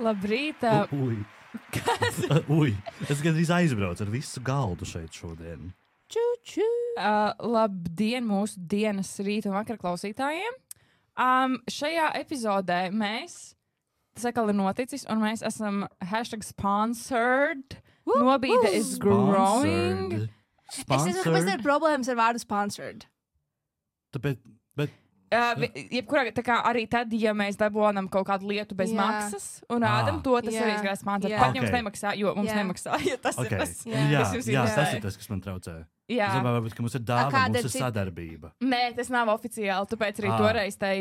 Labrīt. Ui. Ui. Es gandrīz aizbraucu ar visu galdu šeit šodien. Ču. Labdien mūsu dienas rīta un vakar klausītājiem. Šajā epizodē tas atkal ir noticis, un mēs esam #sponsored. Nobīde is growing. Es nezinu, kāpēc ir problēmas ar vārdu sponsored. Tāpēc, Jebkurā, tā kā arī tad, ja mēs dabūjam kaut kādu lietu bez maksas un rādam to, tas arī ir sponsors. Pat jums nemaksā, jo mums nemaksā. Ja tas ir tas, tas ir tas, kas man traucē. Jā. Es domāju, ka mums ir dāvana, mums ir sadarbība. Nē, tas nav oficiāli, tāpēc arī toreiz tai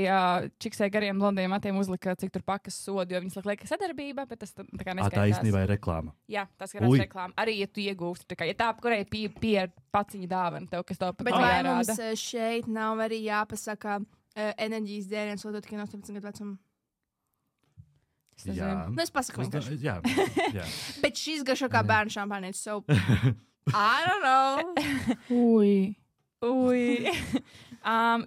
čiksē gariem blondiem matiem uzlika, cik tur pakas sodu, jo viņas liek sadarbība, bet tas tā kā neskaitās. Tā īstenībā ir reklāma. Jā, tas ir reklāma. Arī, ja tu iegūsti, tā kā, ja tā, kurai pie paciņa dāvana tev, kas tev pat bet vai mums šeit nav arī jāpasaka enerģijas dzēriens, otru tikai no 18 gadu vecuma? Jā. Nu, es pasaku vienkārši. Jā. Bet šis garšo kā bērnu šampānietis, so... I don't know. Ui.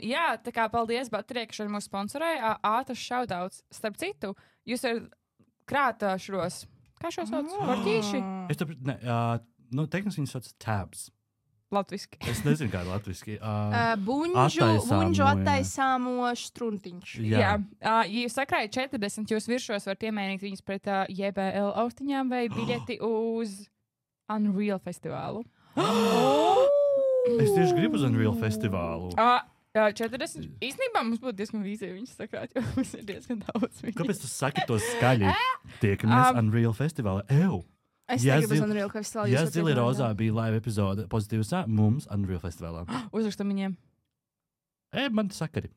Jā, tā kā paldies Baterijai, ka šodien mūs sponsorēja. Ātrs šaudauts. Starp citu, jūs ar krāta šos, kā šos sauc? Korķīši? Tehniski viņi sauc tabs. Latviski. Es nezinu, kā latviski. Buņģu attaisāmo štruntiņš. Jā. Ja jūs sakrājat 40, jūs viršos varat iemainīt viņus pret JBL austiņām vai biļeti uz Unreal festivālu. Es tieši gribu uz Unreal festivālu. 40. Īstenībā mums būtu diezgan vīzija viņus sakrāt, jo mums ir diezgan daudz viņus. Kāpēc tu saki to skaļi? Tiekamies Unreal festivālā. Es negribu uz Unreal festivālu. Ja Zili Rozā bija live epizode pozitīvs, mums Unreal festivālā. Uzrakstam viņiem. Man sakari.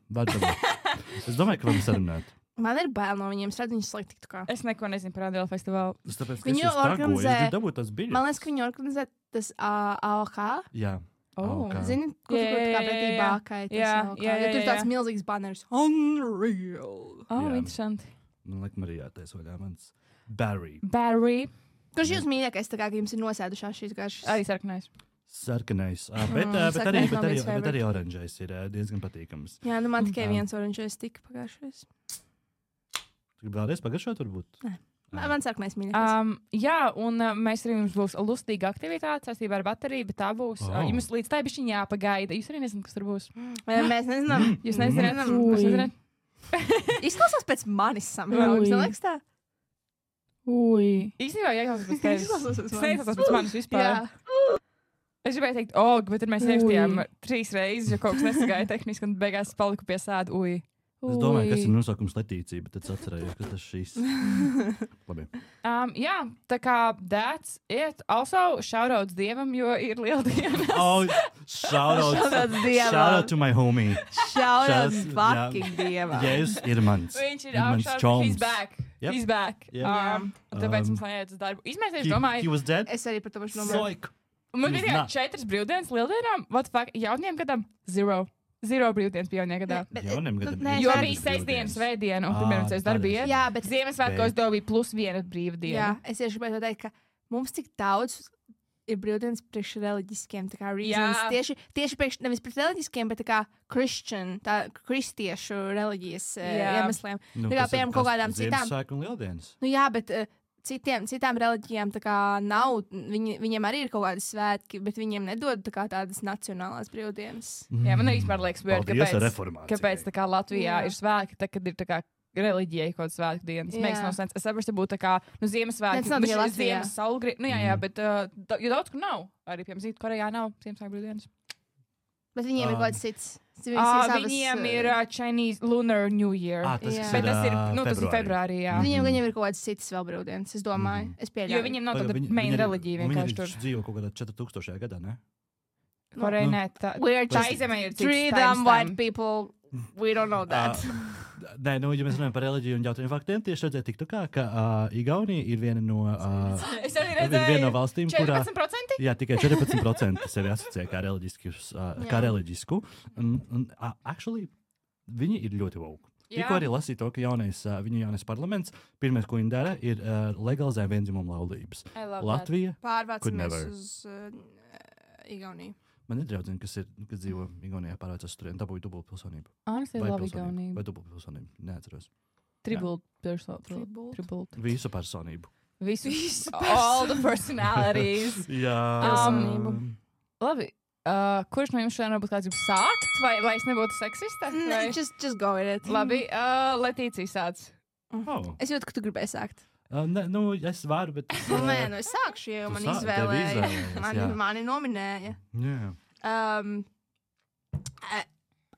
Es domāju, ka varam sarunāt. Man ir bail no viņiem, es redzu viņus slēgt tik kā. Es neko nezinu par Unreal festivālu. Viņi organizē, man liekas, ka viņi organizē tas AOK. Jā. Zini, kur kā pretī bākai tas AOK. Jo tur tāds milzīgs banners. Unreal. Interesanti. Man liek Marijātais vaļā mans Barry. Kurš jūs mīļākais, tā kā jums ir nosēdušās šīs garšas? Arī sarkanais. Sarkanais. Bet arī oranžais ir diezgan patīkams. Jā, nu man tikai viens oranžais tika pagājušais. Tu gribi vēlreiz pagaršot, varbūt? Nē. Man sarkanais mīļākais. Jā, un mēs arī mums būs lustīga aktivitāte saistībā ar bateriju, bet tā būs. Jums līdz tai bišķiņ jāpagaida. Jūs arī nezināt, kas tur būs. Mēs nezinām. Jūs nezināt? Izklausās pēc manis samērā. Jums neliekas tā? Īstenībā jāklausās pēc manis vispār. Es gribēju teikt, bet tad mēs ierakstījām 3 reizes, jo kaut kas nesagāja tehniski, un beigās paliku pie sēdu. Es domāju, kas ir nosaukums Letīcija, bet tad atcerējos, ka tas šīs. Labi. Jā, tā kā that's it. Also, shoutouts Dievam, jo ir lieldienas. Shoutouts Dievam. Shoutout to my homie. Shoutouts fucking Dievam. Yes, ir mans. Viņš ir augšā. He's back. Yep. He's back. Tāpēc mums jāiet uz darbu. Izmēs, domāju. He was dead? Es arī par to pašu domāju. Man bija 4 brīvdienas lieldienām. What the fuck? Jauniem gadam? 0 brīvdienas bija jaunajā gadā. Jauniem gadam. Jo bija 6 dienas svētdiena, un pirmā dienas darbība. Jā, bet Ziemassvētkos tev bija +1 brīvdiena. Jā, es tieši gribēju teikt, ka mums tik daudz ir brīvdienas priekš reliģiskiem, tā kā reasons. Tieši priekš, nevis priekš reliģiskiem, bet tā kā kristiešu reliģijas iemesliem. Tā kā piemēram kaut kādām citām. Ziemassvētku un lieldienas. Nu jā, bet citām reliģijām tā kā nav, viņiem arī ir kaut kādi svētki, bet viņiem nedod tā kā tādas nacionālās brīvdienas. Jā, man vispār liekas, kāpēc tā kā Latvijā ir svētki, tad, kad ir tā kā reliģijai kaut kāds svētku dienas. Makes no sense. Es saprotu, būtu tā kā, Ziemassvētki, Ziemas saulgrī, bet, jo daudz kur nav. Arī, piemēram, Zīdkorejā nav Ziemassvētku brīvdienas. Bet viņiem ir kaut kāds cits. Viņiem ir Chinese Lunar New Year. Bet tas ir februārī, jā. Viņiem ir kaut kāds cits vēl brīvdienas, es domāju. Es pieļauju. Jo viņiem nav tāda main reliģija vienkārši tur. Viņi dzīvo kaut kādā 4000. gadā, ne? Koreja nē, tā izemē ir cits treat them white people. We don't know that. Nē, ja mēs runājam par reliģiju un jautājumiem faktiem, tieši redzēju TikTokā, ka Igaunija ir viena no valstīm, kurā 14%? Jā, tikai 14% sevi asociē kā reliģisku. Actually, viņi ir ļoti woke. Tikko arī lasīju to, ka viņu jaunais parlaments, pirmais, ko viņi dara, ir legalizē viendzimumu laulības. Latvija pārvācamies uz Igauniju. Man ir draudzene, kas dzīvo Igaunijā, pārvācās tur un dabūja dubultpilsonību. Honestly, love Igauniju. Vai dubultpilsonību, neatceros. Tribult. Visu personību. Visu. All the personalities. Jā. Labi. Kurš no jums šodien varbūt kāds grib sākt? Vai es nebūtu seksiste? Just go with it. Labi. Letīcija sāc. Es jūtu, ka tu gribēji sākt. Es varu, bet... es sākšu, jo man izvēlēja. Mani nominēja. Jā.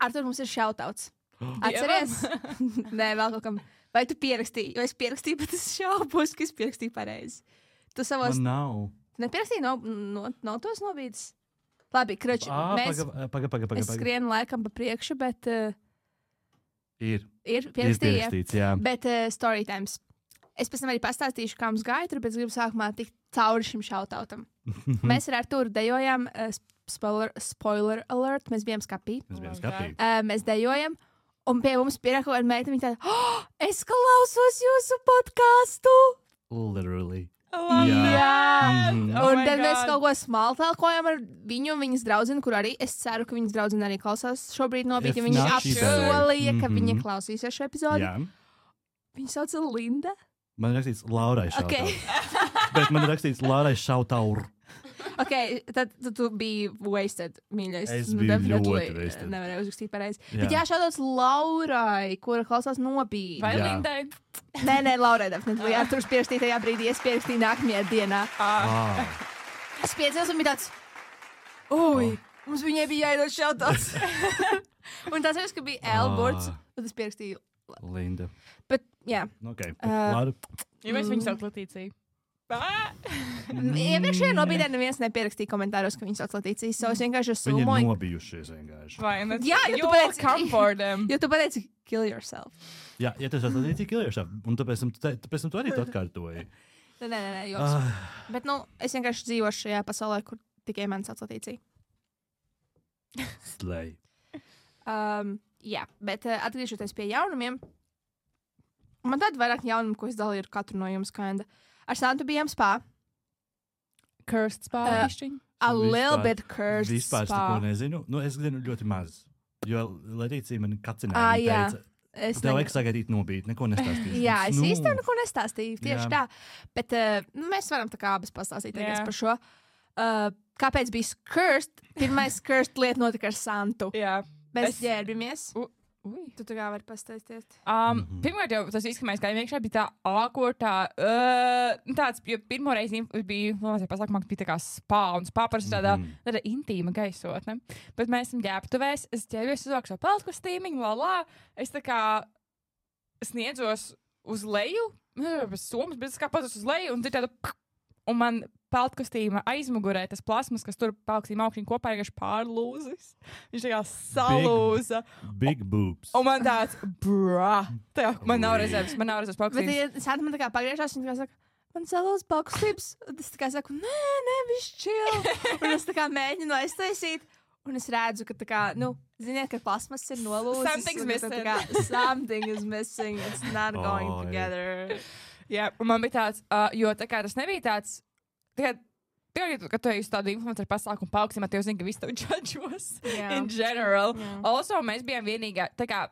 Artur, mums ir shoutouts. Atceries? Nē, vēl kaut kam. Vai tu pierakstīji? Jo es pierakstīju, bet es šaubos, ka es pierakstīju pareizi. Tu savos... Man nav. Tu nepirakstīji nav tos nobīdes? Labi, krači, mēs... Paga. Es skrienu laikam pa priekšu, bet... Ir pierakstīts, jā. Bet story times. Es pēc tam arī pastāstīšu, kā mums gāja, bet es gribu sākumā tikt cauri šim shoutoutam. Mēs ar Arturu dejojam, spoiler alert, mēs bijām skapī. Mēs dejojam, un pie mums pierā kaut kāda meita, viņa tāda, es klausos jūsu podcastu! Literally. Jā. Un tad mēs kaut ko smaltākojam ar viņu un viņas draudzeni, kur arī es ceru, ka viņas draudzene arī klausās šobrīd nopietni, jo viņa apsolīja, ka viņa klausīsies šo epizodi. Viņa sauca Linda. Man ir rakstīts Laurai Šautaur. Bet man ir rakstīts Laurai Šautaur. Ok, tad tu biji wasted, mīļais. Es biju ļoti wasted. Nevarēju uzrakstīt pareizi. Bet jā, šādauts Laurai, kura klausās nobīdi. Vai Lindai? Nē, Laurai definitīvi. Jā, tur pierakstīja tajā brīdī, es pierakstīju nākamajā dienā. Es piecēlos un bija tāds, mums viņai bija jāiedod šādauts. Un tas ir, ka bija Elburts, un es pierakstīju Linda. Bet, jā. Ok, labi. Jo mēs viņu sauc Letīciju. Iepriekšējā nobīdē neviens nepierakstīja komentāros, ka viņi sauc Letīciju. So es vienkārši Viņi ir nobijušies vienkārši. Jā, jo tu pateici kill yourself. Jā, ja tu sauc Letīciju, kill yourself. Un tāpēc tu arī to atkārtoji. Nē, joks. Bet, es vienkārši dzīvošu šajā pasaulē, kur tikai man sauc Letīcija. Slay. Jā, bet atgriežoties pie jaunumiem, man tāda vairāk jaunumu, ko es dalīju ar katru no jums, kinda. Ar Santu bijām spā. Cursed spā, pišķiņ? A little bit cursed vispār spā. Vispār nezinu. Es zinu ļoti maz. Jo Letīcija man kacināja teica, tev vajag sagaidīt nobīt, neko nestāstīju. Jā, es īstenībā neko nestāstīju, tieši tā. Bet mēs varam tā kā abas pastāstīt par šo. Kāpēc bija cursed? Pirmais cursed lieta notika ar Santu. Jā. Mēs ģērbamies. Tu tā kā vari pastāstīt. Pirmkārt jau tas viss, ka mēs gājām iekšā, bija tā ākortā, tāds, jo pirmo reizi bija, pasākumā, ka bija tā kā spā, un spā parasti tāda intīma gaisotne. Bet mēs esam ģērbtuvēs, es ģērbjos uzvāku savu peltkostīmiņu, es tā kā sniedzos uz leju, bez somas, bet es kā pats uz leju, un tāda, un man peltkostīma aizmugurē tas plasmas, kas tur peltkostīma augšņi kopā vienkārši pārlūzis. Viņš tā kā salūza. Big boobs. Un man tāds, man nav rezerves peltkostīmas. Bet Santa man tā kā pagriežās, un tā kā saka, man salūza peltkostīmas. Es tā kā saku, nē, viņš chill. Un es tā kā mēģinu aiztaisīt. Un es redzu, ka tā kā, ziniet, ka plasmas ir nolūzis. Something's missing. Something is missing. It's not going together. Jā, un man bija tāds, jo tā kā tas nebija tāds, Pirmkārt, kad tu ej uz tādu influenceru pasākumu paaugstināt, tev zina, ka visi tev judžos in general. Also, mēs bijām vienīgā, tā kā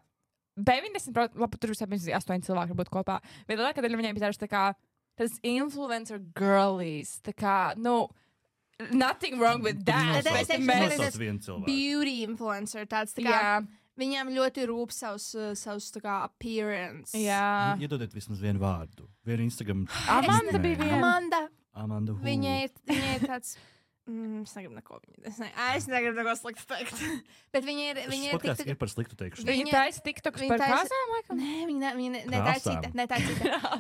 90%, labi, tur visiem bija 8 cilvēki būt kopā, bet lielākā daļa viņiem bija tā kā tas influencer girlies, tā kā, nothing wrong with that. Tas beauty influencer, tāds tā kā, viņām ļoti rūp savus tā kā appearance. Jā. Iedodiet vismaz vienu vārdu, vienu Instagram. Amanda bija viena. Amanda. Viņai ir tāds. Es negribu neko viņu. Es negribu neko sliktu teikt. Bet viņa ir. Podcasts ir par sliktu teikšanu. Viņa taisa TikToks par kāzām, laikam? Nē, viņa tā ir cita.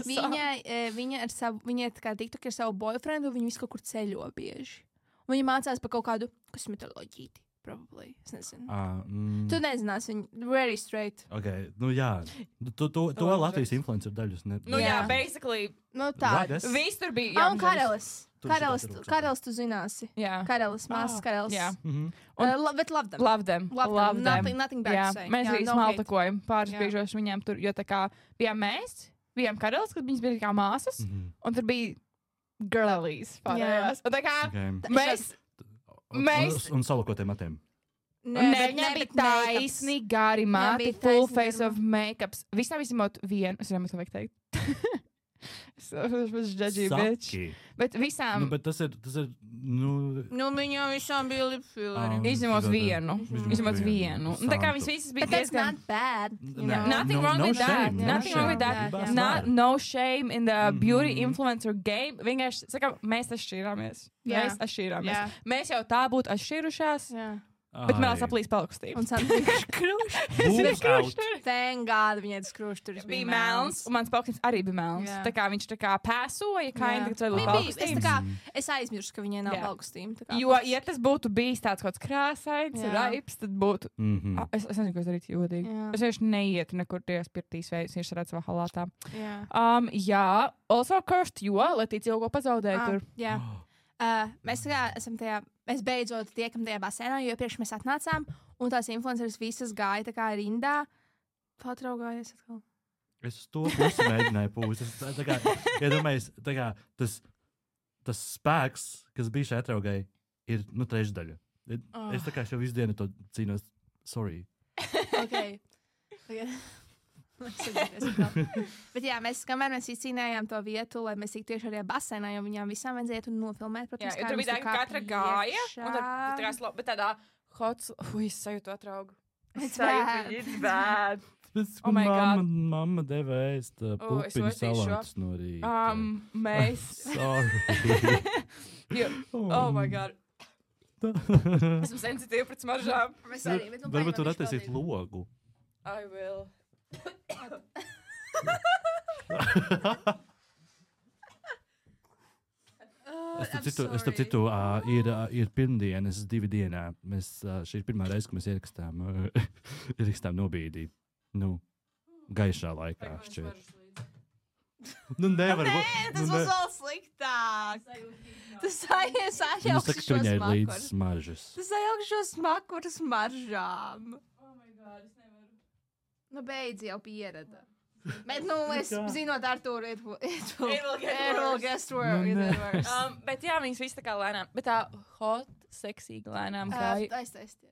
Viņa ir tā kā TikTok ar savu boyfriendu, viņa visu kaut kur ceļo bieži. Un viņa mācās par kaut kādu kosmetoloģīti. Probably. Es nezinu. Tu nezināsi viņu. Very straight. Ok, jā. To Latvijas influencer daļus. Jā, basically. Tā. Viss tur bija. Un Karelis. Karelis tu zināsi. Jā. Karelis, māsas Karelis. Jā. Bet love them. Love them. Nothing bad to say. Mēs arī smaltakojam pāris brīžos viņiem tur, jo tā kā bijām mēs, bijām Karelis, kad viņas bija kā māsas, un tur bija girlies pārējās. Un tā kā mēs... Un salokotiem matiem. Viņam bija taisnīgi gari mati, full face of make-ups. Visām izņemot vienu. Es nezinu, ko vajag teikt. Es judgy bitch. Bet visām... Bet tas ir... viņam visām bija lipfilleri. Izņemot vienu. Tā kā viņas visas bija diezgan... But that's not bad. Nothing wrong with that. Nothing wrong with that. No shame in the beauty influencer game. Vienkārši, saka, mēs atšķīrāmies. Mēs jau tā būtu atšķīrušās. Bet mēs aplīs palkustījām. Un Sandra vienkārši kruštur. Thank God, viņai tas krušturis bija melns. Un mans palkustījums arī bija melns. Tā kā viņš tā kā pēsoja, es aizmirsu, ka viņai nav palkustījuma. Jo, ja tas būtu bijis tāds kaut kāds krāsains, raips, tad būtu... Es nezinu, ko es darītu jūtīgi. Es vienkārši neietu nekur tajās pirtīs veids, viņš redz savā halātā. Also cursed, jo Letīcija jau ko pazaudēja tur. Mēs esam tajā, mēs beidzot tiekam tajā basēnā, jo iepriekš mēs atnācām, un tās influenceris visas gāja tā kā rindā. Patraugājies atkal. Es to pusi mēģināju pūst. Iedomājies, tas spēks, kas bija šai atraugai, ir, trešdaļa. Es tā kā šo visu dienu to cīnos. Sorry. Okay. Bet jā, kamēr mēs izcīnījām to vietu, lai mēs tiktu tieši arī basēnā, jo viņām visām vajadzēja to nofilmēt. Protams, jā, tur bija tā, ka katra gāja, bet tādā hots, es sajūtu atraugu. It's bad. Mamma deva ēst pupiņu salātus no rīta. Mēs. Sorry. Oh my God. Esmu sensitīva pret smaržām. Varbūt tur attaisīt logu. I will. Es tam citu, ir pirmdienas 2 dienā. Šī ir pirmā reize, ka mēs ierakstām nobīdī. Gaišā laikā šķiet. Nevar. Tas būs vēl sliktāk. Tas sajaukšu šo smaržas. Tas sajaukšu smaku ar smaržām. Oh my God, es nevaru. Beidz jau pierada. Bet, es zinot Arturu, it will get worse. Bet jā, viņas viss tā kā lēnām. Bet tā hot, seksīga lēnām kāja. Aiztaisiet.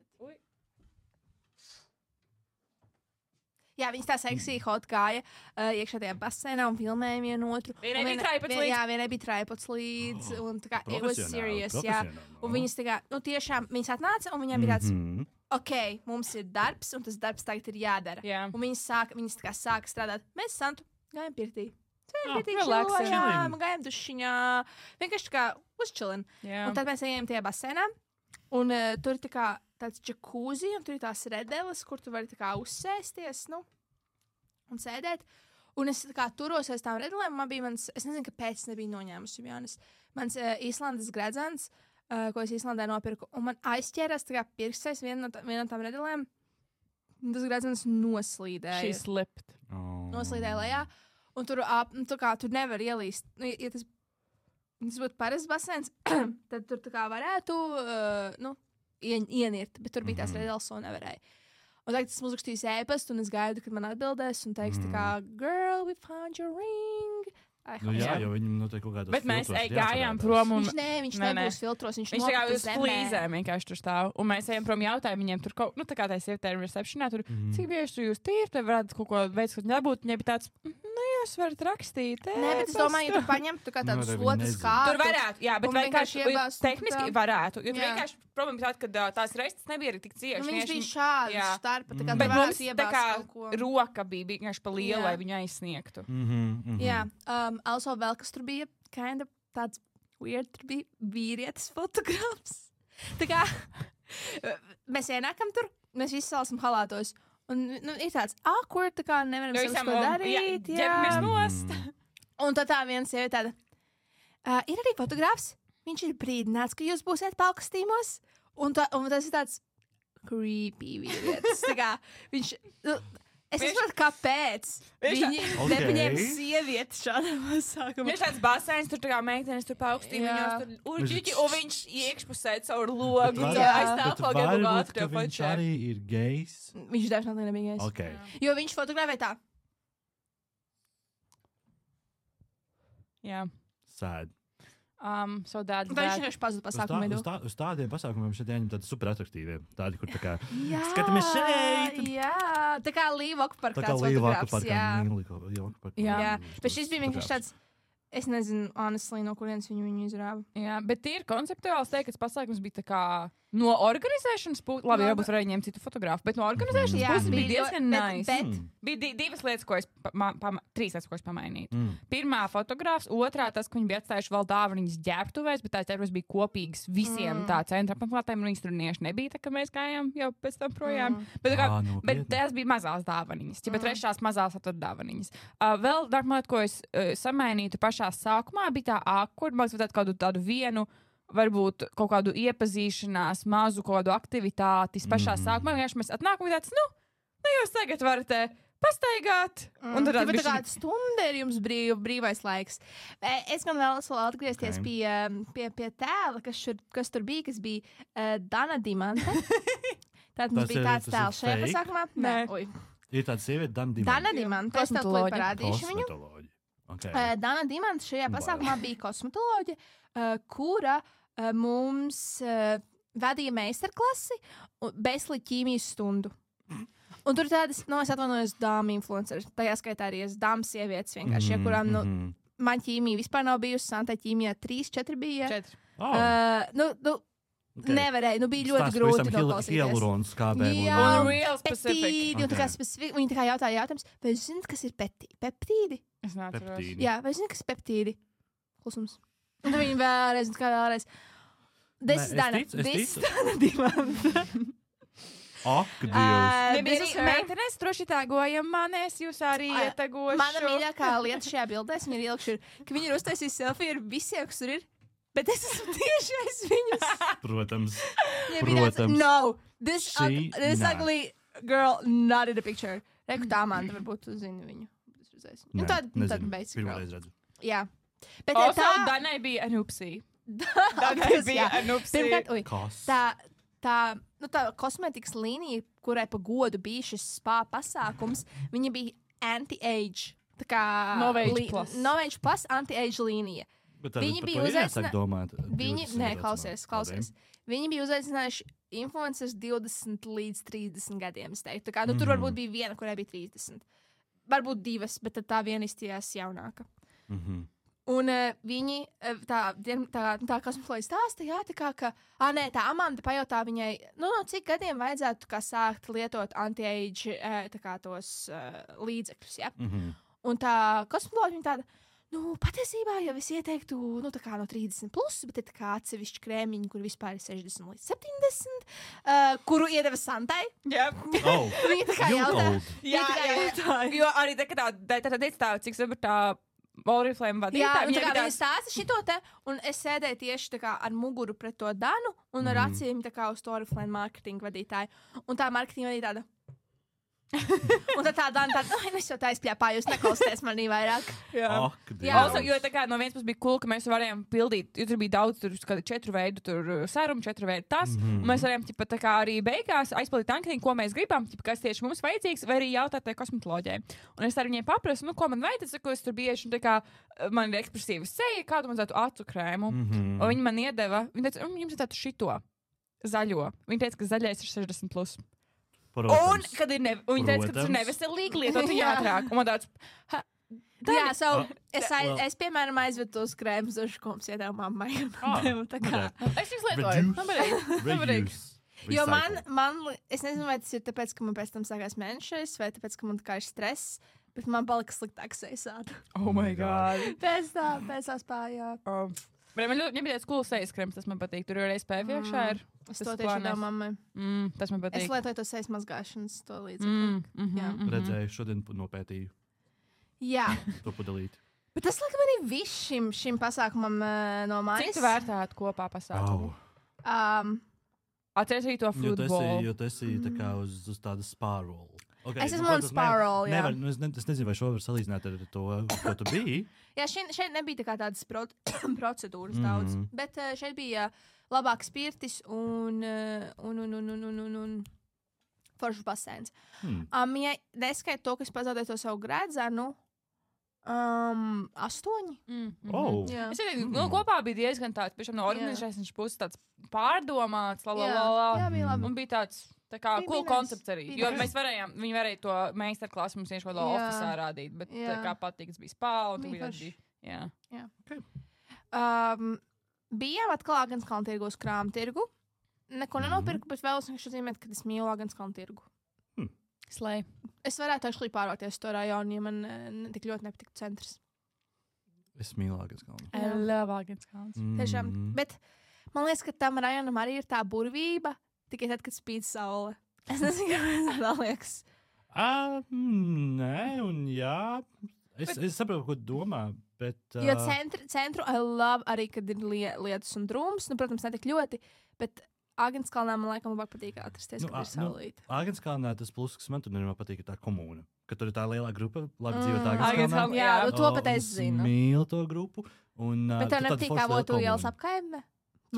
Jā, viņas tā seksīgi hot gāja iekšā tajā basēnā un filmēja vienu otru. Vienai bija traipots līdz. Jā, vienai bija traipots līdz. Un tā kā, it was serious, jā. Un viņas tā kā, tiešām, viņas atnāca un viņām bija tāds... Ok, mums ir darbs, un tas darbs tagad ir jādara. Yeah. Un viņas sāka strādāt. Mēs Santu gājām pirtī. Gājām dušiņā. Vienkārši kā uzčilin. Yeah. Un tad mēs ejam tajā basēnā. Un tur ir tāds džakūzi, un tur ir tās redeles, kur tu vari uzsēsties, un sēdēt. Un es turos aiz tām redelēm. Man bija es nezinu, kāpēc es nebiju noņēmusi. Mans Īslandes gredzens, ko es Īslandē nopirku, un man aizķērās pirkstais viena no tām redelēm. Tas gredzens noslīdēja. She slipped. Noslīdēja lejā. Un tur nevar ielīst. Ja tas būtu parasts basēns, tad tur varētu ienirt. Bet tur bija tās redeles, un nevarēja. Un tagad es uzrakstīju ēpastu, un es gaidu, kad man atbildēs, un teiks girl, we found your ring. Jā, jo viņam noteikti kaut kādā filtros. Bet mēs gājām prom un... Viņš nebūs filtros, viņš tā kā uz flīzēm vienkārši tur stāv. Un mēs ejam prom jautājumu viņiem tur kaut, tā kā tā sievietē receptionā, tur, cik bieži tu jūs tīri, te varētu kaut ko veids, kaut nebūt, viņai bija tāds, jūs varat rakstīt. Nē, bet es domāju, ja tu paņemtu kā tādu slotas kārtu. Tur varētu, jā, bet vienkārši tehniski varētu. Jo vienkārši problēma tāda, ka tās reistas nebija arī tik cieši. Viņš bija šādi starpa, tā kā bet mums tā kā roka bija vienkārši pa lielu, lai viņu aizsniegtu. Jā, also vēl kas tur bija kind of tāds weird, tur bija vīrietis fotogrāfs. Tā kā mēs ienākam tur, mēs visi salasam halātos. Un ir tāds awkward, tā kā nevaram savus ko darīt. Jā, nost. Un tad tā viena sieviete tāda, ir arī fotogrāfs, viņš ir brīdināts, ka jūs būsiet palkastīmos. Un tas ir tāds creepy vīrietis. Tā kā viņš... Es nesaprotu, kāpēc viņi nepaņēma sievieti šādā pasākumā. Viņš tāds basēns, tur tā kā meitenes tur paukstī, viņās tur uģiķi, un viņš iekšpusē caur logu. Bet varbūt, ka viņš arī ir gejs. Viņš definitīvi nebija gejs. Okay. Jo viņš fotografē tā. Jā. Sad. So that's Vai viņš vienkārši pazuda pasākumu vidū? Uz tādiem pasākumiem šeit ieņem tādi super atraktīvi. Tādi, kur tā kā skatāmies šeit. Jā, tā kā Līvaku park tāds fotogrāfs. Jā, bet šis bija vienkārši tāds, es nezinu, honestly, no kurienes viņu izrāva. Jā, bet tīri konceptuāls teikt, ka pasākums bija tā kā no organizēšanas puses, labi, varbūt varēja ņemt citu fotografu, bet no organizēšanas puses bija diezgan nice. Bija divas lietas, ko es, trīs lietas, ko es pamainītu. Pirmā fotogrāfs, otrā tas, ka viņi bija atstājuši vēl dāvanas ģērbtuvēs, bet tās ģērbtuves bija kopīgas visiem tā centra apmeklētājiem, un viņas tur nieši nebija, tā kā mēs gājām jau pēc tam projām. Bet tās bija mazās dāvanas, bet trešās mazās atur dāvanas. Vēl nākamā lieta, ko es samainītu pašā sākumā, bija tā kur man vajadzētu tādu vienu, varbūt kaut kādu iepazīšanās, mazu kaut kādu aktivitāti pašā sākumā. Vienkārši mēs atnākam un tāds, jūs tagad varat pastaigāt. Un tad tā kāda stunda ir jums brīvais laiks. Es gan vēlos vēl atgriezties pie tēla, kas tur bija, kas bija Dana Dimanta. Tātad mums bija tāds tēls šajā pasākumā. Nē. Ir tāda sieviete, Dana Dimanta. Dana Dimanta. Es tev parādīšu viņu. Okay. Dana Dimanta šajā pasākumā bija kosmetoloģe, kura mums vadīja meistarklasi bezli ķīmijas stundu. Un tur tādas, es atvainojos, dāmu influenceris, tajā skaitā arī es dāmas sievietes vienkārši, kurām, man ķīmija vispār nav bijusi, Santai ķīmijā 3-4 bija. 4. Nevarēja, bija ļoti grūti noklausīties. Hialurons kābēm. Jā, peptīdi, un tā kā specifika, viņi tā kā jautāja jautājums, vai jūs zināt, kas ir peptīdi? Es neatceros. Jā, vai jūs zināt, kas ir peptīdi? Klusums. Un tad viņi vēlreiz, un kā vēlreiz. This is Dana Dimanta. Ak, Dievs. Meitenes, droši tagojam manēs, jūs arī ietagošu. Mana mīļākā lieta šajā bildēs, viņa ir ielikuši, ka viņi ir uztaisījuši selfiju ar visiem, kas tur ir. Bet es esmu tieši aiz viņas. Protams. No, this ugly girl not in the picture. Reku tā man, varbūt tu zini viņu. Tad basic girl. Pirmreiz redzu. Jā. Bet also, Danai bija anupsī. Danai bija anupsī. Tā kosmetikas līnija, kurai pa godu bija šis spa pasākums, viņa bija anti-age. Tā kā Novage plus anti-age līnija. Viņi bija uzaicinājuši. Klausies. Viņi bija uzaicinājuši influencers 20 līdz 30 gadiem. Tā kā, tur varbūt bija viena, kurai bija 30. Varbūt divas, bet tad tā viena izstījās jaunāka. Un viņi, tā kosmetoloģija stāsta, tā kā, ka, tā Amanda pajautā viņai, cik gadiem vajadzētu sākt lietot anti-age tos līdzekļus, ja? Un tā kosmetoloģija viņa tāda, patiesībā jau es ieteiktu, no 30 plus, bet ir atsevišķi krēmiņi, kur vispār ir 60 līdz 70, kuru iedeva Santai. Jā. Viņa tā kā jautā. Jā. Jo arī tā, cik sapratu tā Oriflame vadītāja. Viņa stāsta šito te, un es sēdēju tieši tā kā ar muguru pret to Danu, un ar acīm tā kā uz to Oriflame marketinga vadītāju. Un tā marketinga vadītāja tāda. Un tad tā Dana tāda, es jau tā izpļāpāju, jūs neklausieties manī vairāk. Also, jo tā kā no vienas puses bija cool, ka mēs varējām pildīt, jo tur bija daudz, tur 4 veidu serumu, 4 veidu tas, un mēs varējām tā kā arī beigās aizpildīt anketiņu, ko mēs gribam, kas tieši mums vajadzīgs, vai arī jautāt tai kosmetoloģijai. Un es ar viņiem paprasu, ko man vajag, ko es tur bieži, un tā kā man ir ekspresīva seja, kādu man zētu acu krēmu, un viņi man iedeva, viņi teica, jums ir tādu šito zaļo. Viņi teica, ka zaļais ir 60 plus. Protams. Un, kad ir viņi teica, ka tas ir neveselīgi lietot ātrāk. Un man tāds, es piemēram aizvedu tos krēmus uz koms iedēvu mammai. Es viņus lietoju. Jo es nezinu, vai tas ir tāpēc, ka man pēc tam sākās mēnešais, vai tāpēc, ka man tā kā ir stress, bet man palika sliktāks sejas. Oh my God. Pēc tā spājā. Man ļoti bija tāds cools sejas krems, tas man patīk. Tur ir SPF iekšā. Es to tieši devu mammai. Tas man patīk. Es lietoju to sejas mazgāšanas, to līdzekļu. Redzēju, šodien nopētīju. Jā. To padalīt. Bet tas laikam arī viss šim pasākumam no manis. Cik tu vērtētu kopā pasākumu? Atceries arī to futbolu. Jo tas ir tā kā uz tāda spārolu. Okay, es esmu on Sparrow, jā. Es nezinu, vai šo var salīdzināt ar to, ko tu biji. Jā, šeit nebija tā kā tādas procedūras daudz, bet šeit bija labāks pirtis un foršs basēns. Ja neskait to, ka es pazaudēju to savu gredzenu, 8. Es domāju, kopā bija diezgan tāds, piemēram, no organizēšanas puses tāds pārdomāts, Jā, bija labi. Un bija tāds tā kā cool koncepts arī. Jo viņi varēja to meistarklasu mums vienkārši kādā ofisā rādīt, bet tā kā patīk, tas bija spā, un tu bija arī. Jā. Bijām atkal Agenskalna tirgu uz krāmu tirgu. Neko nenopirku, bet vēl es zīmētu, ka es mīlu Agenskalna tirgu. Slay. Es varētu actually pārvākties to rajonu, ja man tik ļoti nepatiktu centrs. Es mīlu Agenskalnu. I love Agenskalns. Tiešām. Bet man liekas, ka tam rajonam arī ir tā burvība, tikai tad, kad spīd saule. Es nezinu, kā tā liekas. Nē, un jā. Es saprotu, ko domā, bet... Jo centru I love arī, kad ir lietus un drūms. Nu, protams, ne tik ļoti, bet... Agenskalnā man laikam labāk patīk atrasties, kad ir saulīte. Agenskalnā tas pluss, kas man tur patīk, ir tā komūna. Ka tur ir tā lielā grupa, labi dzīvot Agenskalnā. Jā, to pat es zinu. Es mīlu to grupu. Bet tev nepatīk kā Votu ielas apkaimne?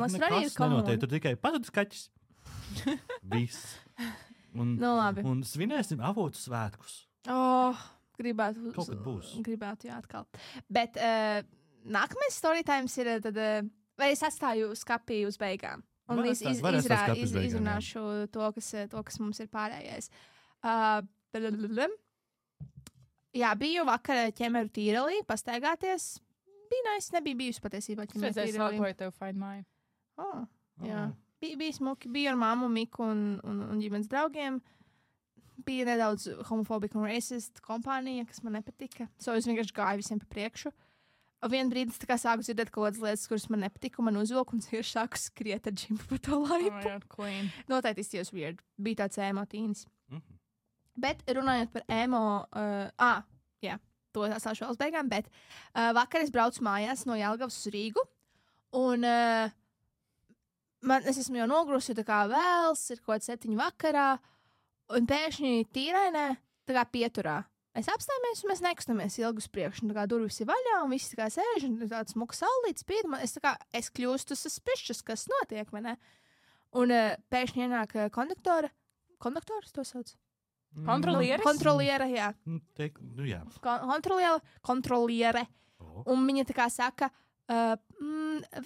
Mums tur arī ir komūna. Tur tikai padod skaķis. Viss. Labi. Un svinēsim Avotu svētkus. Gribētu. Kaut kad būs. Gribētu, jā, atkal. Bet nākamais storytimes ir tad, vai es atstāju skapī uz beigām? Un izrunāšu to, kas mums ir pārējais. Jā, biju vakar ķemeru tīrelī, pastaigāties. Bija nice, nebija bijusi patiesībā ķemeru tīrelī. Es sākoju tev find my. Jā, bija smuki, biju ar mammu, Miku un ģimenes draugiem. Bija nedaudz homofobika un racist kompānija, kas man nepatika. So es vienkārši gāju visiem pa priekšu. Vien brīdis tā kā sāku dzirdēt kaut kādas lietas, kuras man nepatika, man uzvilku un ir sāku skriet ar džimpu pa to laipu. Noteikti izties weird. Bija tāds emo tīnis. Bet runājot par emo, to atstāšu vēl uz beigām, bet vakar es braucu mājās no Jelgavas uz Rīgu, un es esmu jau nogurusi, jo tā kā vēls, ir kaut 7 vakarā, un pēkšņi tīrainē, tā kā pieturā. Mēs apstājamies, un mēs nekustamies ilgi uz priekšu. Tā kā durvis ir vaļā, un viss tā kā sēž, un tāds smuks saulītis spīd. Es kļūstu suspicious, kas notiek, vai ne? Un pēkšņi ienāk konduktors to sauc? Kontrolieris? Kontroliere, jā. Jā. Kontroliere. Un viņa tā kā saka,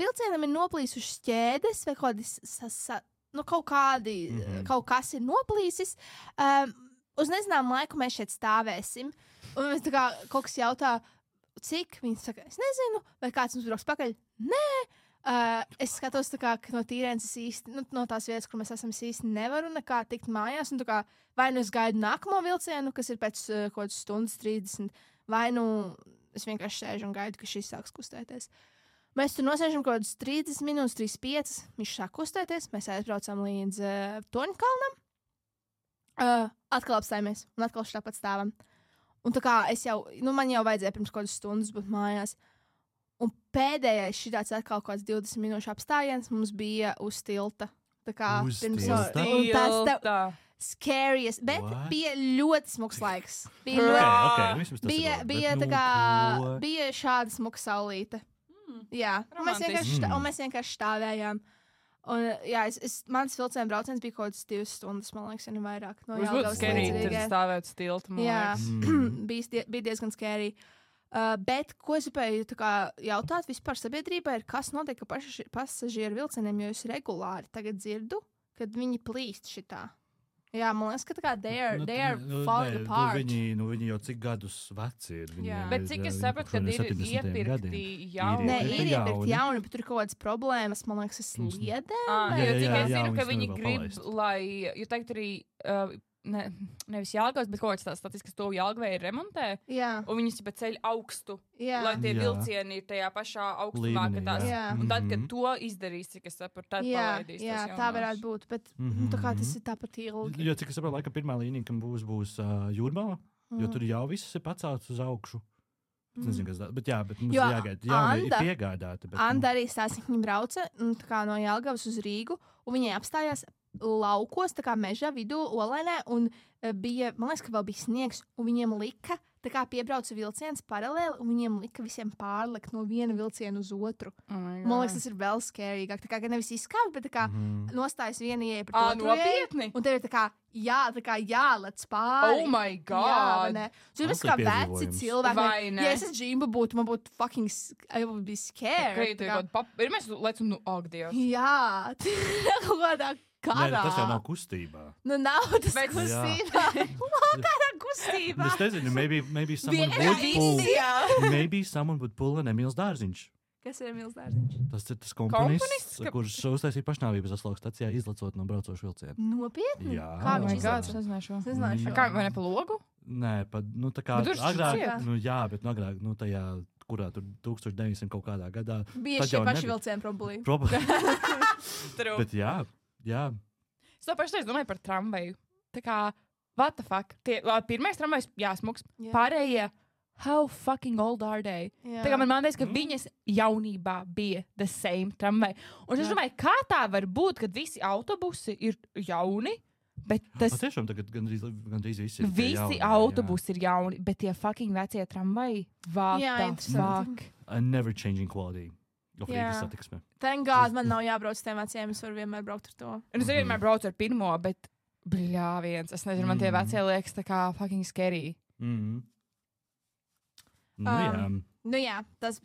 vilcienam ir noplīsušas ķēdes, vai kaut kas ir noplīsis. Uz nezināmu laiku mēs šeit stāvēsim. Un mēs tā kā kaut kas jautā, cik? Viņi saka, es nezinu, vai kāds mums brauks pakaļ. Nē! Es skatos tā kā no tīrienes īsti, no tās vietas, kur mēs esam īsti nevaru nekā tikt mājās. Un tā kā vai nu es gaidu nākamo vilcienu, kas ir pēc kaut kādas stundas 30, vai nu es vienkārši sēžu un gaidu, ka šis sāks kustēties. Mēs tur nosēžam kaut kādas 30 minūtes, 35. Viņš sāk kustēties, mēs aizbraucam līdz Toņkalnam. Atkal apstājamies un atkal štāpat stāvam. Un tā kā man jau vajadzēja pirms kādas stundas būt mājās. Un pēdējais šitāds atkal kāds 20 minūšu apstājiens mums bija uz tilta. Tā kā uz pirms tilta? Scariest, bet bija ļoti smuks laiks. Bija šāda smuka saulīte. Jā, un mēs vienkārši stāvējām. Un, jā, mans vilciena brauciens bija kaut kāds 2 stundas, man liekas, ja ne vairāk. No Jelgavas līdz Rīgai. Stāvēt stilta, man liekas. Jā, bija diezgan scary. Bet, ko es gribēju jautāt vispār sabiedrībai, ir, kas notiek ar pasažieru vilcieniem, jo es regulāri tagad dzirdu, kad viņi plīst šitā. Jā, man liekas, ka tā kā they are falling apart. Viņi jau cik gadus veci ir. Bet cik es sapratu, kad ir iepirkti jauni. Nē, ir iepirkti jauni, bet tur ir kaut kādas problēmas, man liekas, es liedēm. Jo cik es zinu, ka viņi grib, lai, jo tagad arī, nevis Jelgavas, bet kaut kāds tās statiskas to Jelgavai remontē. Jā. Un viņas pa ceļu augstu, lai tie vilcieni ir tajā pašā augstumā, ka tās. Un tad, kad to izdarīs, cik es sapratu, tad palaidīs. Jā, tā varētu būt, bet tā kā tas ir tāpat ilgi. Jo cik es saprotu, laika pirmā līnija, kam būs Jūrmala, jo tur jau viss ir pacēlts uz augšu. Es nezinu, kas tā, bet mums jāgaida. Jauni ir piegādāti. Anda arī stāstīja, viņa brauca no Jelgavas uz Rīgu, un viņai apstājās laukos, tā kā meža vidū, Olainē, un bija, man liekas, ka vēl bija sniegs, un viņiem lika tā kā piebrauca vilciens paralēli, un viņiem lika visiem pārlikt no viena vilciena uz otru. Man liekas, tas ir vēl skārīgāk. Tā kā nevis izskauj, bet tā kā nostājas viena ieeja par to nopietni. Un tev ir tā kā jālec pāri. Oh my god! Tu esi kā veci cilvēki. Ja es džimba būtu, man būtu fucking, I would be scared. Ir mēs lecam, ak, Dievs. Jā, kaut kādā karā. Nē, tas jau nav kustībā. Nu, nav tas kustībā. Kādā kustībā? Es nezinu, maybe someone would pull an Emīls Dārziņš. Kas ir Emīls Dārziņš? Tas ir tas komponists, kurš uztaisīja pašnāvības aslauku stacijā, izlecot no braucošu vilcienu. Nopietni? Jā. Kā viņš izlaiž? Kā vai ne pa logu? Nē, tā kā agrāk, jā, bet agrāk, tajā, kurā tur 1900 kaut kādā gadā. Bija šie paši vilcieni problēma. Bet jā. Es to pašreiz domāju par tramvaju. Tā kā, what the fuck? Pirmais tramvajs, smuks. Pārējie, how fucking old are they? Tā kā man teica, ka viņas jaunībā bija the same tramvai. Un es domāju, kā tā var būt, kad visi autobusi ir jauni, bet tas... Tiešām tagad gandrīz visi ir visi autobusi ir jauni, bet tie fucking vecie tramvai, what the fuck? A never changing quality. Thank God, man nav jābrauc tiem veciem, es varu vienmēr braukt ar to. Un es vienmēr braucu ar pirmo, bet bļāviens, es nezinu, man tie vecie liekas tā kā fucking scary. Nu jā, tas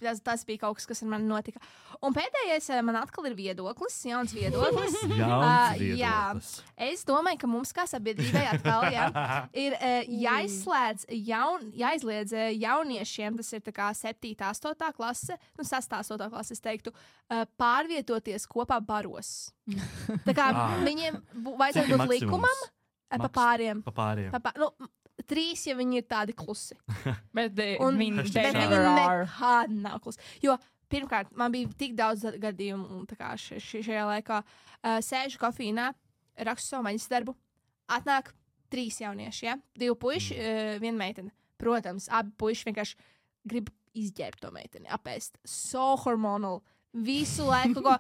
bija kaut kas, kas ar mani notika. Un pēdējais man atkal ir viedoklis, jauns viedoklis. Viedoklis. Es domāju, ka mums kā sabiedrībai atkal ir jāizliedz jauniešiem, tas ir tā kā 7. 8. klase, 6. 8. klase, es teiktu, pārvietoties kopā baros. Tā kā viņiem vajadzētu būt likumam pa pāriem. Nu, 3, ja viņi ir tādi klusi. Bet viņi nekādi nav klusi. Jo, pirmkārt, man bija tik daudz gadījumu, tā kā šajā laikā sēžu kafīnā, rakstu savu maģistarbu, atnāk 3 jaunieši, 2 puiši, 1 meitene. Protams, abi puiši vienkārši grib izģērbt to meiteni, apēst. So hormonal. Visu laiku ko...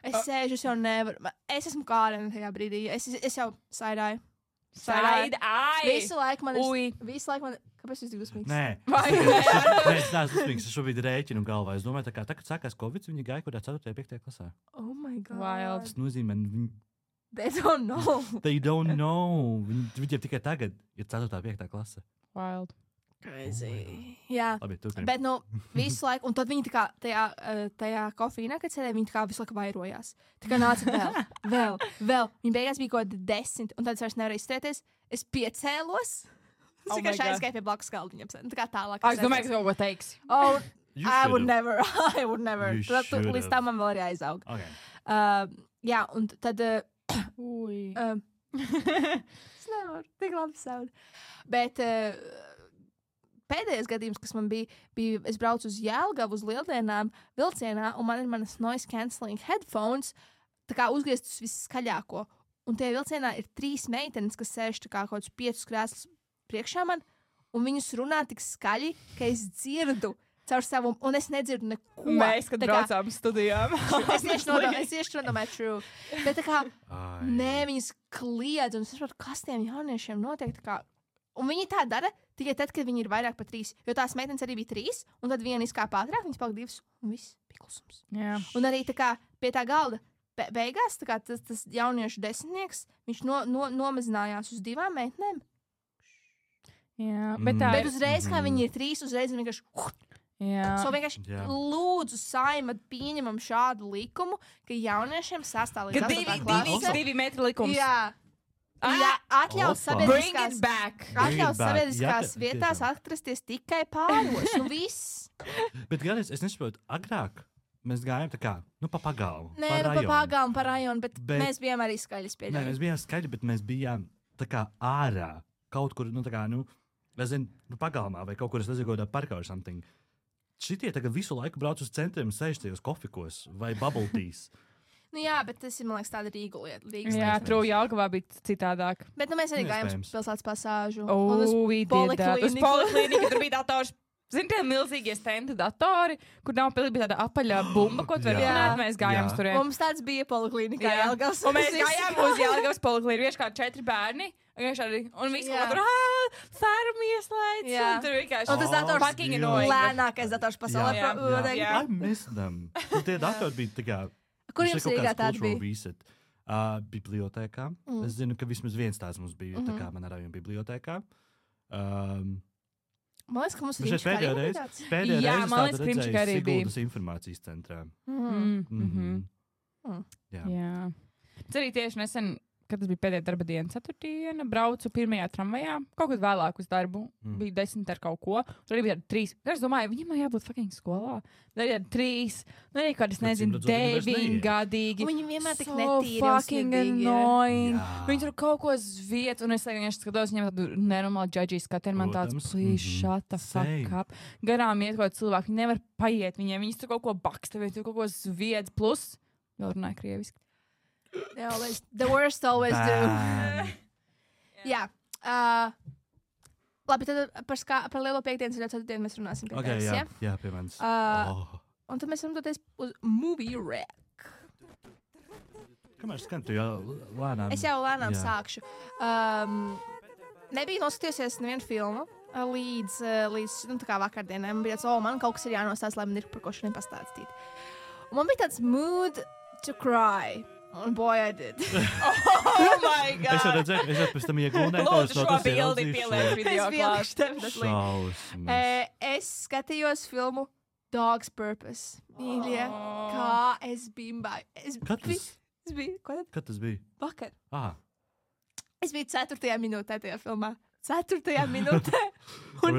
Es sēžu, es jau nevaru. Es esmu Kārena tajā brīdī. Es jau saidāju. Visu laiku man ir... Kāpēc jūs tik dusmīgs? Nē, es neesmu dusmīgs. Es šobrīd rēķinu galvā. Es domāju, tā kā tagad sākās Covid, viņi gāja kurā 4. 5. klasā. Oh my God. Wild. Tas nozīmē, They don't know. They don't know. Viņiem tikai tagad ir 4. 5. klase. Wild. Crazy. Jā, labi, bet visu laiku, un tad viņi tā kā tajā kofīnā, kad sēdēja, viņi tā kā visu laiku vairojās. Tā kā nāca vēl. Viņi beigās bija kaut kādi 10, un tad es vairs nevarēju izturēties. Es piecēlos. Es vienkārši aizgāju pie blakus galdiņiem. Tā kā tālāk. Es domāju, ka kaut ko teiksi. Oh, I would never. Līdz tam man vēl ir jāizaug. Jā, un tad... Es nevaru, tik labi savu. Bet... Pēdējais gadījums, kas man bija, es braucu uz Jelgavu, uz Lieldienām, vilcienā, un man ir manas noise cancelling headphones, tā kā uzgrieztas viskaļāko. Un tie vilcienā ir 3 meitenes, kas sēž tā kā kaut kādus 5 krēslus priekšā man, un viņus runā tik skaļi, ka es dzirdu caur savu, un es nedzirdu neko. Mēs, kad braucām studijām. Es tieši nodomāju, true. Bet tā kā, viņas kliedz, un es saprotu, kas tiem jauniešiem notiek, tā kā. Un viņi tā dara tikai tad, kad viņi ir vairāk par 3. Jo tās meitenes arī bija 3, un tad viena izkāpa ātrāk, viņas palika 2, un viss bija klusums. Jā. Un arī tā kā pie tā galda beigās, tā kā tas jauniešu desmitnieks, viņš nomazinājās uz 2 meitenēm. Jā, bet uzreiz, kā viņi ir 3, uzreiz vienkārši... So vienkārši lūdzu Saima pieņemam šādu likumu, ka jauniešiem 6. līdz 8. klasē... 2 metru likums. Jā, atļaus sabiedriskās vietās atrasties tikai pāros. Nu viss. Bet gādās, es nesaprotu, agrāk mēs gājām tā kā, pa pagalmu. Nē, pa pagalmu, pa rajonu, bet mēs bijām arī skaļi spēļi. Nē, mēs bijām skaļi, bet mēs bijām tā kā ārā. Kaut kur, pagalmā vai kaut kur, es nezinu, kādā parkā or something. Šitie tagad visu laiku brauc uz centriem, sēž tajos kofikos vai bubble teas. Nu jā, bet tas ir, man liekas, tāda Rīgu lieta. Jā, true, Jelgavā bija citādāk. Bet mēs arī gājām uz pilsētas pasāžu. Uz poliklīniku, tur bija dators. Zini, tie milzīgie stendi datori, kur nav bija tāda apaļā bumba, ko tu vari runāt, mēs gājām uz turien. Mums tāds bija poliklīnikā Jelgavas. Un mēs gājām uz Jelgavas poliklīniku, vienkārši kā 4 bērni. Un viss kaut tur fermu ieslēdz. Un tur vienkārši. Un tas dators fucking annoying. lēnākais dators pasaulē. I miss them. Tie datori bija tā kā. Kur jums Rīgā tādi bija? Reset. Bibliotēkā. Es zinu, ka vismaz viens tāds mums bija, tā kā manā rajona bibliotēkā. Man liekas, ka mums ir pēdējā reize tāda redzēju Siguldas informācijas centrā. Jā. Tas arī tieši nesen, kad tas bija pēdējā darba diena, ceturtdiena, braucu pirmajā tramvajā, kaut kad vēlāk uz darbu, bija 10 ar kaut ko, tur arī bija 3. Es domāju, viņam jābūt fucking skolā. Tad arī 3, arī kādas, nezinu, 9 gadīgi. Viņi vienmēr tik netīri un fucking annoying. Viņi tur kaut ko zviet, un es vienkārši skatos, viņiem tādu nenormālu judgy skatu, un man tāds, please, shut the fuck up. Garām iet kaut cilvēki, viņi nevar paiet viņiem, viņi tur kaut ko baksta, viņi tur kaut ko zvied, plus, vēl runāja krieviski. The worst always do. Jā. Labi, tad par lielo piekdienas un ceturtdienu mēs runāsim pie tevis, ja? Jā, pie manis. Un tad mēs varam doties uz Movie Rack. Kamēr skan, tu jau lēnām. Es jau lēnām sākšu. Nebija noskatījusies nevienu filmu līdz tā kā vakardienai. Man bija tāds, man kaut kas ir jānostāst, lai man ir par ko šodien pastāstīt. Un man bija tāds mood to cry. And boy, I did. Oh my God! Es jau redzēju, es jau pēc tam iegūnēju tos no tas ieldzīšu. Es skatījos filmu Dog's Purpose. Mīļie, kā es bimbāju. Kad tas bija? Vakar. Es biju 4. minūtē tajā filmā. 4. minūtē. Un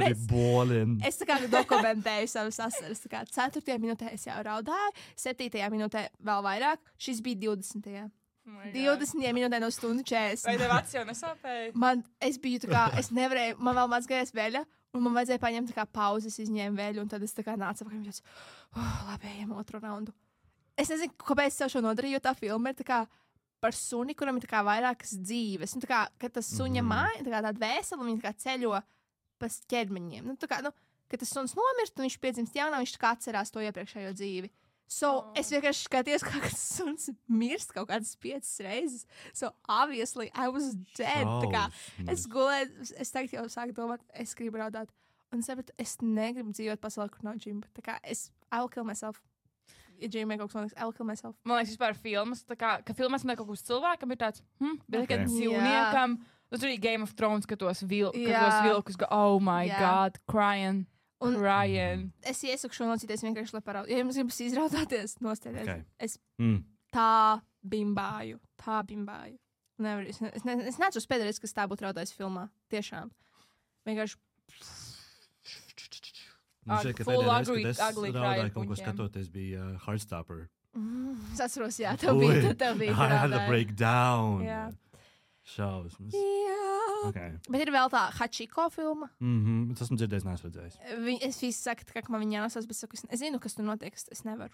es tā kā dokumentēju savas asaras. 4. minūtē es jau raudāju, 7. minūtē vēl vairāk. Šis bija 20. 20. minūtē no stundu 40. Vai tev acis jau nesāpēja? Es biju tā kā, es nevarēju, man vēl mazgājas veļa, un man vajadzēja paņemt tā kā pauzes, izņēmu veļu, un tad es tā kā nācu apakaļ, un tāds, labi, ejam otru raundu. Es nezinu, kāpēc es tev šo nodarīju, jo tā filma ir tā kā par suni, kuram ir tā kā vairākas dzīves. Un tā kā, kad tas suņa māja, tā kā tāda vēsela, viņa tā kā ceļo pa ķermeņiem. Nu, tā kā, kad tas suns nomirst, un viņš piedzimst jaunā, viņš tā kā atcerās to iepriekšējo dzīvi. Es vienkārši skatījos, kā tas suns mirst kaut kādas 5 reizes. Obviously, I was dead. Tā kā, es gulēju, es tagad jau sāku domāt, es gribu raudāt. Un sapratu, es negribu dzīvot pasaulē, kur nav džimba. Tā kā, I will kill myself. Ja džimē kaut kas man liekas, I will kill myself. Man liekas, vispār filmas, tā kā, ka filmās man kaut kas cilvēkam ir tāds, bet tikai dzīvniekam. Tur arī Game of Thrones, ka tos vilkus, oh my God, crying. Es iesaku šo nocīties vienkārši, lai paraudu. Ja jums gribas izraudāties, nostēties. Es tā bimbāju. Es neatceros pēdējais, kas tā būtu raudājis filmā. Tiešām. Vienkārši. Šeit, ka pēdējais, kad es raudāju kaut ko skatoties, bija Heartstopper. Es atceros, jā, tev bija. I had to break down. Šausmas. Bet ir vēl tā Hachiko filma. Es esmu dzirdējis, neesmu redzējis. Es visi saku, ka man viņa jānosās, bet saku, es zinu, kas tur notiek. Es nevaru.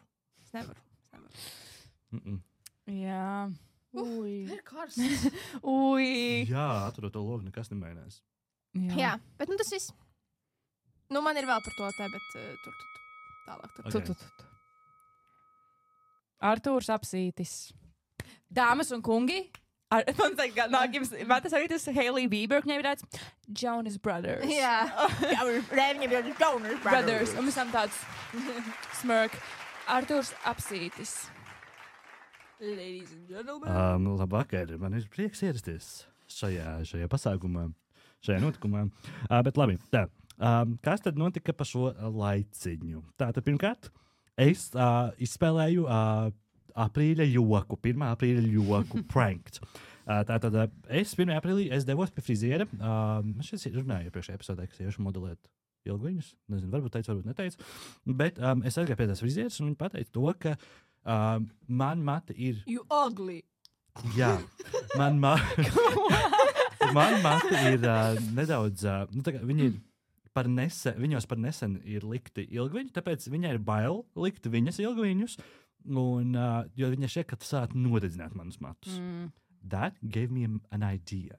Jā. Ir karsts. Jā, aturot to logu, nekas nemainās. Jā, bet tas viss. Man ir vēl par to te, bet tur. Tālāk. Artūrs Apsītis. Dāmas un kungi. Man tas arī tas Hailey Bieber, viņai ir tāds Jonas Brothers. Jā. Jonas Brothers. Un mēs tam tāds smirk. Artūrs Apsītis. Ladies and gentlemen. Labvakar, man ir prieks ierasties šajā pasākumā, šajā notikumā. Bet labi, tā. Kas tad notika pa šo laiciņu? Tātad pirmkārt, es izspēlēju aprīļa joku, 1. aprīļa joku pranked. Tātad es 1. aprīlī devos pie friziera. Es šeit runāju iepriekšējā epizodē, kas iešu modelēt ilgviņus. Nezinu, varbūt teicu, varbūt neteicu. Bet es aizgāju pie tās frizieras un viņi pateica to, ka man mati ir... You ugly. Jā. Man mati ir nedaudz... viņi ir viņos par nesen ir likti ilgviņi, tāpēc viņai ir bail likt viņas ilgviņus. Un, jo viņa šeit, ka sāk nodedzināt manus matus. That gave me an idea.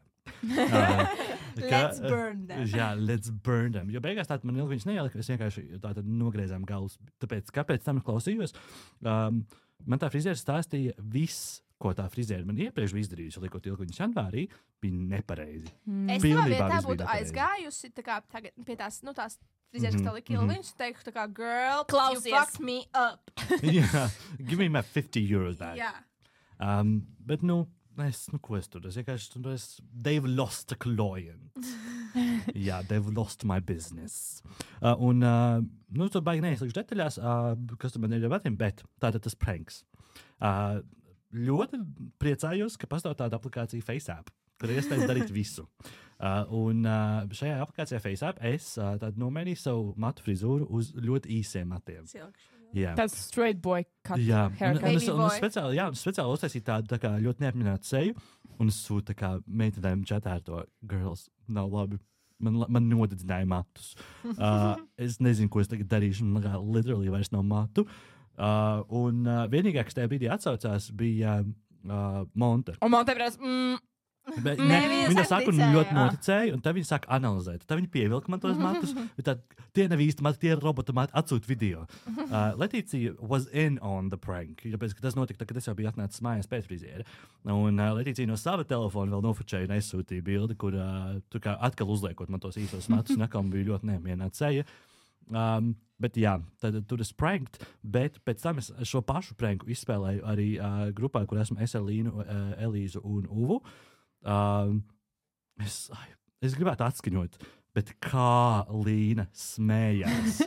Let's burn them. Jā, let's burn them. Jo beigās tātad man ilgviņas neielika, es vienkārši tātad nogriezām galus. Tāpēc, kāpēc tam klausījos? Man tā friziera stāstīja viss, ko tā friziere man iepriekš bija izdarījusi, liekot ilgu viņas janvārī, bija nepareizi. Es savā vietā būtu aizgājusi tagad pie tās frizieres, kas tā lika ilgi, viņas teiktu tā kā, girl, klausies. You fucked me up. Yeah, give me my €50 back. Jā. Bet, ko es tur? They've lost a client. Jā, they've lost my business. Tur baigi neieslīgšu detaļās, kas tur man ir jāpatīm, bet tātad tas pranks. Ļoti priecājos, ka pastāv tāda aplikācija FaceApp, kur ir iespējams darīt visu. Šajā aplikācijā FaceApp es nomainīju savu matu frizūru uz ļoti īsiem matiem. Yeah. Tāds straight boy cut. Jā, un es speciāli uztaisīju tādu tā kā ļoti neapmierinātu seju, un es sūtu tā kā meitenēm čatā ar to, girls, nav labi, man nodedzināja matus. Es nezinu, ko es tagad darīšu, man literally vairs nav matu. Vienīgā, kas tajā brīdī atsaucās, bija Monte. Un Monte prasa, Viņa saka, un ļoti noticēja, un tad viņa saka analizēt. Tad viņa pievilka man tos matus, tad tie nav īsti mati, tie ir robota mati, atsūt video. Letīcija was in on the prank, tāpēc, ka tas notika, kad es jau biju atnācis mājās pēc friziera. Un Letīcija no sava telefona vēl nofočēja un aizsūtīja bildi, kur tur kā atkal uzliekot man tos īsos matus, un atkal bija ļoti neapmierināta seja. Bet jā, tad tur es pranked, bet pēc tam es šo pašu pranku izspēlēju arī grupā, kur esmu es ar Līnu, Elīzu un Uvu. Es gribētu atskaņot, bet kā Līna smējās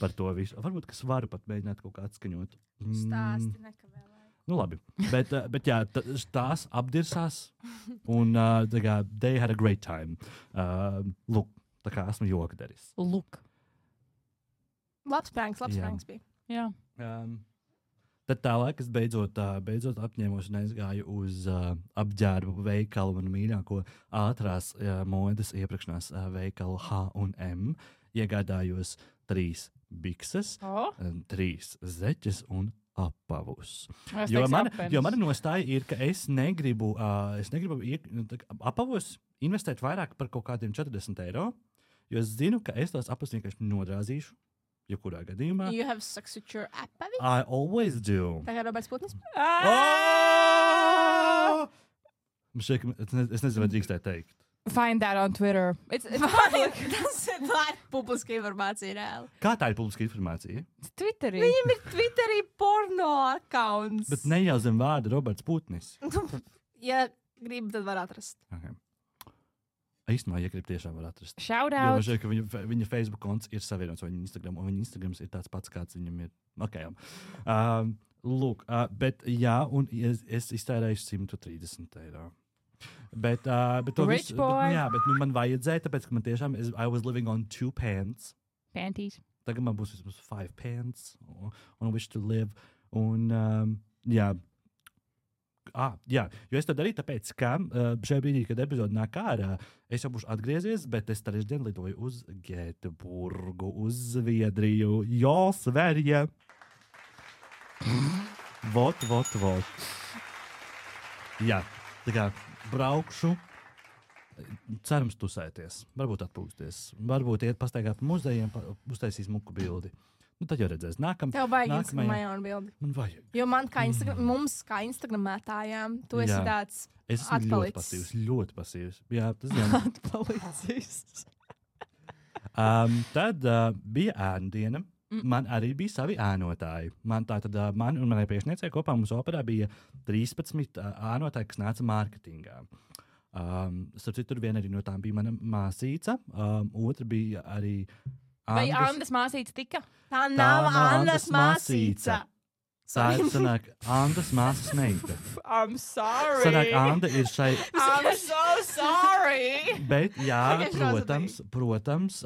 par to visu. Varbūt, ka es varu pat mēģināt kaut kā atskaņot. Stāsti nekavēlēji. Labi, bet jā, tās apdirsās un they had a great time. Lūk, tā kā esmu jokdaris. Lūk. Labs pranks bija. Jā. Tad tālāk es beidzot apņēmos un aizgāju uz apģērbu veikalu, manu mīļāko ātrās modes iepirkšanās veikalu H&M. Iegādājos 3 bikses, 3 zeķes un apavus. Jo mana nostāja ir, ka es negribu apavus investēt vairāk par kaut kādiem €40, jo es zinu, ka es tos apavus vienkārši nodrāzīšu. Jebkurā gadījumā. You have sex with your apavi? I always do. Tā kā Roberts Putnis? Es nezinu, vai drīkstēju teikt. Find that on Twitter. Tas ir publiska informācija reāli. Kā tā ir publiska informācija? Twitterī. Viņam ir Twitterī porno accounts. Bet ne jau zem vārda Roberts Putnis. Ja gribi, tad var atrast. Okay. Īstenībā, ja grib, tiešām var atrast. Shout out. Jo man šķiet, ka viņa Facebook konts ir savienots ar viņa Instagram, un viņa Instagrams ir tāds pats, kāds viņam ir. Okay. Lūk, bet jā, un es iztērēju €130. Bet to Rich visu, boy. bet man vajadzēja, tāpēc, ka man tiešām, I was living on 2 pants. Panties. Tagad man būs vismaz 5 pants on which to live. Un, jā, jo es to darīju, tāpēc, ka šajā brīdī, kad epizode nāk ārā, es jau būšu atgriezies, bet es trešdien lidoju uz Gēteburgu, uz Zviedriju. Jo, Sverige! Vot. Jā, tā kā braukšu, cerams tusēties, varbūt atpūsties, varbūt iet pastaigāt pa muzejiem, uztaisīs muku bildi. Tad jau redzēs. Tev vajag Instagramā jaunu bildi. Man vajag. Jo mums kā Instagramētājām, tu esi tāds es atpalicis. Ļoti pasīvs. Jā, tas ir. Atpalicis. Tad bija ēnu diena. Man arī bija savi ēnotāji. Man un manai priekšniecei kopā mums operā bija 13 ēnotāji, kas nāca mārketingā. Starp citu, viena arī no tām bija mana māsīca. Otra bija arī Vai Andas māsīca tika? Tā nav Andas māsīca. Tā ir sanāk Andas māsas meita. I'm sorry. Sanāk Anda ir šai. I'm so sorry. Bet jā, protams,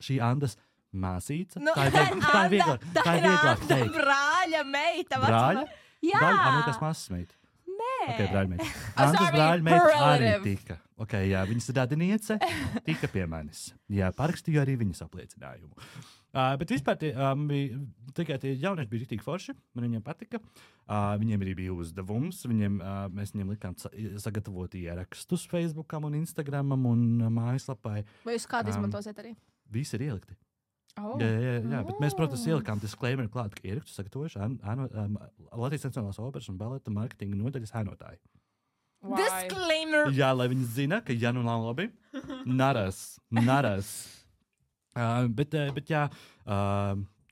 šī Andas māsīca. Tā ir vieglāk teikt. Brāļa meita. Brāļa? Jā. Brāļa māsas meita. Nē. Ok, brāļa meita. Andas brāļa meita arī tika. Ok, jā, viņas radiniece tika pie manis. Jā, parakstīju arī viņas apliecinājumu. Bet vispār tikai tie jaunieši bija riktīgi forši. Man viņiem patika. Viņiem arī bija uzdevums. Mēs viņiem likām sagatavot ierakstus Facebookam un Instagramam un mājaslapai. Vai jūs kādu izmantosiet arī? Visi ir ielikti. Jā, bet mēs, protams, ielikām disclaimer klāt, ka ierakstu sagatavojuši Latvijas Nacionālās operas un baleta marketinga nodaļas ēnotāji. Disclaimer! Jā, lai viņi zina, ka ja nu nav labi, naras.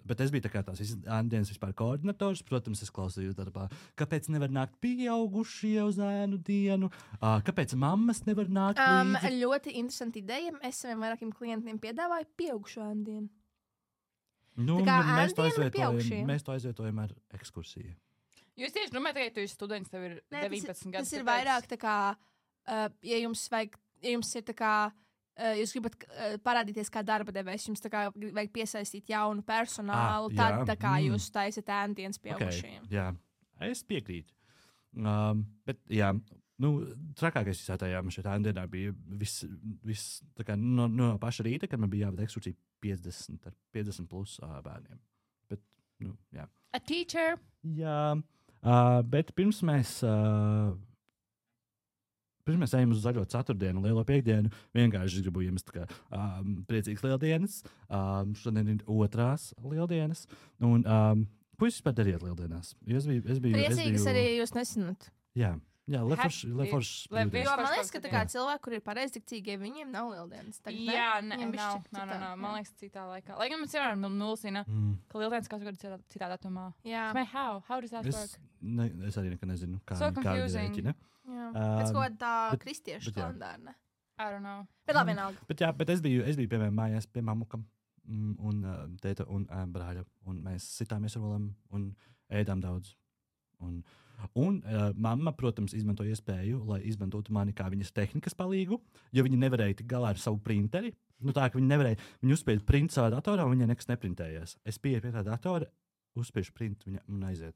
Bet es biju tā kā tās ēnu vispār koordinators. Protams, es klausījos darbā. Kāpēc nevar nākt pieaugušie uz ēnu dienu? Kāpēc mammas nevar nākt līdzi? Ļoti interesanti ideja. Es saviem vairākiem klientiem piedāvāju pieaugušu ēnu dienu. Nu, mēs to aizvietojam ar ekskursiju. Jūs tieši domājat, ka tu esi students, tev ir 19 gadi. Tas ir vairāk tā kā, ja jums ir tā kā, jūs gribat parādīties kā darba devējs, jums tā kā vajag piesaistīt jaunu personālu, tad tā kā jūs taisat ēndienas pieaugušajiem. Jā, es piekrītu. Bet jā, trakākais visā tajā man šeit ēndienā bija viss tā kā no paša rīta, kad man bija jāved ekskursija 50 plus bērniem. Bet, jā. A teacher. Jā. Bet pirms mēs ejam uz zaļo ceturtdienu, lielo piekdienu, vienkārši gribu jums priecīgas lieldienas. Šodien ir otrās lieldienas. Un, ko jūs vispār dariet lieldienās? Priecīgas arī jūs nesināt. Jā, leforši. Man liekas, ka cilvēki, kur ir pareizticīgie, viņiem nav lieldienas. Jā, nav. Man liekas, citā laikā. Lai gan man cilvēki nulsina, ka lieldienas katru gadu citā datumā. Jā. How does that work? Es arī nekad nezinu, kā viņi rēķina. Pēc ko tā kristiešu kalendāra. I don't know. Bet labi, vienalga. Bet es biju piemēram mājās pie mamukam un tēta un brāļa. Un mēs sitāmies ar rolām un ēdām daudz. Un mamma, protams, izmantoja iespēju, lai izmantotu mani kā viņas tehnikas palīgu, jo viņa nevarēja tik galā ar savu printeri. Tā, ka viņa uzspēja print savā datorā, un viņai nekas neprintējās. Es pieeju pie tā datora, uzspiežu print, viņa man aiziet.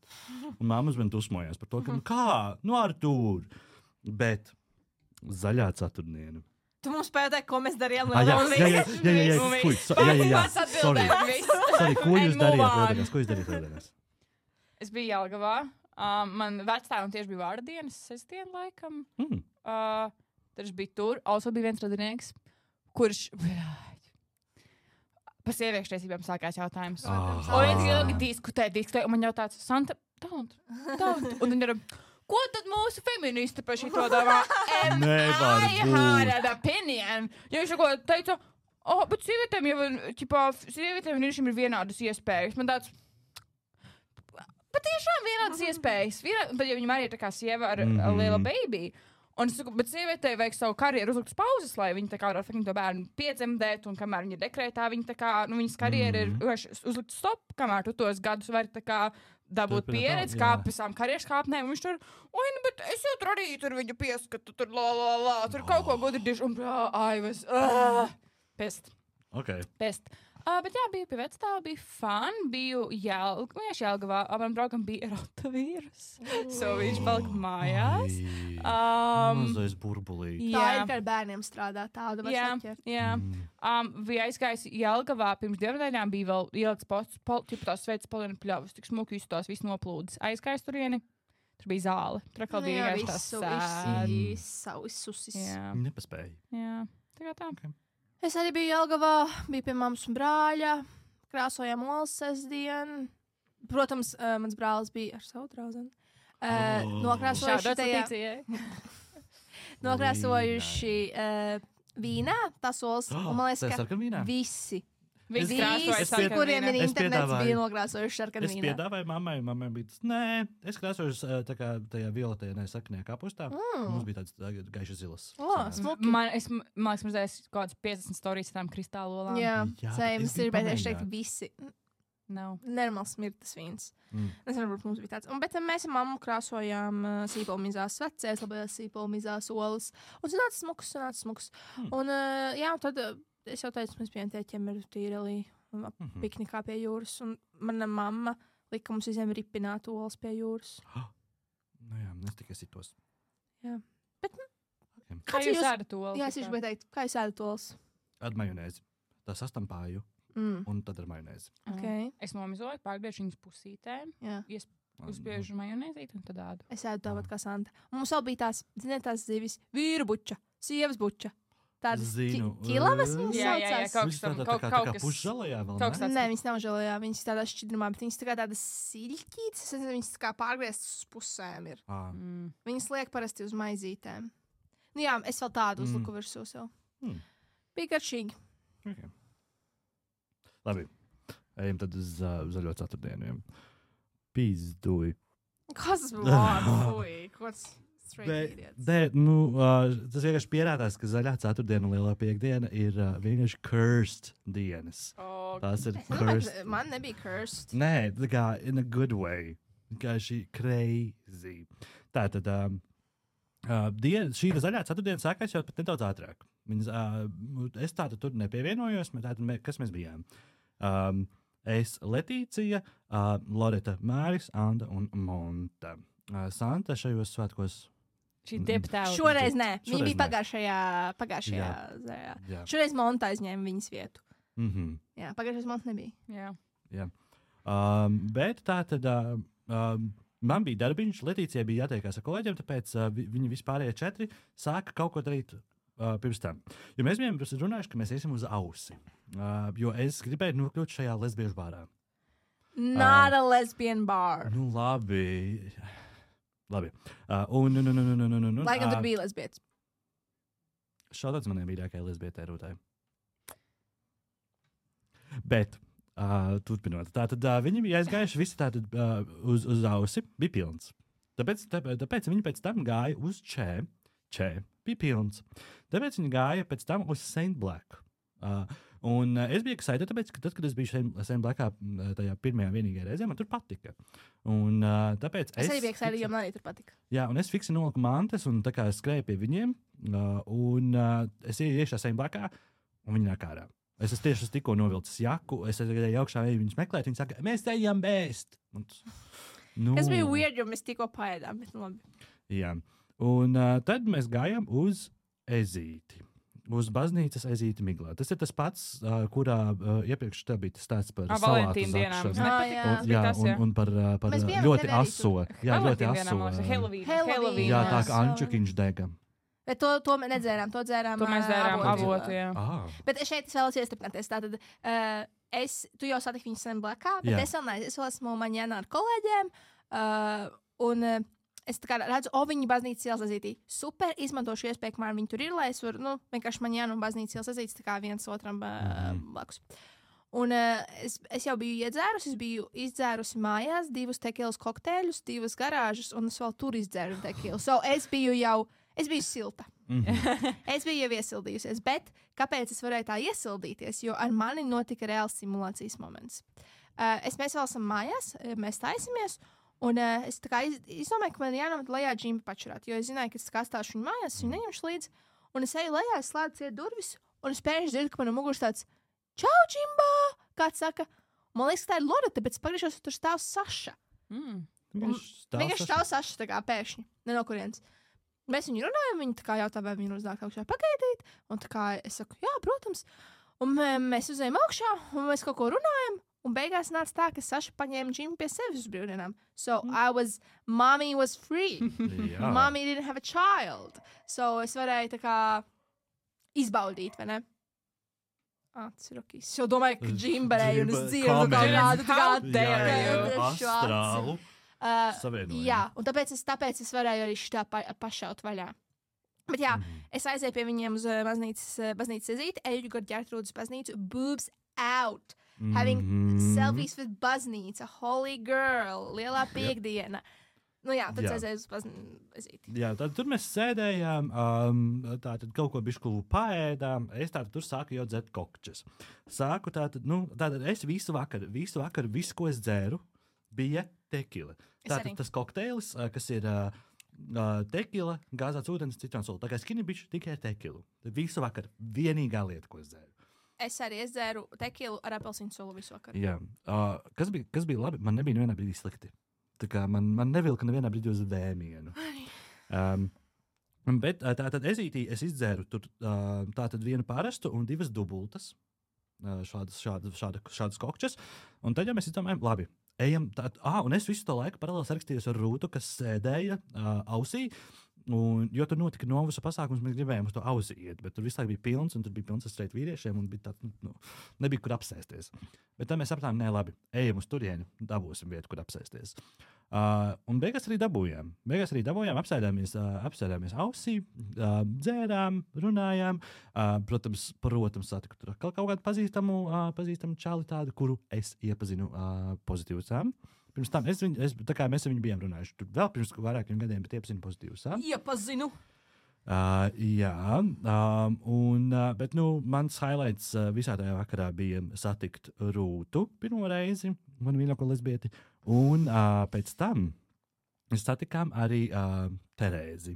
Un mamma man dusmojās par to, ka Artūr! Bet zaļā ceturtdiena. Tu mums pēdēji, ko mēs darījām Sorry, ko jūs darījāt lieldienās? Es biju Jelgavā. Man vectēvam tieši bija vārda dienas, sestdiena laikam. Tad bija tur. Also bija viens radinieks, kurš par sieviešu tiesībām sākās jautājums. Un viņš ilgi diskutēja, un man jautāja, Santa, don't. Un viņi ir, ko tad mūsu feministi par šito domā? I had an opinion. Ja viņš teica, bet sievietēm ir vienādas iespējas. Man tāds, bet tiešām vienādas iespējas. Bet ja viņam arī ir tā kā sieva ar liela baby. Un es saku, bet sievietei vajag savu karjeru uzlikt pauzes, lai viņa tā kā var to bērnu piedzemdēt, un kamēr viņa ir dekrētā, viņa tā kā, viņas karjera ir uzlikt stop, kamēr tu tos gadus vari tā kā dabūt pieredzi, kāp visām karjeras kāpnēm, un viņš tur, bet es jau tur arī tur viņu pieskatu, tur tur kaut ko gudri un pest. Okay. Pest. Bet jā, biju pie vecstāva, bija fun, biju Jelgavā, man draugam bija rotovīrus, so viņš palika mājās. Mazais burbulīgi. Tā ir, ka ar bērniem strādā tāda var saķert. Jā. Bija aizgājis Jelgavā, pirms 2 nedēļām bija vēl ielikts posts, tās sveicis Polina pļavas, tik smuki izstās, viss noplūdis. Aizgājis turieni, tur bija zāle, tur atkal bija vienkārši tās susis. Nepaspēja. Jā, tā kā tā. Okay. Es arī biju Jelgavā, biju pie mammas un brāļa, krāsojām olas sestdienu. Protams, mans brālis bija ar savu draudzeni. Nokrāsojuši vīnā tās olas. Un man liekas, ka visi, kuriem ir internets, bija nokrāsojuši sarkanu vīnā. Es piedāvāju mammai bija tas, nē, es krāsojuši tā kā tajā violetējā sarkanajā kapustā. Mums bija tāds gaiši zilas. Man liekas, mazliet kaut kāds 50 storijas ar tām kristālu olām. Jā, es gribēju teikt visi. Nav. Nenormāls smirtas vīns. Es varbūt mums bija tāds. Bet mēs ar mammu krāsojām sīpolmizās vecēs, labajās sīpolmizās olas. Un sanāca smuks. Un jā, tad es jau teicu, mēs bijām tēķiem ar tīrelī piknikā pie jūras. Un mana mamma lika mums visiem ripināt olas pie jūras. Jā, es tikai sitos. Jā. Bet, kā jūs ēdat olas? Jā, es gribēju teikt, kā jūs ēdat olas? Ar majonēzi. Tā sastampāju. Un tad ar majonēzi. Okay. Es nomizoju, pārgriežu viņas pusītēm. Uzspiežu majonēzīt un tad ādu. Es ēdu tāpat kā Santa. Un mums vēl bija tās zivis, vīru buča, sievas buča. tādas Zinu. ķilavas viņas Jā, saucās. kaut kā pušžalajā vēl, kaut kas tāds. Nē, viņas nav žēlējā, viņas tādā šķidrumā, bet viņas tā kā tādas siļķītas, viņas tā kā pārgrieztas uz pusēm ir. Viņas liek parasti uz maizītēm. Nu jā, es vēl tādu uzliku virsū sev. Bija garšīgi. Okay. Labi, ejam tad uz zaļo ceturtdienu. Pīzduj. Kas tas bija? Kas? Tas vienkārši pierādās, ka zaļā ceturtdiena un lielā piekdiena ir vienkārši cursed dienas. Tās ir cursed. Man nebija cursed. Nē, tā kā in a good way. Vienkārši crazy. Tātad šī zaļā ceturtdiena sākās jau pat nedaudz ātrāk. Es tātad tur nepievienojos, kas mēs bijām. Es, Letīcija, Loreta, Māris, Anda un Monta. Santa šajos svētkos. Šoreiz nē. Viņa bija pagājušajā zaļā. Šoreiz Monta aizņēma viņas vietu. Jā, pagājušais Monta nebija. Jā. Bet tā tad man bija darbiņš, Letīcijai bija jātiekās ar kolēģiem, tāpēc viņi vispārējie 4 sāka kaut ko darīt pirms tam. Jo mēs bijām runājuši, ka mēs iesim uz ausi. Jo es gribēju nokļūt šajā lesbiešu bārā. Not a lesbian bar. Nu, labi. Laikam tur bija lesbietis. Šādāds maniem mīļākajai lesbietē rūtāji. Bet, turpinot, tātad viņi bija aizgājuši visi tātad uz ausi, bija pilns. Tāpēc viņi pēc tam gāja uz Čē, bija pilns. Tāpēc viņi gāja pēc tam uz Saint Black. Un es biju excited, tāpēc, ka tad, kad es biju Saint Blackā tajā pirmajā vienīgajā reizē, man tur patika. Un tāpēc es arī biju excited, jo man arī tur patika. Jā, un es fiksi noliku mantas un tā kā skrēju pie viņiem, un es ieju iekšā Saint Blackā, un viņi nāk ārā. Es tieši tikko novilcis jaku, es gāju augšā, viņus meklēt, viņi saka, mēs te ejam bēst. Tas bija weird, jo mēs tikko paēdām, bet labi. Jā, un tad mēs gājām uz Ezīti. Uz baznīcas Ezīti Miglā. Tas ir tas pats, kurā iepriekš tā bija tas stāsts par salātu zakšanu. Un par ļoti aso. Jā, ļoti aso. Halloween. Jā, tā kā ančukiņš dega. Bet to mēs nedzērām, to mēs dzērām avotu, jā. Bet šeit es vēlos iestripināties. Tātad, tu jau satiki viņu Saint Blackā, bet es vēl neesmu. Es esmu maņēnā ar kolēģiem, un es tā kā redzu, viņi baznīcas ielas Ezītī. Super, izmantošu iespēju, kamēr viņi tur ir, lai es varu, vienkārši maņēnu un baznīcas ielas Ezītis tā kā viens otram blakus. Un es jau biju iedzērusi, es biju izdzērusi mājās 2 tekilas kokteļus, 2 garāžas, un es vēl tur izdzēru tekilu. So es biju silta. Es biju jau iesildījusies, bet kāpēc es varēju tā iesildīties? Jo ar mani notika reāls simulācijas moments. Mēs vēl esam mājās, mēs taisamies, un es tā kā izdomāju, ka man jānomet lejā džimba pačurāt, jo es zināju, ka es stāstāšu viņu mājās, es viņu neņemšu līdzi, un es eju lejā, es slēdzu ciet durvis, un es pēkšņi dzirdu, ka man muguras tāds čau, džimba! Kāds saka, man liekas, ka tā ir Loreta, bet es pagriežos, tur stāv Saša. Vienkārši stāv Saša tā kā pēkšņi, ne no kurienes. Mēs viņu runājam, viņa tā kā jautā, vai viņu uzdāk augšā pagaidīt, un tā kā es saku, jā, protams, un mēs uzējam augšā, un mēs kaut ko runājam, un beigās nāca tā, ka Saša paņēma džimu pie sevis uz brīvdienām. So mommy was free. Mommy didn't have a child. So es varēju tā kā izbaudīt, vai ne? Tas ir ok. Es jau domāju, ka džimbarēju un es dzirdu kaut kādu astrālu. Jā, un tāpēc es varēju arī šitā pašaut vaļā. Bet jā, es aizēju pie viņiem uz baznīcas Ezīti, eju gar Ģertrūdas baznīcu, boobs out. Having selfies with baznīca, holy girl, lielā piekdiena. Nu jā, tad aizēju uz baznīcu. Jā, tad tur mēs sēdējām, tātad kaut ko bišku paēdām, es tātad tur sāku jau dzert kokčas. Tātad es visu vakaru, visu, ko es dzēru, bija tekila. Tātad tas kokteilis, kas ir tekila, gāzāts ūdens, citronsula. Tā kā skinny bitch tikai tekilu. Visu vakaru vienīgā lieta, ko es dzēru. Es arī dzēru tekilu ar apelsīnu sulu visu vakaru. Jā, kas bija labi, man nebija nevienā brīdī slikti. Tā kā man nevilka nevienā brīdī uz vēmienu. Bet tātad Ezītī es izdzēru tur tātad 1 parastu un 2 dubultas, šādas kokčas. Un tad jau mēs izdomājam, labi, ejam, un es visu to laiku paralēli sarakstījos ar Rūtu, kas sēdēja ausī, Jo tur notika novusa pasākums, mēs gribējām uz to ausi iet, bet tur visu laiku bija pilns, un tur bija pilns ar streit vīriešiem, un bija tāds, nebija kur apsēsties. Bet tad mēs sapratām, nē, labi, ejam uz turieni, dabūsim vietu, kur apsēsties. Un beigās arī dabūjām. Apsēdāmies ausī, dzērām, runājām. Protams, satiku tur kaut kādu pazīstamu čali tādu, kuru es iepazinu pozitīvusām. Pirms tam mēs ar viņu bijām runājuši. Tur vēl pirms vairākiem gadiem, bet iepazinu pozitīvus. Iepazinu. Jā, bet mans highlights visā tajā vakarā bija satikt Rūtu pirmo reizi, manu mīļāko lesbieti, un pēc tam mēs satikām arī Terēzi.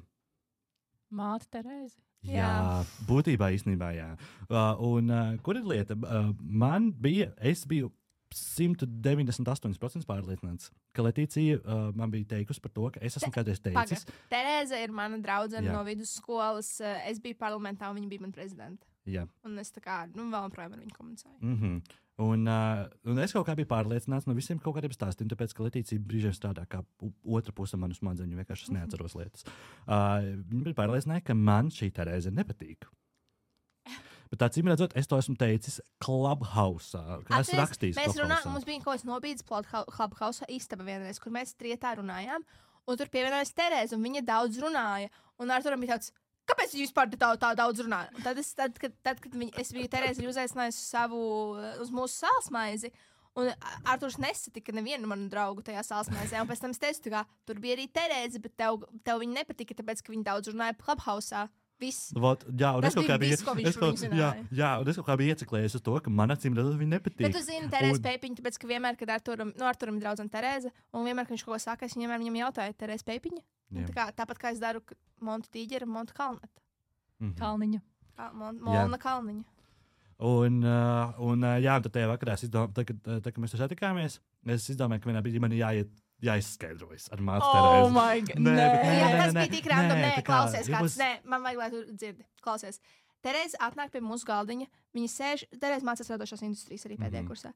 Māte Terēzi? Jā, būtībā īstenībā jā. Kur ir lieta? Es biju 198% pārliecināts, ka Letīcija man bija teikusi par to, ka es esmu kādreiz teicis. Terēze ir mana draudzene no vidusskolas. Es biju parlamentā, un viņa bija mana prezidenta. Jā. Un es vēl projām ar viņu komunicēju. Mm-hmm. Un es kaut kā biju pārliecināts no visiem kaut kādiem stāstiem, tāpēc, ka Letīcija brīžiem strādā kā otra puse manu smadzeņu, vienkārši es neatceros lietas. Viņa bija pārliecināta, ka man šī Terēze nepatīk. Bet acīm redzot, es to esmu teicis Clubhouse. Es rakstīju, mums bija kaut kāds nobīdes Clubhouse istaba vienreiz, kur mēs trietā runājām, un tur pievienojas Terēze, un viņa daudz runāja. Un Arturam bija tāds, kāpēc jūs vispār tā daudz runājat? Tad, kad es biju Terēzi uzaicinājusi uz mūsu sālsmaizi, un Arturs nesatika nevienu manu draugu tajā sālsmaizē, un pēc tam es teicu, tur bija arī Terēze, bet tev viņa nepatika, tāpēc, ka viņa daudz runāja Clubhouse. Jā, un es kaut kā biju ieciklējies uz to, ka man acīm redzot viņa nepatīk. Bet tu zini, Terēze Pēpiņa, tāpēc, ka vienmēr, kad Arturam ir draudzene Terēze, un vienmēr, kad viņš kaut ko saka, es viņam jautāju, Terēze Pēpiņa? Tāpat kā es daru Montu Tīģeru un Montu Kalneta. Kalniņa. Molna Kalniņa. Un tad tajā vakarā, kad mēs tur satikāmies, es izdomāju, ka vienā brīdī man jāizskaidrojas ar mācu Terēzi. My God! Tas bija tik random. Klausies kāds. Man vajag, lai tu dzirdi. Klausies. Terēze atnāk pie mūsu galdiņa. Viņa sēž, Terēze mācās radošās industrijas arī pēdējā kursā.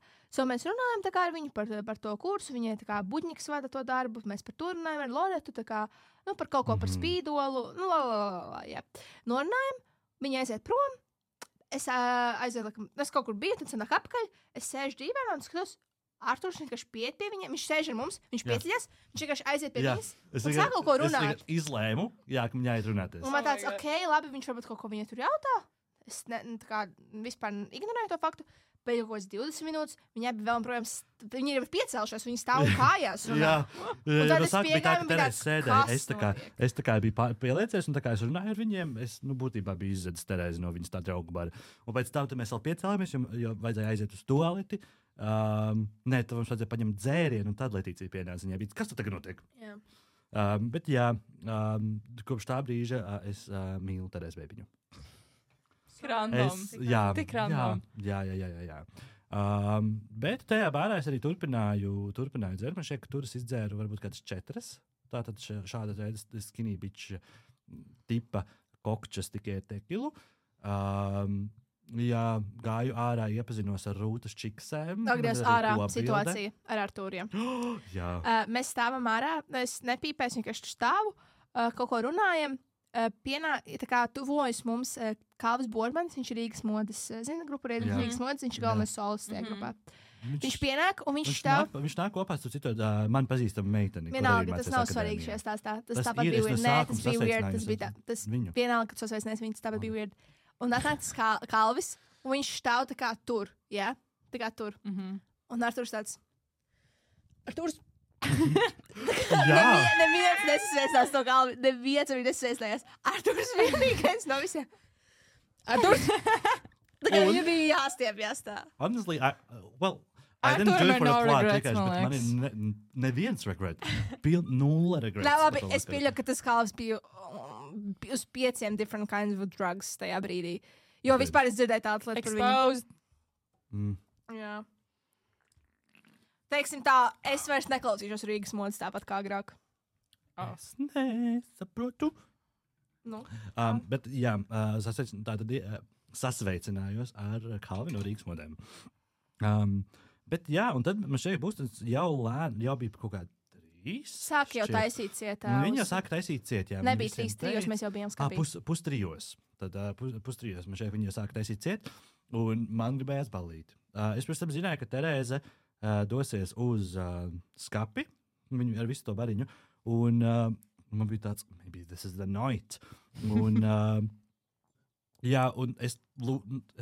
Mēs runājam ar viņu par to kursu. Viņai buļņiks vada to darbu. Mēs par to runājam ar Loretu, par kaut ko par spīdolu. Norunājam. Viņa aiziet prom. Es kaut kur biju, tad sanāk apkaļ. Es sēžu dīvainā un skatos. Arturs vienkārši pieiet pie viņiem, viņš sēž ar mums, viņš pieceļas, viņš vienkārši aiziet pie viņas un sāk kaut ko runāt. Es izlēmu, ka viņai ir runāties. Un man tāds, labi, viņš varbūt kaut ko viņai tur jautā. Es vispār ignorēju to faktu. Pēc kaut kādas 20 minūtes viņai bija vēl projām, viņi ir piecēlušies, viņi stāv kājās. Jā, tas bija tā, ka Terēze sēdēja. Es biju pieliecies, un es runāju ar viņiem. Es būtībā biju izdzedis Terēzi no viņas tā draugu bara. Un pēc tam mēs vēl piecēlāmies, jo vajadzēja aiziet uz toaleti. Nē, tad mums vajadzēja paņemt dzērienu, un tad Letīcija pienāca viņai bija. Kas tad tagad notiek? Jā. Bet kopš tā brīža es mīlu Terēzi Pēpiņu. Tik random. Jā. Bet tajā bārā es arī turpināju dzert. Man šķiet, ka tur es izdzēru varbūt kādas 4. Tātad šāda veida skinny bitch tipa kokčas tikai tekilu. Jā, gāju ārā, iepazinos ar Rūtas čiksēm. Atgriezt ārā situācija ar Artūriem. Jā. Mēs stāvam ārā, es nepīpēju, vienkārši stāvu, kaut ko runājam. Tuvojas mums Kalvis Bormans, viņš ir Rīgas modes, grupa Rīgas modes, viņš ir galvenais solists tajā grupā. Viņš pienāk un viņš stāv. Viņš nāk kopā ar citu man pazīstamu meiteni. Vienalga, tas nav svarīgi šajā stāstā. Tas tāpat bija weird. Nē, tas bija weird. Tas bija tas vienalga, ka tas sasveicinājies viņu, tāpat bija weird. Un atnāk tas Kalvis, un viņš stāv tā kā tur, jā? Tā kā tur. Un Arturs tāds. Arturs. Neviens nesasveicās to Kalvi. Neviens arī nesasveicājās. Arturs vienīgais no visiem. Arturs. Tā kā viņam bija jāstiepjas tā. Honestly, I didn't do it for the plot, tikai, bet man ir neviens regret. Nulle regrets. Nē, labi, es pieļauju, ka tas Kalvs bija uz 5 different kinds of drugs tajā brīdī. Jo vispār es dzirdēju tādu lietu par viņu. Exposed. Jā. Teiksim tā, es vairs neklausīšos Rīgas modes tāpat kā agrāk. Es nesaprotu. Bet jā, sasveicinājos ar Kalvi no Rīgas modēm. Bet jā, un tad man šeit būs jau bija kaut kādi Sāk jau taisīt cietā. Viņa jau sāka taisīt ciet, jā. Nebija 3, mēs jau bijām skapī. Pustrijos. Tad pustrijos man šeit viņa sāka taisīt ciet, un man gribējās balīt. Es, protams, zināju, ka Terēze dosies uz skapi, viņu ar visu to bariņu, un man bija tāds, maybe this is the night. Un, jā, un es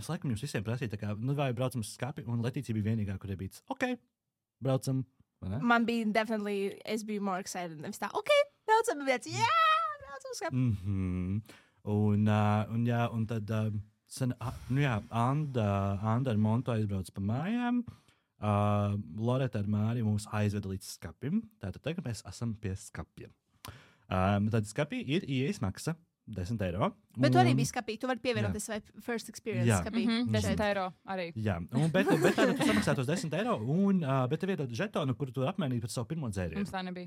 laikam jums visiem prasīju, tā kā, vai braucam uz skapi, un Letīcija bija vienīgā, kurai bija, braucam. Man bija definitely, es biju more excited. Nevis tā, braucam, bet braucam uz skapi. Un tad, Anda ar Montu aizbrauc pa mājām, Loreta ar Māri mūs aizveda līdz skapim. Tātad tagad mēs esam pie skapiem. Tad skapī ir ieejas maksa. 10 eiro. Bet tu arī biji skapī. Tu vari pievienoties vai first experience skapī. 10 eiro arī. Jā, bet tu samaksā tos 10 eiro, bet tev iedod žetonu, kuru tu apmainīji pret savu pirmo dzērienu. Mums tā nebija.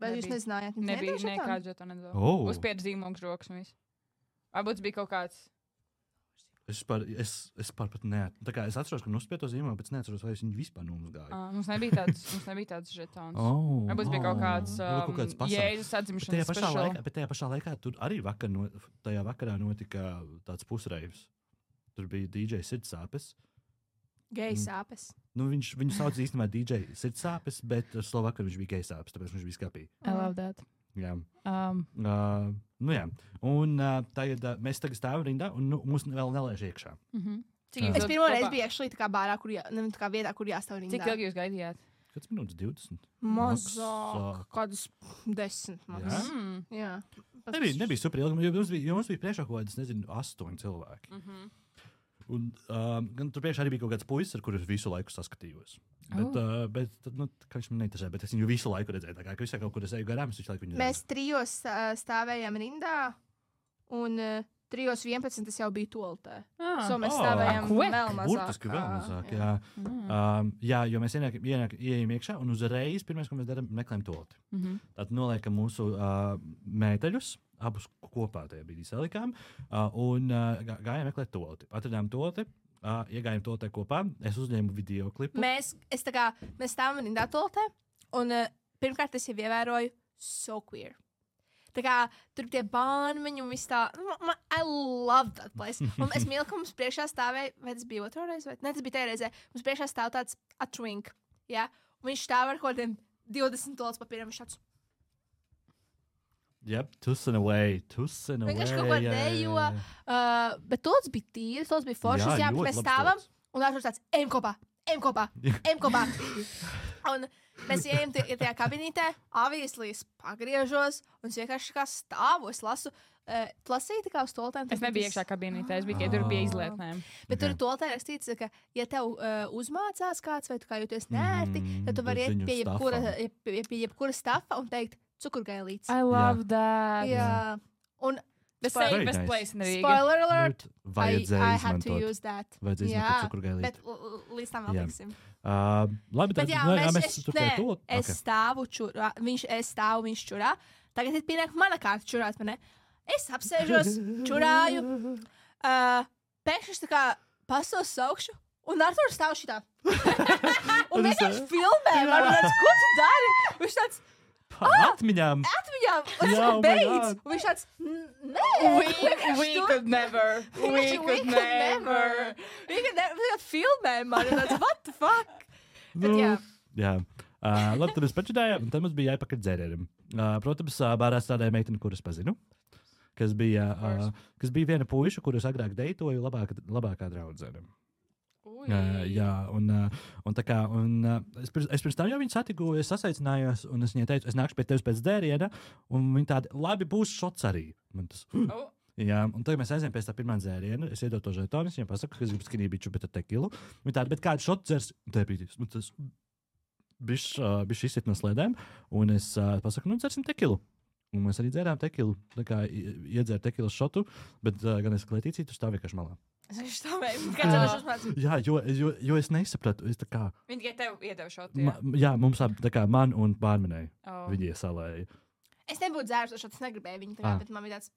Vai jūs nezinājāt? Nebija nekāds žetonu nedod. Uzspied zīmogs rokas un viss. Varbūt bija kaut kāds. Es pat neatceros. Tā kā es atceros, ka uzspiedu to zīmogu, bet es neatceros, vai es viņu vispār nomazgāju. Mums nebija tāds žetons. Varbūt bija kaut kāds Jēzus atzimšanas special. Bet tajā pašā laikā tur arī tajā vakarā notika tāds pusreivs. Tur bija DJ Sirdsāpes. Gejs sāpes. Viņu sauc īstenībā DJ Sirdsāpes, bet Slovakā viņš bija gejs sāpes, tāpēc viņš bija skapī. I love that. Jā. Jā. Un tagad mēs stāvam rindā, un mūs vēl nelaiž iekšā. Es pirmo reizi biju actually tā kā bārā, tā kā vietā, kur jāstāv rindā. Cik ilgi jūs gaidījāt? Kāds minūtes 20? Mazāk. Kādas 10. Jā. Nebija super ilgi, jo mums bija priekšā kaut kādas, 8 cilvēki. Un gan tur priekšā arī bija kaut kāds puisis, ar kuru es visu laiku saskatījos. Bet kā viņš man neinteresē, bet es viņu visu laiku redzēju. Tā kā visā kaut kur es eju garām, es visu laiku viņu redzēju. Mēs 3 stāvējām rindā, un 3:11 es jau biju toaletē. Mēs stāvējām vēl mazāk. Burtiski vēl mazāk, jā. Jā, jo mēs ieejam iekšā, un uzreiz pirmais, ko mēs darām, meklējam toaleti. Tad noliekam mūsu mēteļus, abus kopā tajā brīdī salikām, un gājām meklēt toaleti. Atradām toaleti, iegājām toaletē kopā, es uzņēmu video klipu. Mēs stāvam rindā toaletē, un pirmkārt es jau ievēroju so queer. Tā kā tur tie bānmeņi un viss tā, I love that place. Un es mīlu, ka mums priekšā stāvēja, vai tas bija otro reizi, vai ne, tas bija tajā reizē, mums priekšā stāv tāds a twink, jā, un viņš stāv ar kaut kādiem 20 toaletes papīriem, viņš tāds. Yep, tussen away. Viņš kaut kā dejo, bet toaletes bija tīras, toaletes bija foršas, jā, mēs stāvam, un Arturs tāds, ejam kopā. Un mēs ejam tajā kabinītē, obviously es pagriežos, un es vienkārši kā stāvu, es lasu, lasīju tā kā uz toaletēm. Es nebiju iekšā kabinītē, es biju, tur bija izlietnēm. Bet tur toaletē rakstīts, ka, ja tev uzmācās kāds, vai tu kā jūties nērti, tad tu vari iet pie jebkura stafa un teikt cukurgailītes. I love that. Jā. Un the safest place in Riga. Spoiler alert, I had to use that. Vajadzēja izmantot cukurgailīti. Bet līdz tam vēl tiksim. Labi, bet jā, es stāvu čurā, viņš čurā. Tagad ir pienāk mana kārta čurāt, man ne? Es apsēžos, čurāju. Pēkšņi tā kā pastos saukšu, un Arturs stāv šitā. Un vienkārši filmē, man tāds, ko tu dari? Viņš tāds, atmiņām. Un es beidz. Un viņš tāds, nē. We could never. Viņš filmē man, un tāds, what the fuck? Bet jā. Labi, tad mēs pačidājām, un tad mums bija jāpakaļ dzērērim. Protams, bārā strādāja meitene, kuras pazinu, kas bija viena puiša, kurus agrāk deitoju labākā draudzene. Jā, un tā kā, es pirms tam jau viņu satiku, es sasaicinājos, un es viņai teicu, es nākšu pie tevis pēc dzēriena, un viņi tādi, labi, būs šots arī. Man tas, jā, un tagad mēs aizējām pēc tā pirmā dzēriena, es iedodu to žetonu, es viņiem pasaku, ka es gribu skinībiču, bet ar tekilu. Viņi tādi, bet kādu šotu dzers, tā brīdīs, man tas bišķi izsit no slēdēm, un es pasaku, dzersim tekilu. Un mēs arī dzērām tekilu, tā kā iedzēru tekilas šotu, bet gan es Letīcija, tu stāv vienkārši malā. Es stāvēju, kāds uzmāc. Jā, jo es nesapratu, es tā kā... Viņi tikai tev iedeva šotu, jā? Jā, mums tā kā man un bārmenei viņi iesalēja. Es nebūtu dzērusi šotu, es negribēju viņu tā kā, bet man bija tāds...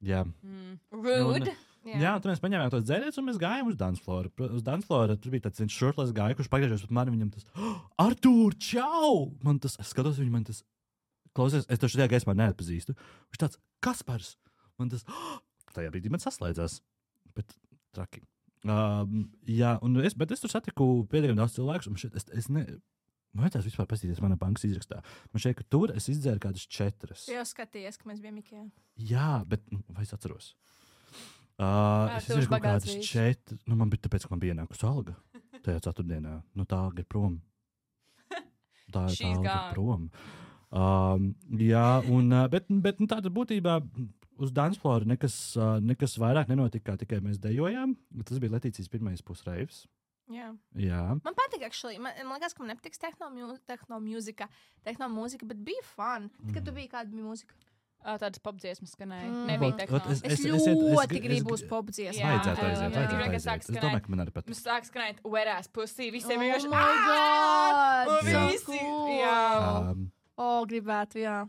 Jā. Rude. Jā, tad mēs paņēmām tos dzērienus un mēs gājām uz dancefloru. Uz dancefloru tur bija tāds shirtless guy, kurš pagriežās pret mani, viņam tas Artūr, čau! Man tas, es skatos, man tas, klausies, es taču tajā gaismā neatpazīstu. Viņš tāds, Kaspars! Man tas, tajā brīdī man saslēdzās. Bet traki. Jā, bet es tur satiku pietiekami daudz cilvēkus, un es ne... Man vajadzētu vispār paskatīties manā bankas izrakstā. Man šeit, ka tur es izdzēru kādas 4. Tu jau skatījies, ka mēs bijām Ikea. Jā, bet vai es atceros? Es izdarīju kaut kādas 4. Man bija tāpēc, ka man bija ienākusi alga tajā ceturtdienā. Tā alga ir prom. Tā alga ir prom. Jā, bet tāda būtībā uz dancefloru nekas vairāk nenotika, kā tikai mēs dejojām. Tas bija Letīcijas pirmais pusreivs. Jā. Man patīk, man liekas, ka man nepatiks tehnomūzika, bet bija fun. Kad tu biji, kāda bija mūzika? Tādas popdziesmas skanēja. Nebija tehno. Es ļoti gribu uz popdziesmu. Vajadzētu aiziet. Es domāju, ka man arī patīk. Mums sāk skanēt Whereas Pussy. Visiem vienkārši. Oh my god! Visi! Jā. Gribētu, jā.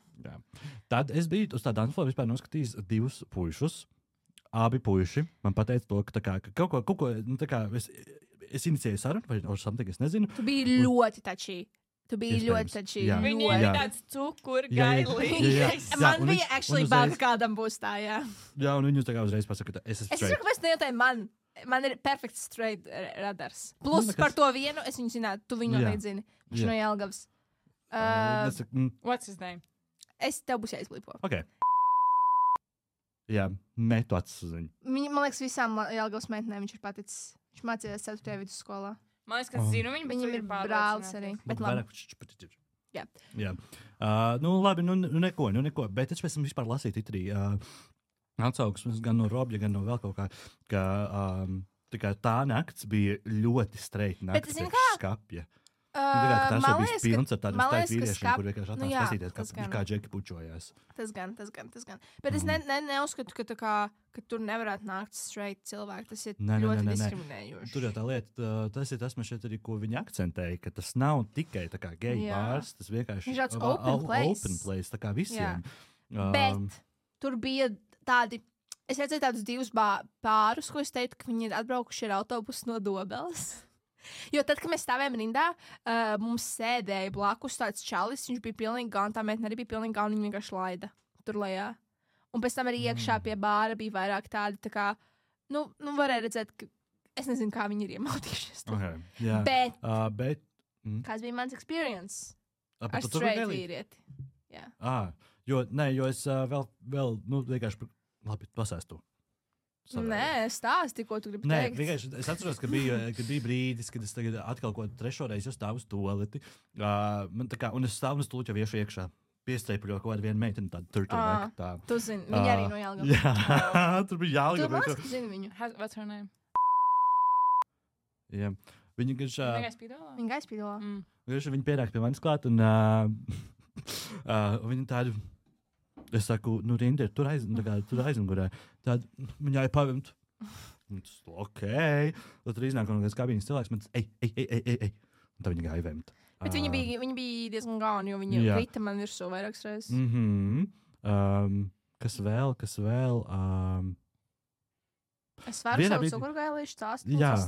Tad es biju uz tā dancefloru vispār noskatījis 2 puišus. Abi puiši man pateica to, ka kaut ko, es inicijēju sarunu, vai something, es nezinu. Tu biji ļoti tačī. Viņi ir tāds cukurgailīgs. Man bija actually bail, ka kādam būs tā, jā. Jā, un viņi tā kā uzreiz pasaka, ka es esmu straight. Es saku, mēs nejautāju man ir perfekts straight radars. Plus par to vienu, es viņu zinātu, tu viņu noteikti zini. Viņš no Jelgavas. What's his name? Es tev būs jāizblipo. Ok. Jā, metu acis uz viņu. Man liekas, visām Jelgavas meitenēm viņš ir paticis. Viņš mācījās 4. vidusskolā. Man liekas, ka zinu viņu, viņam ir brālis arī. Bet labi. Jā. Labi, neko. Bet es pēc tam vispār lasīju titrī atsauksmes gan no Robja, gan no vēl kaut kā, ka tā nakts bija ļoti straight nakts priekš skapja. Tas jau bija pilns ar tādiem staikt vīriešiem, kur vienkārši atnāc paskatīties, kā džeki pučojās. Tas gan. Bet es neuzskatu, ka tur nevarētu nākt straight cilvēki. Tas ir ļoti diskriminējoši. Tur jau tā lieta, tas ir tas, šeit arī, ko viņi akcentēja, ka tas nav tikai tā kā geju bārs, tas vienkārši ir open place, tā kā visiem. Bet tur bija tādi, es redzēju tādus 2 pārus, ko es teicu, ka viņi ir atbraukuši ar autobusu no Dobeles. Jo tad, kad mēs stāvējām rindā, mums sēdēja blakus tāds čalis, viņš bija pilnīgi gan, tā meitene arī bija pilnīgi gan, viņa vienkārši laida tur lejā. Un pēc tam arī iekšā pie bāra bija vairāk tādi, tā kā, varēja redzēt, ka es nezinu, kā viņi ir iemautījušies. Okay, bet kāds bija mans experience? Ar straight vīrieti. Jo es vēl vienkārši, labi, pasēstu. Nē, stāsti, ko tu gribi teikt. Vienkārši es atceros, ka bija brīdis, kad es tagad atkal ko 3. reizi stāvu uz toaleti. Un es stāvu un es tūlīt jau iešu iekšā. Piestreipuļo kaut kādu vienu meiteni, tādu turturback. Tu zini, viņa arī no Jelgavas. Jā, tur bija Jelgava. Tu man zini viņu. What's her name? Jā. Viņa gaisspīdolā. Viņa pienāk pie manis klāt un viņa tādu... Es saku, rinda ir tur aizmugurē. Tad viņai pavimt. Ok. Tad tur iznāk no kādas kabīnes cilvēks. Man tas, ej. Un tad viņa gāja vemt. Bet viņa bija diezgan gauna, jo viņa krita man virsū vairākas reizes. Kas vēl? Es varu savu cukurgailīšu stāstu. Jā,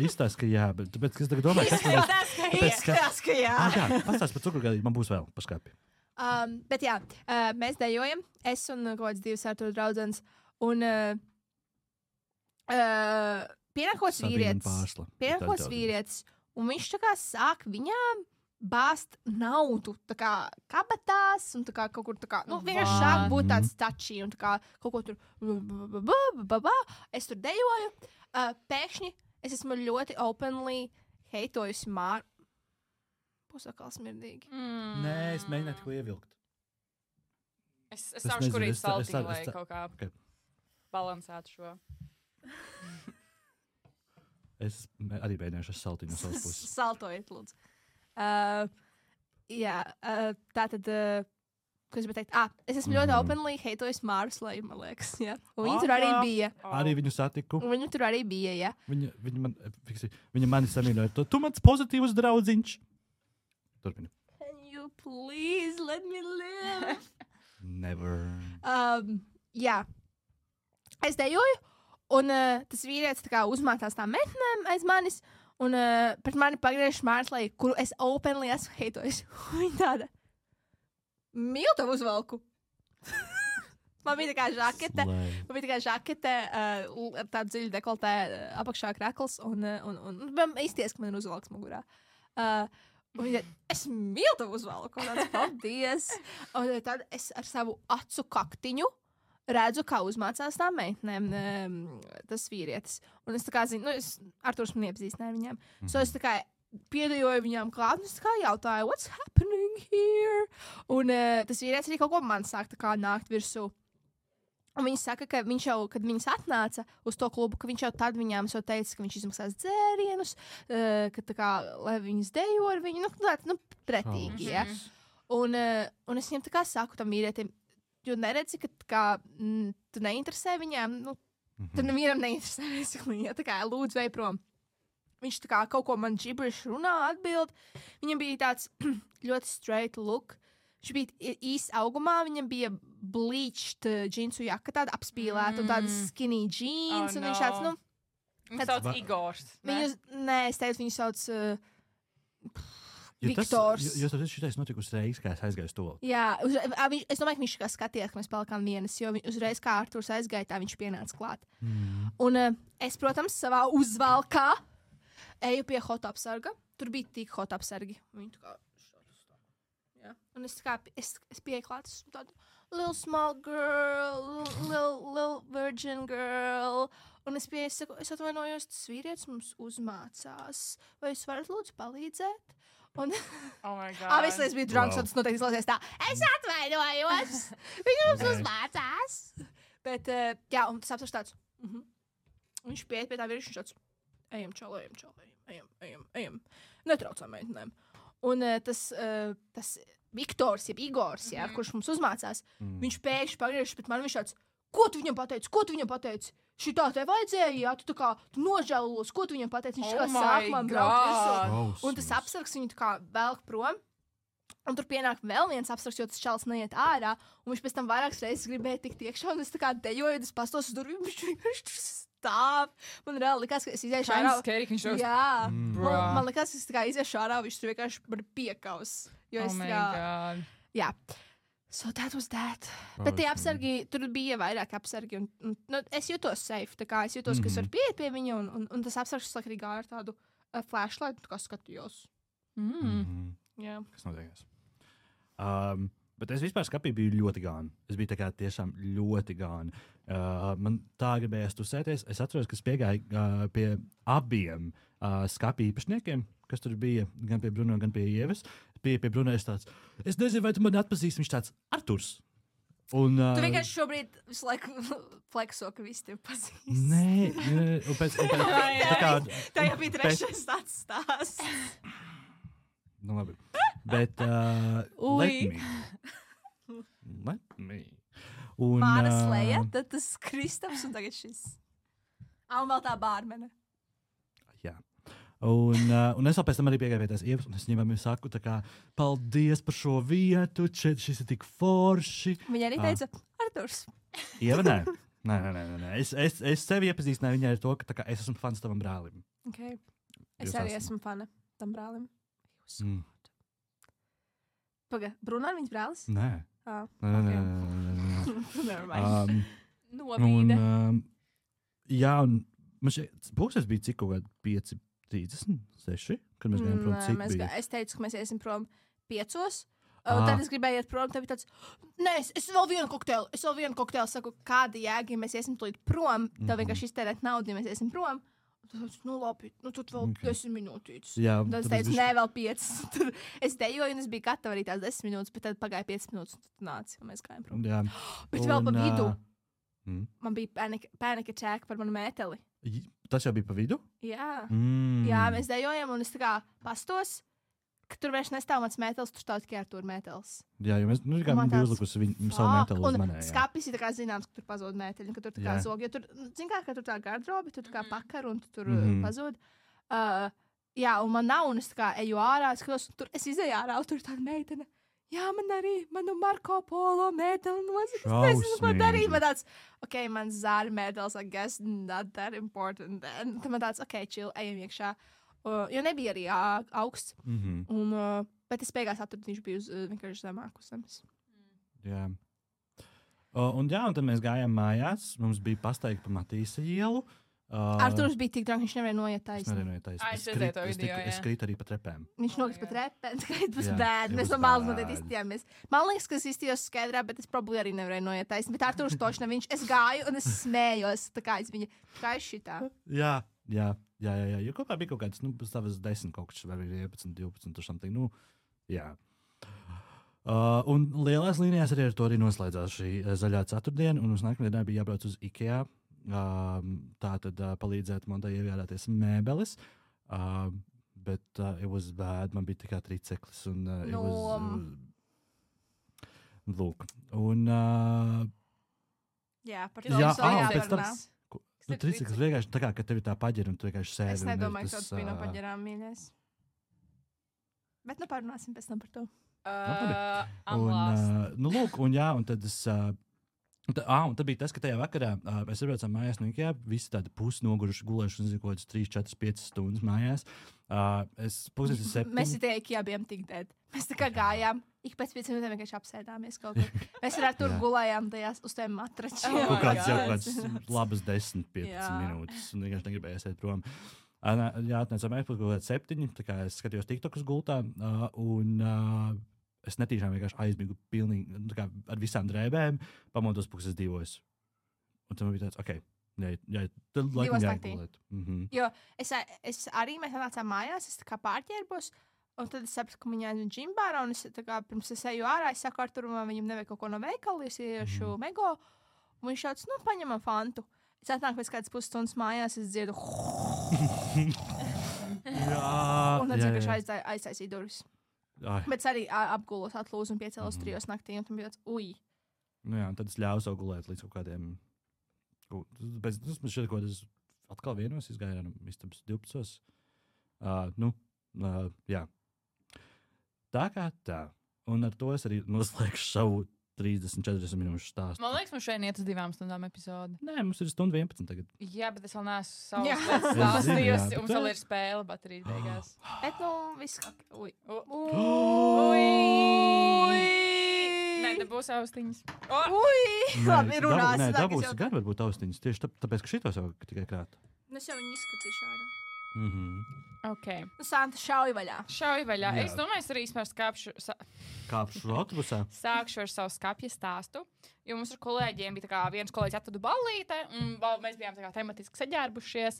izstāst, ka jā. Bet tāpēc, es tagad domāju, Izstāst, ka jā. Pastāst par cukurgailīšu, man būs vēl paskapi. Bet jā, mēs dejojam, es un kaut kāds 2 Artūra draudzenes, un pienākots vīrietis, un viņš tā kā sāk viņām bāzt naudu, tā kā kabatās, un tā kā kaut kur tā kā, vienkārši sāk būt tāds tačī, un tā kā kaut ko tur, es tur dejoju, pēkšņi es esmu ļoti openly heitojusi Māru. Pusakal smirdīgi. Nē, es mēģināju ko ievilkt. Es sākšu kurīt saltiņu, lai kaut kā balansētu šo. Es arī mēģināšu ar saltiņu no savas puses. Saltojiet, lūdzu. Tātad, ko es gribēju teikt? Es esmu ļoti openly heitojis Māru Sleju, man liekas. Ja? Un viņa tur arī bija. Arī viņu satiku. Viņa tur arī bija, ja. Viņa mani samīļoja. Tu mans pozitīvs draudziņš. Turpini. Can you please let me live? Never. Jā. Es dejoju, Un tas vīrietis tā kā uzmācās tām metnēm aiz manis, un pret mani pagriež Mārslai, kuru es openly esmu heitojis. Viņa tāda, mīl tev uzvalku. Man bija tā kā žakete, ar tādu dziļu dekoltē apakšā krekls, un izties, ka man ir uzvalks mugurā. Un viņa, es mīlu tev uzvalku, un tāds, paldies. Un tad es ar savu acu kaktiņu redzu, kā uzmācās tām meitnēm tas vīrietis. Un es tā kā zinu, Arturs man iepazīstināja viņām. So es tā kā piedejoju viņām klāt, un es tā kā jautāju, what's happening here? Un tas vīrietis arī kaut ko man sāk tā kā nākt virsū. Un viņi saka, ka viņš jau, kad viņas atnāca uz to klubu, ka viņš jau tad viņām teica, ka viņš izmaksās dzērienus, ka tā kā, lai viņas dejo ar viņu, pretīgi, ja. Un es viņam tā kā saku tam vīrietim, jo neredzi, ka tā kā, tu neinteresē viņām, tad nevienam neinteresē, ja tā kā, lūdzu, vei prom. Viņš tā kā kaut ko man gibberish runā, atbild. Viņam bija tāds ļoti straight look. Viņš bija īsts augumā, viņam bija bleached džinsu jaka, tāda apspīlēta, un tāda skinny jeans, un viņš tāds, Viņu sauc Igors, ne? Es teicu, viņu sauc Viktors. Jo tas šitais notika uzreiz, kā es aizgāju to. Jā, es domāju, ka viņš kā skatījās, ka mēs palikām vienas, jo uzreiz, kā Arturs aizgāja, tā viņš pienāca klāt. Un es, protams, savā uzvalkā eju pie hot apsarga. Tur bija tik hot apsargi. Viņi tā kā un es pieeju klāt, esmu tāda little small girl, little virgin girl. Un es pieeju, saku, es atvainojos, tas vīrietis mums uzmācās. Vai jūs varat lūdzu palīdzēt? Un obviously es biju drunk, so tas noteikti izlausies tā. Es atvainojos! Viņš mums uzmācās! Bet, jā, un tas apsars tāds. Viņš pieeja pie tā vīrieša, viņš tāds, ejam, ejam. Netraucām meitenēm. Un tas Viktors, jeb Igors, kurš mums uzmācās, viņš pēkšņi pagriežas pret mani, viņš tāds, ko tu viņam pateici? Šitā tev vajadzēja, tu tā kā, tu nožēlos, ko tu viņam pateici? Viņš kā sāk man braukt visu. Un tas apsargs viņu tā kā velk prom. Un tur pienāk vēl viens apsargs, jo tas čalis neiet ārā. Un viņš pēc tam vairākas reizes gribēja tikt iekšā, un es tā kā dejoju, es pastos uz durvīm, viņš tur stāv. Man reāli likās, ka es iziešu ārā. Jā, man likās, ka es tā kā iziešu ārā, viņš tur vienkārši man piekaus. Jo es tā kā, jā. So that was that. Bet tie apsargi, tur bija vairāk apsargi, un es jūtos safe, tā kā es jūtos, ka es varu pieiet pie viņa, un tas apsargs arī gāja ar tādu flashlight, tā kā skatījos. Jā. Kas notiekās? Bet es vispār skapī biju ļoti gāni. Es biju tā kā tiešām ļoti gāni. Man tā gribējās tusēties. Es atceros, ka es piegāju pie abiem skapī īpašniekiem, kas tur bija, gan pie Bruno, gan pie Ievas. Pie Bruno es tāds, es nezinu, vai tu mani atpazīsti, viņš tāds Arturs. Un, tu vienkārši šobrīd visu laiku flekso, ka visi tevi pazīst. Nē, un pēc tā jau bija trešais tāds stāsts. Nu labi. Bet let me. Un, Māra Sleja, tad tas Kristaps un tagad šis. Un vēl tā bārmene. Jā. Un es vēl pēc tam arī piegāju pie tās Ievas, un es viņam saku tā kā, paldies par šo vietu, šis ir tik forši. Viņa arī teica, Arturs. Ieva, nē. Nē. Es sevi iepazīstināju viņai ar to, ka tā kā es esmu fans tavam brālim. Okay. Es arī esmu fana tam brālim. Paga, Bruno ir viņas brālis? Nē. Nē. Novīde. Jā, un man šeit pūkstens bija cik kaut kādi 5:36, kad mēs gājām prom, cik bija? Es teicu, ka mēs iesim prom 5. Tad es gribēju iet prom, tev bija tāds, nē, es vēl vienu kokteili, saku, kāda jēga, ja mēs iesim tulīt prom, tev vienkārši iztērēt naudu, ja mēs iesim prom. Tad es teicu, labi, tad vēl 10 minūtītes. Jā, tad es teicu, nē, vēl 5. Tad es dejoju, un es biju gatava arī tās 10 minūtes, bet tad pagāja 5 minūtes, un tad nāci, un mēs gājām prom. Jā. Bet vēl pa vidu. Man bija panic attack par manu mēteli. Tas jau bija pa vidu? Jā. Jā, mēs dejojam, un es tā kā pastos, ka tur vairs nestāv mans mētelis, tur stāv tikai Artūra mētelis. Jā, jo mēs kā bija uzlikusi savu mēteli uz manē. Un skapis ir tā kā zināms, ka tur pazūd mēteļi, ka tur tā kā zog, jo tur, zin kā tur tā garderobi, tur tā kā pakar, un tur pazūd. Jā, un man nav, un es tā kā eju ārā, es izēju ārā, un tur tāda meitene. jā, manu Marko Polo mēdeli nosaka. Es nezinu, ko darīt. Man tāds, man zāļu mēdelis, I guess, not that important. Tad man tāds, chill, ejam iekšā. Jo nebija arī augsts. Bet es beigās atradu, viņš bija vienkārši zemāk uz zemes. Jā. Un tad mēs gājām mājās. Mums bija pasteigta pa Matīsa ielu. Arturs bija tik draugs, viņš nevarēja noiet taisni. Es krītu arī pa trepēm. Viņš nokrita pa trepēm, skait būs bēd. Mēs no malas noteikti izstījāmies. Man liekas, ka es izstījos skaidrā, bet es probably arī nevarēju noiet taisni. Bet Arturs toši ne, es gāju un es smējos. Tā kā es viņa, kā es šitā. Jā. Jo kopā bija kaut kāds, savas 10 kaut kas, vai 11, 12 or something. Jā. Un lielās līnijās arī ar to arī noslēdzās šī zaļā ceturtdiena, un uz nākamajā dienā bija jābrauc uz IKEA. Tā tad palīdzēt man tā iegādāties mēbeles, bet it was bad, man bija tikai triceklis, un lūk. Un par to pēc tam triceklis vienkārši tā kā, ka tev ir tā paģera, un tu vienkārši sēdi. Es nedomāju, ka tas bija no paģerām mīļais. Bet parunāsim pēc tam par to. Lūk, un tad es... Un tad bija tas, ka tajā vakarā mēs atbraucām mājās no IKEA, visi tādi pusnoguruši, gulējuši, nezinu, kaut kādas 3, 4, 5 stundas mājās. Mēs tie IKEA bijām tik dead. Mēs tā kā gājām, ik pēc 5 minūtēm vienkārši apsēdāmies kaut kur. Mēs ar tur gulējām tajās uz tiem matračiem. Kaut kāds labas 10-15 minūtes, un vienkārši negribēja iet prom. Atnācām mēs kaut kāds 7, tā kā es skatījos TikTokus gultā, un... Es netīšām vienkārši aizmigu pilnīgi ar visām drēbēm, pamodos puses 2. Un tam bija tāds, tad laikam jāgulēt. Jo es arī, mēs nācām mājās, es tā kā pārķērbos, un tad es sapratu, ka viņa aizvien džimbārā, un es tā kā pirms es eju ārā, es saku Arturam, viņam nevajag kaut ko no veikala, es iešu Mego, un viņš šauc, paņemam fantu. Es atnāku pēc kādas pusstundas mājās, es dziedu. Un tad vienkārši aiztaisīju durvis. Bet es arī apgulos, atlūzu un piecēlos 3 naktī, un tam bija tāds, tad es ļāvu savu gulēt līdz kaut kādiem... Es šeit kaut kādas atkal vienos izgāju, istabas 12. Jā. Tā kā tā. Un ar to es arī noslēgšu savu 30-40 minūšu stāstu. Man liekas, mums šeit iet uz 2 stundām epizodi. Nē, mums ir 1:11 tagad. Jā, bet es vēl neesmu savus stāstījusi. Mums vēl ir spēle baterijas beigās. Bet viss kā... Nē, dabūs austiņas. Labi, runās. Nē, dabūs gan varbūt austiņas. Tieši tāpēc, ka šitos jau tikai krāt. Es jau viņu izskatīšu ārā. Okay. Santa, šauj vaļā. Jā. Es domāju, es arī kāpšu autobusā. Sākšu ar savu skapja stāstu. Jo mums ar kolēģiem bija tā kā viens kolēģis atradu ballīte, un mēs bijām tā kā tematiski saģērbušies.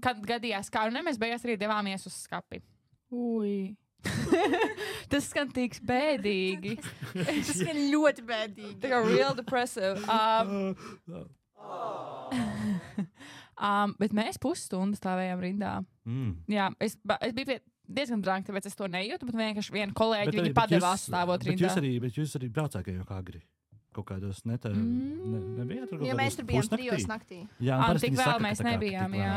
Kad gadījās kā, un mēs beigās arī devāmies uz skapi. Tas skan tik bēdīgi. Tas skan ļoti bēdīgi. Tā kā real depressive. Bet mēs pusstundu stāvējām rindā. Jā, es biju diezgan drāng, tāpēc es to nejūtu, bet vienkārši viena kolēģi viņa padevās stāvot rindā. Bet jūs arī braucāt jau agri. Kaut kādos nebija tur kaut kādos. Jo mēs tur bijām 3 naktī. Jā, tik vēl mēs nebijām, jā.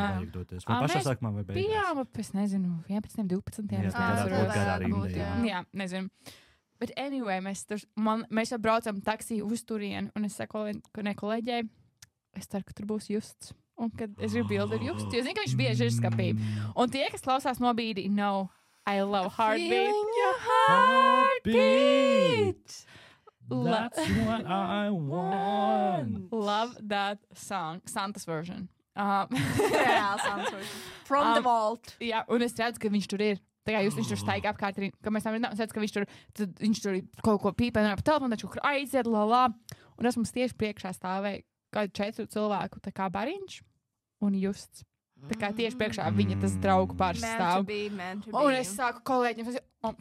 Vai pašā sākumā vai beigās? Bijām, es nezinu, 11, 12. Jā, nezinu. Bet anyway, mēs jau braucam taksī uz turienu, un es saku kolēģei, es ceru, ka tur būs Justs. Un kad es gribu bildi ar Justu, jo zinu, ka viņš bieži ir skapī. Un tie, kas klausās nobīdi, I love heartbeat. Feeling your heartbeat. That's what I want. Love that song. Santa's version. Santa's version. From the vault. Jā, un es redzu, ka viņš tur ir. Tā kā viņš tur staigā apkārt, ka mēs tam redzam, ka viņš tur kaut ko pīpē, un pa telefonu, taču aiziet, Un es mums tieši priekšā stāvēju kādu 4 cilvēku, tā kā bariņš un Justs. Tā kā tieši priekšā viņa tas draugu pāris stāv. Un es sāku kolēģiem,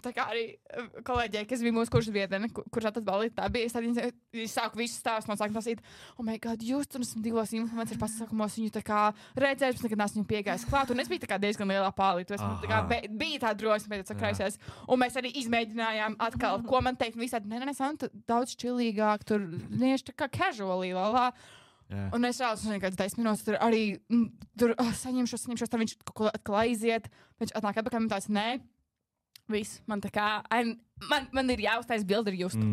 tā kā arī kolēģiem, kas bija mūsu kursa biedrene, kurš atad balīt, tā bija, es sāku visu stāstu, man sāku prasīt, oh my god, Just, un esmu 2 influenceri pasākumos, viņu tā kā redzējuši, bet nekad neesmu piegājis klāt, un es biju tā kā diezgan lielā pālī, tu esmu tā kā, bija tā drosme, bet sakrājusies, un mēs arī izmēģinājām atkal, ko man teikt, un visādi, nē, Santa, daudz čilīgāk, tur, nieši tā kā casually, Yeah. Un es rādzu, ka 10 minūtes tur arī saņemšos, tad viņš kaut ko atkal aiziet. Viņš atnāk atpakaļ un tāds, nē, Viss, man tā kā, man ir jāuztais bildi ar Justu.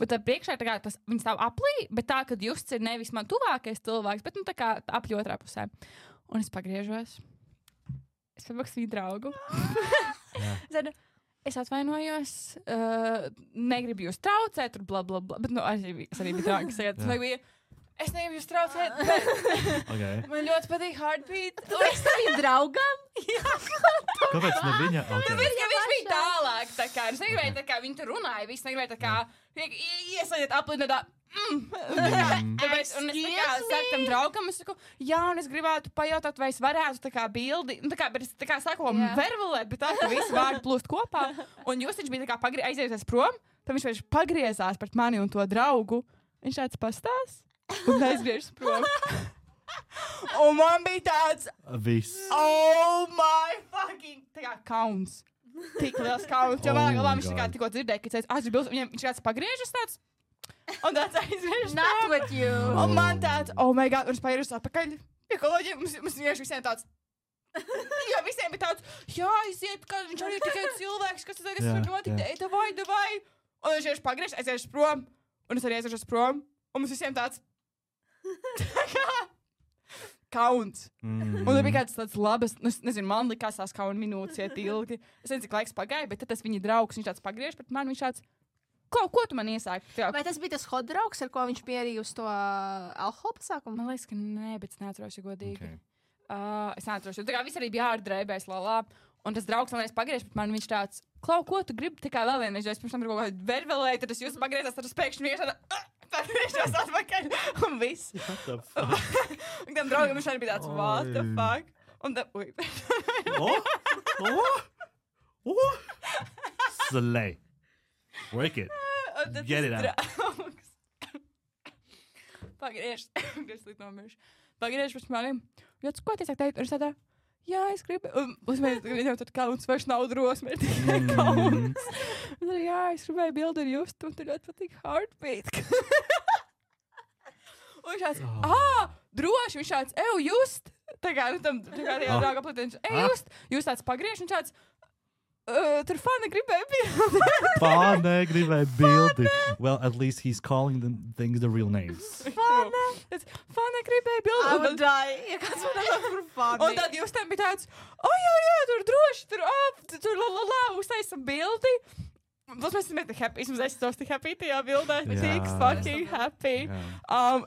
Bet tā priekšā tā kā tas, viņi stāv aplī, bet tā, kad Justs ir nevis man tuvākais cilvēks, bet tā kā apļ otrā pusē. Un es pagriežos. Es pamaksu viņu draugu. Es atvainojos, negribu jūs traucēt, tur bla bla bla, bet es arī biju trauks. Es negribu jūs traucēt, bet man ļoti patīk Heartbeat. Tu esi taviem draugam? Kāpēc ne viņa? Viņš bija tālāk, tā kā. Es negribēju tā kā, viņi tur runāja, viss negribēju tā kā, iesaļiet aplīnēt tā. Tāpēc, un es tā kā saku tam draugam, es saku, jā, un es gribētu pajautāt, vai es varētu tā kā bildi, tā kā, bet es tā kā saku, vervelēt, bet tā, ka visi vārdi plūst kopā. Un jūs viņš bija tā kā aizieties prom, tad viņš pagriezās pret mani un to draugu. Viņš tāds pastās. Un aizgriežas prom. Un man bija tāds... Viss. Oh my fucking... Tā kā kauns. Tik liels kauns. Jo man viņš tā kā tikko dzirdēja, ka viņš kāds pagriežas tāds. Un tāds aizgriežas prom. Not with you. Un man tāds... Oh my god. Un es pagriežas atpakaļ. Ja kolēģiem, mums visiem tāds... Jā, visiem bija tāds... Jā, aiziet, ka viņš arī tikai cilvēks, kas tas var notikt. Davai. Un viņš pagriežas, aizgriežas prom. Un es arī aizgriežas prom. Un mums visiem tāds... kauns. Un tur bija kāds tāds labas, nu, nezinu, man likās tās kauna minūtes iet ilgi. Es nezinu, cik laiks pagāja, bet tad tas viņa draugs, viņš tāds pagriež pret mani, viņš tāds, ko tu man iesāki? Vai tas bija tas hot draugs, ar ko viņš pierīja uz to alkohola pasākumu? Man liekas, ka nē, bet es neatceros, ja godīgi. Okay. Es neatceros, jo tā kā viss arī bija ārdrēbēs, lalā. Un tas draugs man pagriež pret mani, viņš tāds, Klau, ko tu gribi tikai vēl vienreiz, jo es pirms tam tur kaut kādu vervelēju, tad es jūs pagriezās, tad es pēkšņi vienkārši tāda, pagriežos atpakaļ, un viss. Un tam draugam viņš arī bija tāds, what the fuck? Un tad, Slay. Work it. Get it out. Pagriež pret mani. Ko tu saki teikt? Un es tādā, jā, es gribu. Un viņam tad kauns vairs nav drosme, ir tikai kauns. Un tad, jā, es gribēju bildi ar Justu, un tur ļoti patīk Heartbeat. Un viņš tāds, droši, viņš tāds, Just. Tā kā, nu tam, tā kā tajā drauga aplītē, Just. Jūs tāds pagriež, un tāds, tur Fana gribēja bildi. Well, at least he's calling them things the real names. Fana gribēja bildi. I would die. Ja kāds man atāk par Fani. Un tad jūs tam bija tāds, jā, tur droši, tur uztaisam bildi. Plus mēs esam happy. Es esmu tik happy tajā bildē. Tik fucking happy.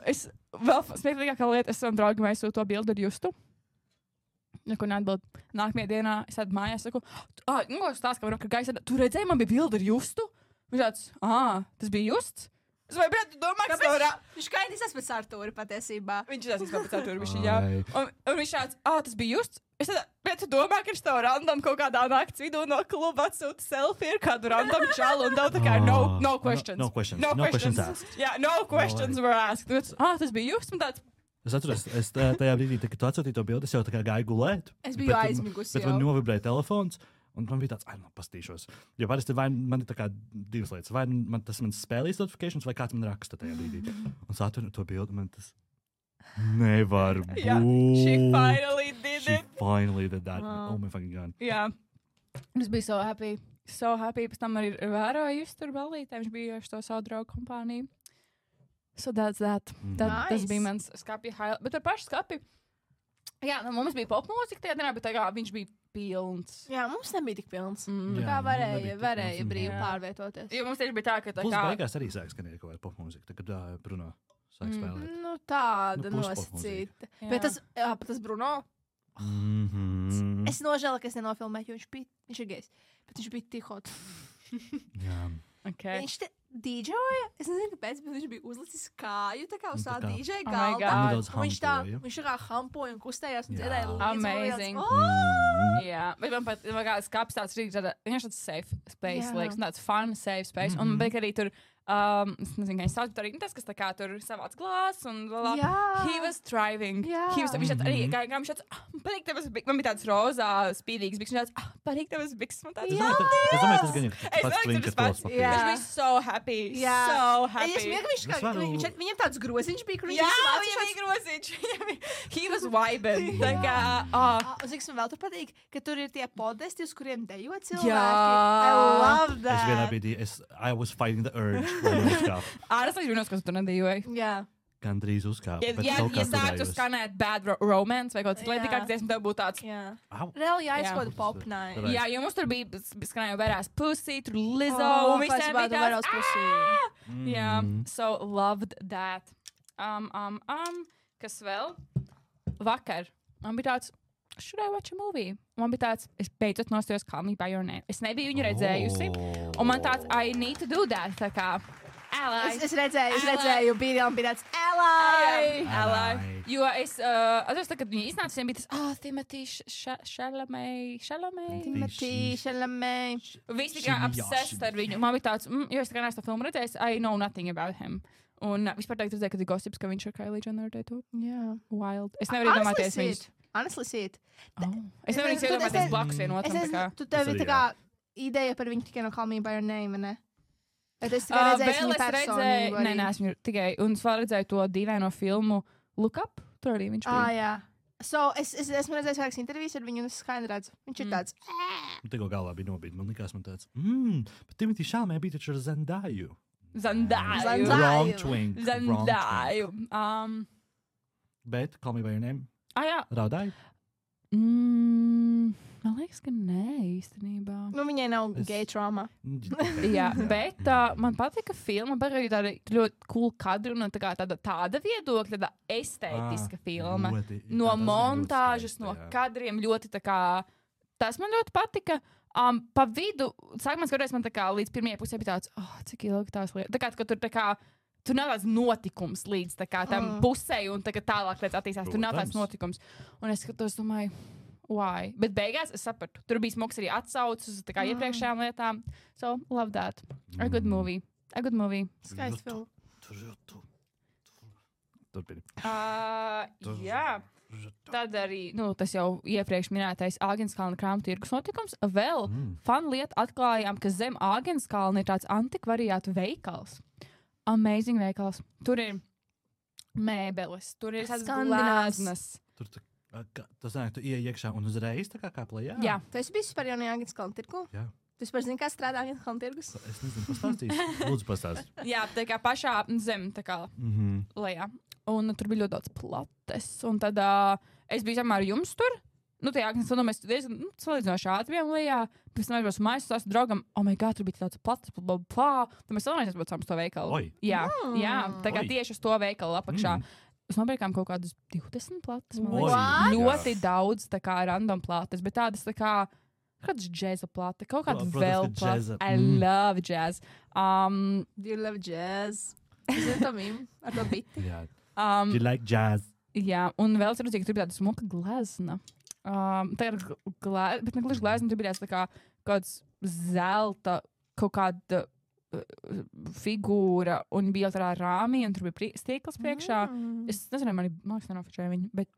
Es vēl smieklīgākā lieta, es savam draugam aizsūtu to bildi ar Justu. Neko neatbild. Nākamajā dienā es tādu mājās saku, ko stāst, ka gaisa, tu redzēji, man bija bildi ar Justu? Viņš tāds, tas bija Justs? Es vai, bet, tu domā, ka viņš kaidīs pēc Artūra patiesībā. Viņš izsās pēc Artūra, jā. Un viņš tāds, tas bija Justs? Es tādu, bet tu domā, ka viņš tev random kaut kādā nakts vidū no kluba atsūta selfie ar kādu random čalu un tev tā kā no questions. No questions asked. Jā, no questions were asked. Tas bija Justs? Un tāds, es atceros, tajā brīdī, kad tu atsūtīji to bildi, es jau tā kā gāju gulēt. Es biju aizmigusi jau. Bet man novibrēja telefons, un man bija tāds, pastīšos. Jo parasti vai man ir tā kā divas lietas. Vai tas man spēlīs notifications, vai kāds man raksta tajā brīdī. Un sātu to bildi, man tas nevar būt. Yeah, she finally did that. Oh my fucking god. Jā. Es biju so happy. So happy. Pēc tam arī vēroju tur balītē. Viņš bija ar to savu draugu kompāniju. So that's that. Tas bija mans skapja highlight. Bet ar pašu skapju. Jā, mums bija popmūzika tajā dienā, bet tā kā viņš bija pilns. Jā, mums nebija tik pilns. Tā kā varēja brīvi pārvietoties. Jo mums tieši bija tā, ka tā kā... Plus beigās arī sāk skanēt kaut kāda popmūzika, kad Bruno sāk spēlēt. Nu tāda nosacīta. Bet tas Bruno... Es nožēlu, ka es nenofilmēju, jo viņš ir gejs. Bet viņš bija tik hot. Jā. Okay. Viņš te dīdžoja, es nezinu, kāpēc, bet viņš bija uzlicis kāju tā kā uz tā dīdžeja galda. Viņš tā kā hampoja un kustējās un dziedāja līdzi. Amazing. Jā, bet man pat skapis tāds rīgs, viņš tāds safe space, liekas, tāds fun safe space. Un bet arī tur, es nezinu, kā viņš sauc, bet arī tas, kas tā kā tur savāc glāzes un he was thriving. Viņš tāds arī, kā viņš tāds, patīk tevas biks, man bija tāds rozā spīdīgs biks, viņš tāds, patīk tevas biks, man tāds. Es domāju, tas gan ir pats klinkas Viņš bija so happy, so happy. Es smieku, viņam tāds groziņš bija, kur viņam bija groziņš. He was vibing. Tā kā, Uz cik man vēl tur patīk, patīk, ka tur ir tie podesti, uz kuriem dejo cilvēki. I love that. Es vienā brīdī, I was fighting the urge. Es nezinu, kas tur nedejoja. Jā. Gandrīz uzkāpa. Ja sāktu skanēt Bad Romance vai kaut kas līdzīgs, dziesma, tev būtu tāds. Reāli jāizkoda pop night. Jā, jo mums tur bija skanēja Whereas Pussy, tur Lizzo, un visiem bija Whereas Pussy. Jā, so loved that. Kas vēl? Vakar man bija tāds, should I watch a movie? Man bija tāds, es beidzot nostājos Call Me By Your Name. Es nebiju viņu redzējusi, un man tāds, I need to do that, tā kā. Es redzēju, bija tāds Ally. Jo es atceros, kad viņi iznāca, viņiem bija tas, Timothy Chalamet. Visi tikai obsessed ar viņu. Man bija tāds, jo es tikai neesmu to filmu redzējis, I know nothing about him. Un vispār teikt redzēju, kad ir gossips, ka viņš ar Kylie Jenner teitu. Wild. Es nevaru iedomāties viņus. Honestly see it. Es nevaru iedomāties blakus vienotram. Tu tev ir tā kā ideja par viņu tikai no Call Me By Your Name, ne? Bet es tikai redzēju, personību. Nē, esmu tikai, un es vēl redzēju to dīvaino filmu Look Up, tur arī viņš bija. Jā. So, esmu redzējis vairākas intervijas ar viņu, un es skaidri redzu. Viņš ir tāds. Tikko galvā bija nobīd, man likās man tāds, bet Timothy Chalamet bija taču ar Zendaju. Wrong twink. Zendaju. Bet Call Me By Your Name? Jā. Raudāji? Man liekas, ka nē, īstenībā. Nu, viņai nav gay trauma. Jā, bet man patika filma, bet arī tāda ļoti cool kadru un tāda viedokļa, tāda estētiska filma. No montāžas, no kadriem ļoti tā kā, tas man ļoti patika. Pa vidu, sākumā skatoties man tā kā līdz pirmajai pusē bija tāds, cik ilgi tās lietas. Tā kā, ka tur nav tāds notikums līdz tā kā tam pusē un tā kā tālāk lietas attīstās. Tur nav tāds notikums. Un es skatos, domāju, why? Bet beigās es sapratu. Tur bija smogs arī atsaucis uz iepriekšējām lietām. So, love that. A good movie. Skaists film. Turpini. Jā. Tad arī, tas jau iepriekš minētais Āgenskalna krāmu tirgus notikums. Vēl fun lieta atklājām, ka zem Āgenskalna ir tāds antikvariātu veikals. Amazing veikals. Tur ir mēbeles, tur ir tādas glāznas. Tas nāk, tu ieej iekšā un uzreiz tā kā plējā? Jā. Tu esi bijis par jaunajā Āgenskalna tirgu? Jā. Tu vispār zini, kā strādā Āgenskalna tirgus? Es nezinu, pastāstīs. Lūdzu, pastāst. Jā, tā kā pašā zem, tā kā lejā. Un tur bija ļoti daudz plates. Un tad es biju samā ar jums tur. Tajā Āgenskalnā mēs diezgan salīdzinoši ātri bijām lejā. Pēc tam mēs mājās stāstu draugam, my God, tur bija tāds plates, Tad mēs vēlamies atbraucām uz to veikalu. Oi. Jā, tā kā tieši uz to veikalu apakšā. Mēs nopirkām kaut kādus 20 plates. Ļoti daudz tā kā random plates, bet tādas tā kā kādas džēza plate, kaut kāda vēl plate. I love jazz. Do you love jazz? Zinu to mīm ar to biti. Do you like jazz? Jā, un vēl es redzēju, ka tur bija tāda smuka glezna. Tā ir bet ne gluži glezna, tur bija tāds tā kā kāds zelta, kaut kāda figūra, un bija jau tādā rāmī, un tur bija stiekls priekšā. Es nezinu, man liekas, nenofočēju viņu, bet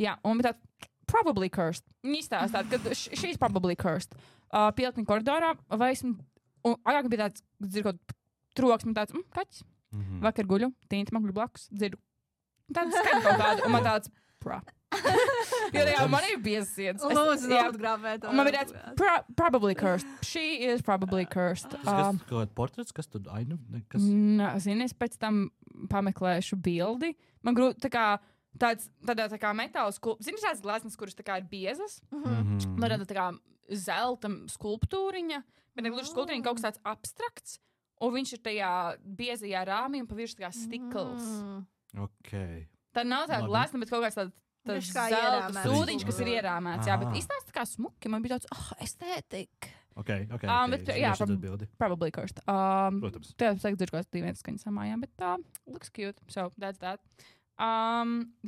jā, un bija tāds probably cursed. Viņi izstāstāt, ka she's probably cursed. Pielkni koridorā, vai esmu, un agrāk bija tāds, dzird kaut troksmi, tāds, kaķis. Vakar guļu, tīnti man guļu blakus, dzirdu. Tāds skaņa kaut kāda, un man tāds, Jo jā, man ir biesiens. Lūdzu, neatgrāvēt. Man ir tāds, probably cursed. She is probably cursed. Kas kaut portrets, kas tur ainu? Zini, es pēc tam pameklēšu bildi. Man grūti, tādā tā kā metāla skulptūra. Zini, šāds gleznas, kuras tā kā ir biezas. Man rada tā kā zelta skulptūriņa, bet ne gluži skulptūriņa, kaut kas tāds abstrakts. Un viņš ir tajā biezajā rāmī un pa virsmu tā kā stikls. Okay. Tā nav tāda glezna, bet kaut kāds tāds zelta sūdiņš, kas ir ierāmēts. Jā, bet izstāsta tā kā smuki. Man bija tāds, estētika. Okay. Bet, jā, probably cursed. Protams. Tev saka, dzird kaut kāds dīvains skaņas samājām, bet looks cute. So, that's that.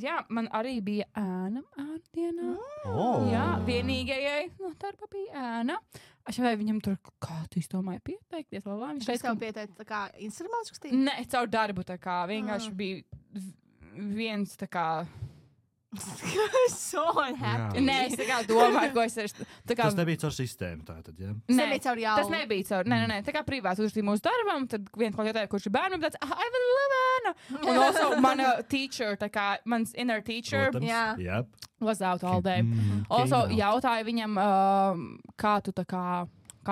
Jā, man arī bija ēna dienā. Jā, vienīgajai no darba bija ēna. Es vai viņam tur kādu izdomāju pieteikties. Viņš tev pieteikt tā kā instruments kustīt? Nē, caur darbu tā kā. Vienkārši bija viens tā kā So unhappy. Nē, es tā kā domāju, ko es esmu. Tas nebija caur sistēmu tātad, jā? Nebija caur jau. Tas nebija caur, nē, tā kā privāti uzrakstīja mūsu darbam, tad viens kaut jautāja, kurš ir bērnu, tāds, I will love Anna. Un also mana teacher, tā kā mans inner teacher Yep. was out all day. Also jautāja viņam, kā tu tā kā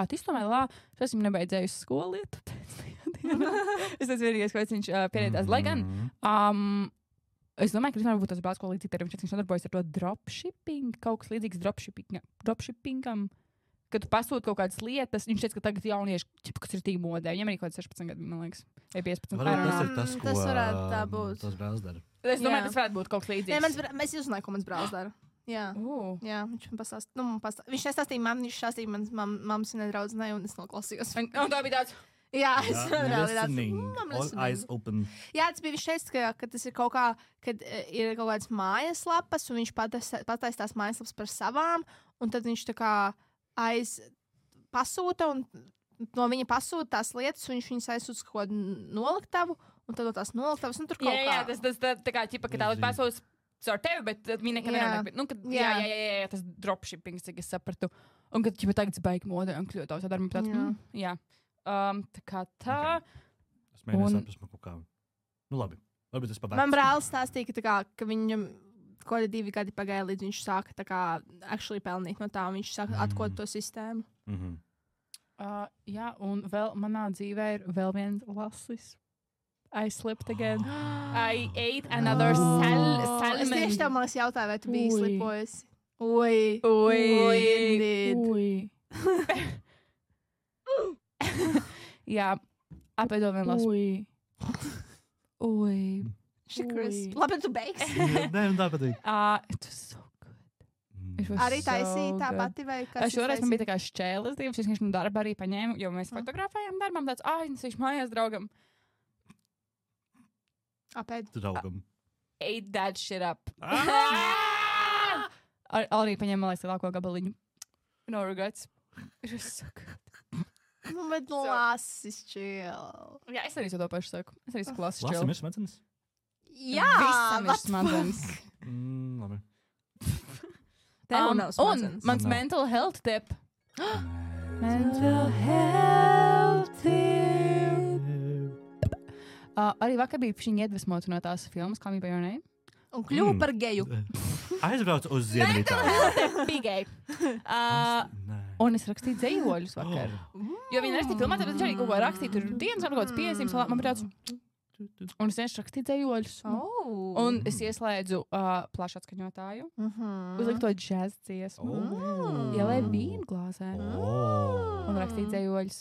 izdomāji, es esmu nebeidzējusi skolu lietu. Es teicu vienīgais, ko viņš pierēdās. Lai gan, es domāju, ka viņš varbūt tas brālis, ko līdzīgi ir, viņš nodarbojas ar to dropshipping, kaut kas līdzīgs dropshippingam, kad tu pasūti kaut kādas lietas, viņš teica, ka tagad jaunieši, kas ir tik modē, viņam arī kaut kāds 16 gadu, man liekas, vai 15. Varbūt tas ir tas, ko tas varētu tā būt. Tas brālis dara. Es domāju, tas varētu būt kaut kas līdzīgs. Nē, es uzzināju, ko mans brālis dara. Jā, viņš man pastāstīja. Viņš nestāstīja man, viņš stāstīja manas mammas un draudzenei, un es noklausījos. Un tā bija tāds. Jā, es eyes open. Jā, tas bija, viņš teica, ka tas ir kaut kā, kad ir kaut kādas mājaslapas, un viņš pataisa tās mājaslapas par savām, un tad viņš tā kā pasūta, un no viņa pasūta tās lietas, un viņš viņas aizsūta kaut kādu noliktavu, un tad no tās noliktavas, un tur kaut kā. Jā, tas tā kā, ķipa, ka tā pasūta ar tevi, bet viņi nekad nenāk. Jā, tas dropshipping, cik es sapratu. Un kad ķipa tagad baigi modē un kļūt tā darba, tāds, jā. Tā kā tā. Es mēģināju saprast, kaut kā. Nu labi, varbūt es pavēstu. Man brālis stāstīja, ka viņam kaut kādi 2 gadi pagāja, līdz viņš sāka tā kā actually pelnīt no tā, un viņš sāka atkot to sistēmu. Jā, un vēl manā dzīvē ir vēl viens lasis. I slipped again. I ate another salmon. Es tieši tev man jautāju, vai tu biji slipojusi. Jā, apēdot vien lasu. Labi, tu beigsi. Nē, tā patīk. It was so good. Arī taisīja tā pati vai kas? Šoreiz man bija tā kā šķēles divas, viņš no darba arī paņēma, jo mēs fotografējām darbam, tāds, viņš mājās draugam. Apēd. Draugam. Ate that shit up. Arī paņēma, man liekas, lielāko gabaliņu. No regrets. It was so good. Nu, bet lasis chill. Jā, es arī to pašu saku. Es arī saku lasis chill. Lasim ir smadzenes? Jā, visam ir smadzenes. Labi. Tev nav smadzenes. Un mans mental health tip. Mental health tip. Arī vakar bija viņa iedvesmota no tās filmas, kā bija Your Name. Un kļuva par geju. Aizbraucu uz Ziemeļitāliju. Bija gej. Un es rakstīju dzējoļus vakar. Jo viņi rakstīja filmā, tad viņš arī kaut ko rakstīja. Tur dienas, kaut kāds piezīmes, man bija tāds. Un es vienkārši rakstīju dzējoļus. Un es ieslēdzu plašu atskaņotāju. Uzliku to džēz dziesmu. Ielēju vīnu glāzē. Un rakstīju dzējoļus.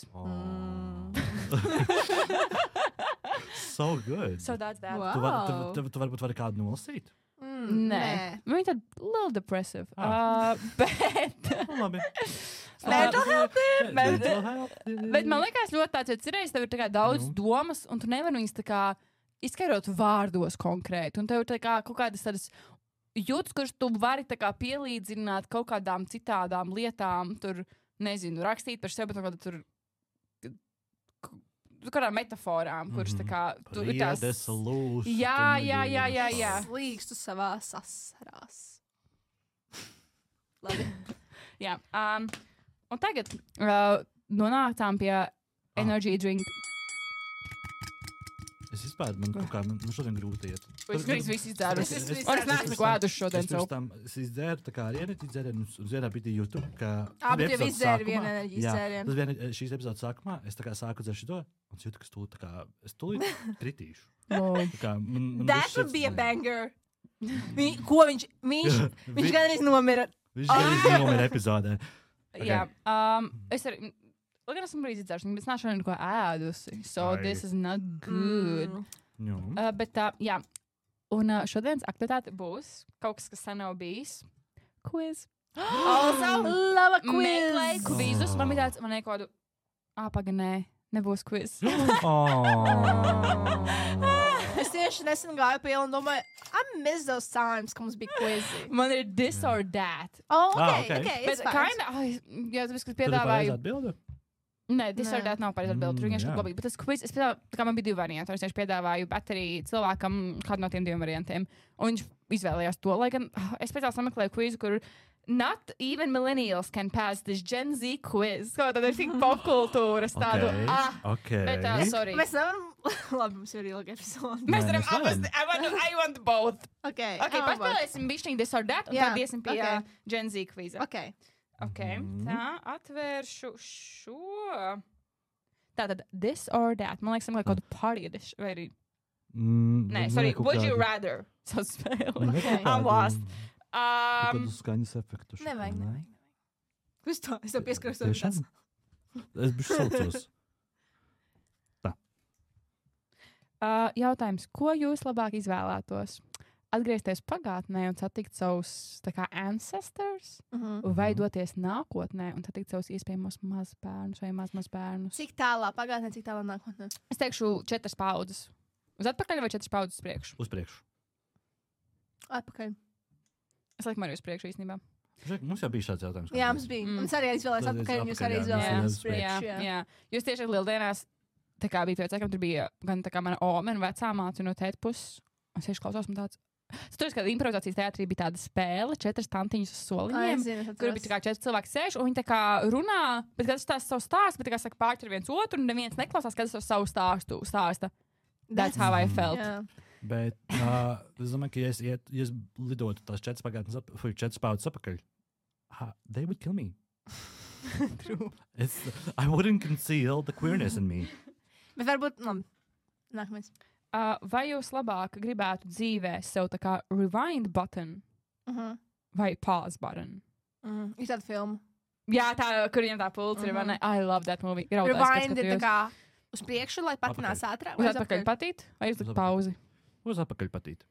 So good. So that's that. Wow. Tu varbūt vari kādu nolasīt? Nē. Viņa tad little depressive. Bet... Labi. Mental health tip. Bet man liekas ļoti tāds, jo cirreiz tev ir tā kā daudz domas, un tu nevari viņas tā kā izskaidrot vārdos konkrēti. Un tev ir tā kā kaut kādas tādas jūtas, kuras tu vari tā kā pielīdzināt kaut kādām citādām lietām. Tur, nezinu, rakstīt par sevi, bet tur kādām metaforām, kuras tā kā tu ir tās... Jā. Slīkstu savā sasarās. Labi. Jā. Un tagad nonācām pie energy drink. Es izpēdu, man kaut kā, man šodien grūti iet. Es visu izdzēru. Es neesmu klēduši šodien savu. Es izdzēru tā kā arī enerģiju dzērienu, un vienā brīdī jūtu, ka... Bet tev izdzēri vienu enerģijas dzērienu. Tas bija šīs epizodes sākumā, es tā kā sāku dzēru šito, un es jūtu, ka stūlīt tā kā, es tūlīt kritīšu. That would be a banger. Ko viņš gan arī nomira. Viņš gan arī nomira epizodē. Jā. Es arī... Lai gan esmu brīdī dzēršana, bet es nāšu neko ēdusi. So this is not good. Bet jā. Un šodienas aktivitāte būs kaut kas sen nav bijis. Quiz. Also, lava quiz. Meklēju kvizus. Man bija tāds, man nekādu... Paganē, nebūs quiz. Es tieši nesen gāju pie ielu un domāju, I miss those times, ka mums bija quizi. Man ir this or that. Okay, it's fine. Jā, tāpēc, kad piedāvāju... Nē, disordēt nav pareizi atbildi. Tur vienkārši labi. Bet tas quiz, tā kā man bija 2 varianti. Es piedāvāju batteriju cilvēkam kādu no tiem 2 variantiem. Un viņš izvēlējās to, lai gan es pēc tam sameklēju quizu, kur not even millennials can pass this Gen Z quiz. Kā tad ir tik popkultūras tādu. Bet, sorry. Mēs nevaram, labi, mums ir ilga episode. Mēs varam, I want both. Okay, paspēlēsim bišķiņ disordēt, un tad iesim pie Gen Z quiza. Okay. Tā, atvēršu šo. Tātad, this or that. Man liekas, kaut kādu party edition, vai arī... Nē, sorry, would you rather? So spēle. I'm lost. Kādus skaņas efektus. Nevajag. Kas tā? Es tev pieskaros. Es bišķi saucos. Tā. Jautājums, ko jūs labāk izvēlētos? Atgriezties pagātnē un satikt savus ancestors, vai doties nākotnē un satikt savus iespējamos mazbērnus vai mazbērnus? Cik tālā pagātnē, cik tālā nākotnē? Es teikšu 4 paudzes. Uz atpakaļ vai 4 paudzes uz priekšu? Uz priekšu. Atpakaļ. Es laikam arī uz priekšu īstenībā. Mums jau bija šāds jautājums. Jā, mums bija. Mums arī izvēlējās atpakaļ, un jūs arī izvēlējās priekšu. Jā. Jūs tieši lieldienās, tā kā bija priecākam, tur bija gan tā kā mana oma un vecā māte no tēta puses. Es tieši klausos, man tāds. Tur, kad improvizācijas teātrī bija tāda spēle, 4 tantiņas uz soliņiem, kur bija 4 cilvēki sēž, un viņi tā kā runā, bet katrs stāsta savu stāstu, bet tā kā saka pārķer viens otru, un neviens neklausās, kad es savu stāstu stāsta. That's how I felt. Yeah. Bet es domāju, ka ja es lidotu tās 4 paudzes apakaļ, they would kill me. True. I wouldn't conceal the queerness in me. Bet varbūt, nākamais. Vai jūs labāk gribētu dzīvē sev tā kā rewind button vai pause button? Ir tāda filma. Jā, tā, kur viņam tā pults ir, vai ne? I love that movie. Rewind ir tā kā uz priekšu, lai patinās ātrāk. Uz atpakaļ patīt, vai uzlikt pauzi? Uz atpakaļ patīt.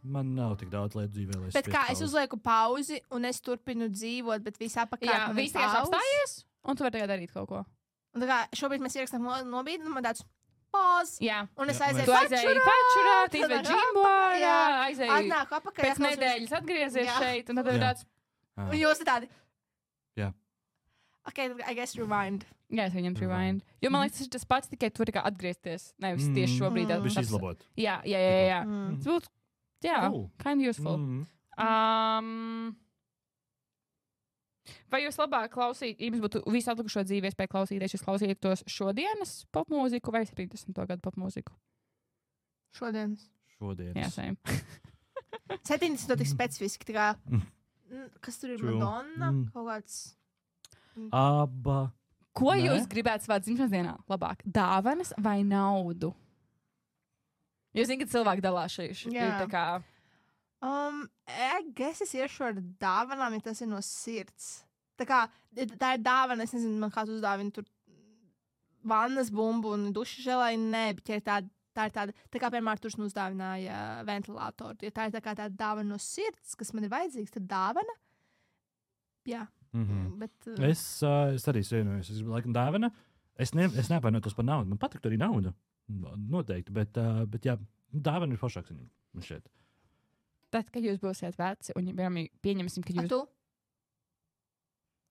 Man nav tik daudz lietu dzīvē, lai es bet kā es uzlieku pauzi un es turpinu dzīvot, bet viss apakaļ. Jā, viss tikai apstājies, un tu vari tagad darīt kaut ko. Un tā kā šobrīd mēs ierakstām nobīdi, un man tāds pause. Jā. Un es aizēju pačurāt, izvēl džimborā, aizēju atnāku apakaļ. Pēc nedēļas atgriezies šeit, un tad ir tāds. Un jūs ir tādi. Jā. Ok, I guess rewind. Jā, es viņam rewind. Jo man liekas, tas pats tikai tur kā atgriezties. Nevis tieši šobrīd. Viņš izlabot. Jā. Tas būtu, kind of useful. Vai jūs labāk klausītu, ja jums būtu visu atlikušo dzīvi iespēja klausīties, jūs klausītos šodienas popmūziku vai 70. gadu popmūziku? Šodienas. Jā, same. 70. tik specifiski, tā kā, kas tur ir Madonna, kaut kāds. Abba. Ko jūs gribētu savā dzimšanas dienā labāk? Dāvanas vai naudu? Jūs zināt, ka cilvēki dalās šeit. Tā kā... es iešu ar dāvanām, ja tas ir no sirds. Tā kā, tā ir dāvana, es nezinu, man kāds uzdāvina tur vannas bumbu un duša želai, nē, bet ja tā ir tāda, tā kā piemēram turs mums uzdāvināja ventilātoru, ja tā ir tā kā tāda dāvana no sirds, kas man ir vajadzīgs, tad dāvana, jā. Bet, es arī svienojos, es gribu laikam dāvana, es neapvainotos par naudu, man patiktu arī nauda, noteikti, bet jā, dāvana ir foršāks man šeit. Tad, kad jūs būsiet veci, un pieņemsim, ka jūs... A tu?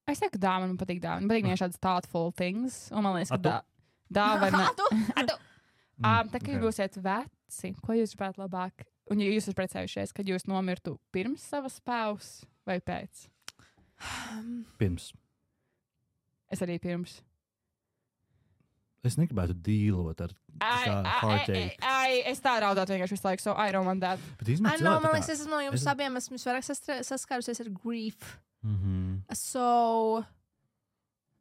Es teiktu, ka dāvana man patīk dāvana. Man patīk vienkārši tādas thoughtful things. Un man liekas, ka dāvana... A tu? Tad, kad jūs būsiet veci, ko jūs gribētu labāk? Un ja jūs esat precējušies, kad jūs nomirtu pirms savas paus vai pēc? Pirms. Es arī pirms. Es negribētu dīlot ar heartache. Es tā raudātu vienkārši visu laiku, so I don't want that. Man liekas, es no jums abiem esmu vairāk saskārusies ar grief. So,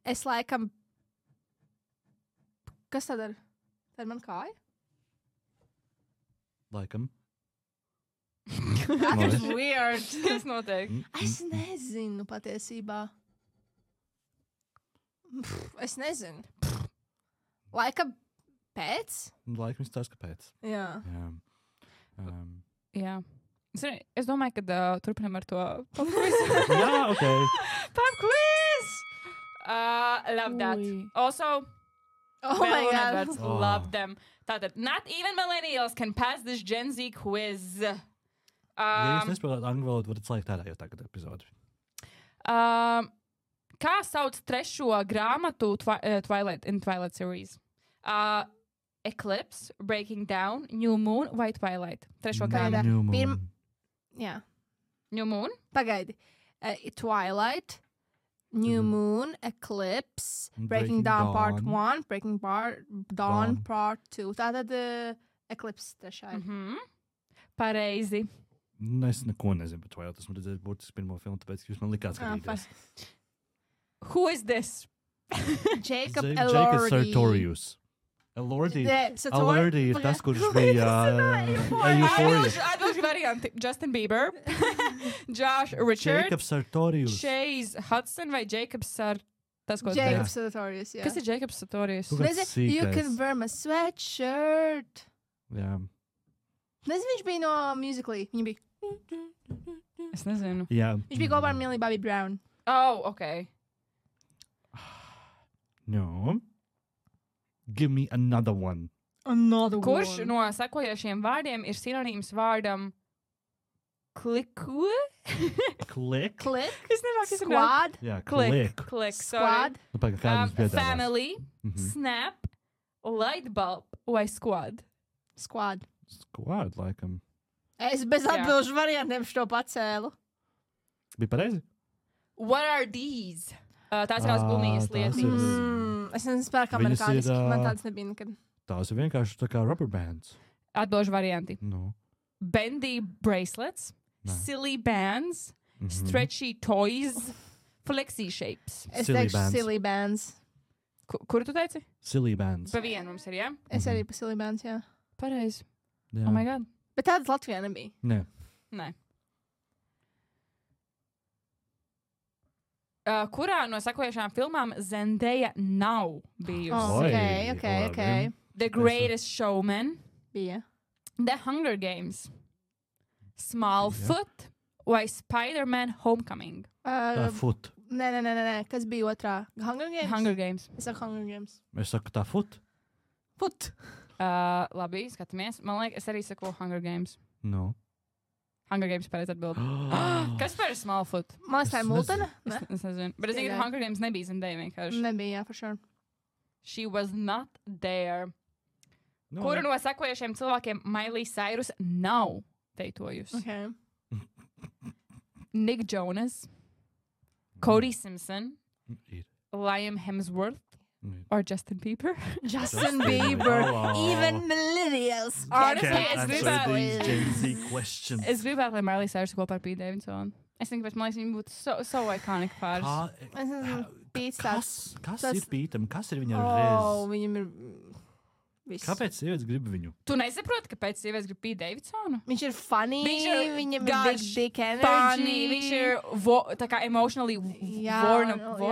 es laikam... Kas tad ir? Tā ir man kāja? Laikam. That is weird. Kas notiek? Es nezinu patiesībā. Es nezinu. Laikam pēc? Laikam es tās, ka pēc. Jā. Jā. Es domāju, ka turpinam ar to pop quiz. Jā, ok. Pop quiz! Love that. Also, my God. Love them. Tātad, not even millennials can pass this Gen Z quiz. Ja jūs nesaprotat angļu valodu, varat slēgt ārā jau tagad epizodi. Kā sauc trešo grāmatu Twilight series? Eclipse, Breaking Down, New Moon vai Twilight? Trešo grāmatu. New Moon. Jā. New Moon? Pagaidi. Twilight, New Moon, Eclipse, Breaking Dawn Part 1, Breaking Dawn Part 2. Tātad Eclipse trešā. Pareizi. Es neko nezinu par Twilight. Esmu redzējis būtiski pirmo filmu, tāpēc jūs man likāt skatīties. Who is this? Jacob Sartorius. Elordi ir tas, kurš bija Euphoria. Atbilžu varianti. Justin Bieber, Josh Richard, Jacob Sartorius. Chase Hudson vai Jacobs tas, ko Jacob Sartorius, jā. Kas ir Jacobs Sartorius? You can wear my sweatshirt. Jā. Nezinu, viņš bija no Musical.ly. Viņa bija. Es nezinu. Jā. Viņš bija kopā ar Millie Bobby Brown. Oh, ok. No. Give me another one. Kurš no sekojošiem vārdiem ir sinonīms vārdam kliku? Klik? Es nemāku izrunāt. Squad? Jā, Klik. Squad? Family, snap, lightbulb vai squad? Squad. Squad, laikam. Es bez atbilžu variantiem šo pacēlu. Bija pareizi? What are these? Tās ir tās gumijas lietas. Es nezinu, kā amerikāniski. Man tāds nebija nekad. Tās ir vienkārši tā kā rubber bands. Atbilžu varianti. No. Bendy bracelets, silly bands, stretchy toys, flexi shapes. Es teikšu silly bands. Kuru tu teici? Silly bands. Pa vienu mums ir, jā? Es arī pa silly bands, jā. Pareizi. Jā. Oh my god. Bet tādas Latvijā nebija. Nē. Kurā no sekojošām filmām Zendaya nav bijusi? Ok. The Greatest Showman, Bija. The Hunger Games, Smallfoot vai Spider-Man Homecoming? Tā foot. Nē. Kas bija otrā? Hunger Games? Hunger Games. Es saku Hunger Games. Es saku tā foot. Foot. Labi, skatāmies. Man liekas, es arī saku Hunger Games. No. Hunger Games pareizi atbild. Kas par Smallfoot? Man liekas, tā ir Multena? Es nezinu. Bet es zinu, ka Hunger Games nebija Zendaya vienkārši. Nebija, jā, for sure. She was not there. No. Kuru no sekojošiem cilvēkiem Miley Cyrus nav teitojusi? Ok. Nick Jonas, Cody Simpson, Ir. Liam Hemsworth, or Justin Bieber? Justin Bieber. Even millennials. Honestly, Es gribētu, lai Miley Cyrus kopā ar Pete Davidsonu. Es domāju, ka viņa būtu so iconic pāris. Kas ir Pītam? Kas ir viņam reiz? Viņam ir viss. Kāpēc sievietes grib viņu? Tu nesaproti, kāpēc sievietes grib Pete Davidsonu? Viņš ir funny, viņam ir big dick energy. Funny, viņš ir tā kā emotionally vulnerable.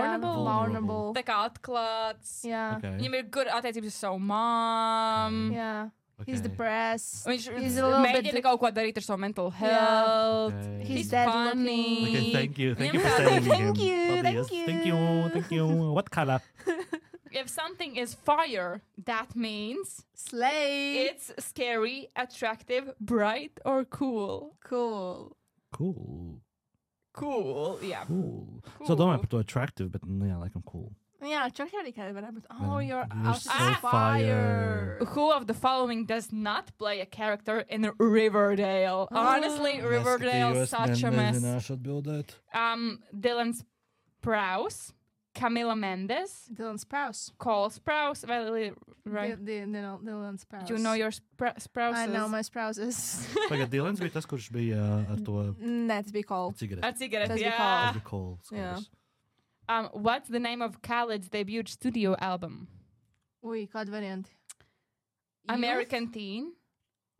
Tā kā atklāts. Jā. Okay. Viņam ir good attiecības ar savu mom. Jā. Okay. He's depressed. Viņš mēģina kaut ko darīt ar savu mental health. Okay. He's funny. Okay, thank you for saying him. Thank you. What color? If something is fire, that means Slay. it's scary, attractive, bright, or cool. Cool. Cool, yeah. Cool. So domāju par to attractive, bet jā, laikam cool. Jā, čak arī kāda varētu būt. You're so fire. Who of the following does not play a character in Riverdale? Honestly, Riverdale such a mess. Nezināšu atbildēt. Dylan Sprouse, Camila Mendes, Dylan Sprouse. Cole Sprouse, right? Dylan Sprouse. You know your Sprouses? I know my Sprouses. Pagad, Dylans bija tas, kurš bija ar to Nē, tas bija Cole. cigareti. A cigarette, Tas bija yeah. Tas bija Cole. Jā. What's the name of Khaled's debut studio album? Ui, kādi varianti? American Teen,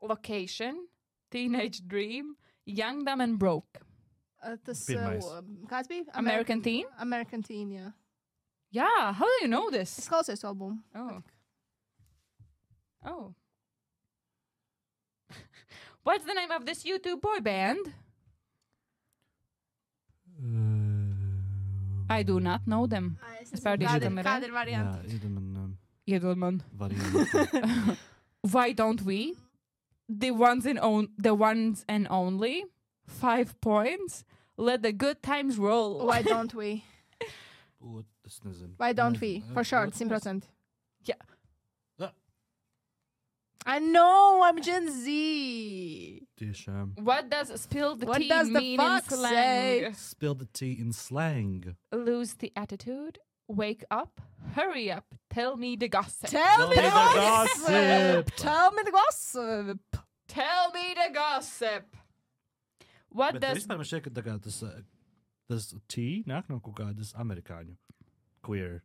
Location, Teenage Dream, Young, Dumb and Broke. Tas, Pirmais. kāds bija? American Teen? American Teen, jā. Yeah, how do you know this? Es klausies to albumu. Oh. What's the name of this YouTube boy band? I do not know them. Es pārdīšu, kam ir. Kādi ir varianti? Jā, Iedod man. varianti. Why don't we? The ones and only. 5 points. Let the good times roll. Why don't we? Es nezinu. Vai don't we? For sure, 100%. Jā. I know, I'm Gen Z. Tiešām. What does spill the What tea does the mean in fuck slang? say? Spill the tea in slang. Lose the attitude. Wake up. Hurry up. Tell me the gossip. Tell me the gossip. Tell me the gossip. Tell me the gossip. What Bet does... vispār man šķiet, ka tā kā tas tea nāk no kaut kādas amerikāņu queer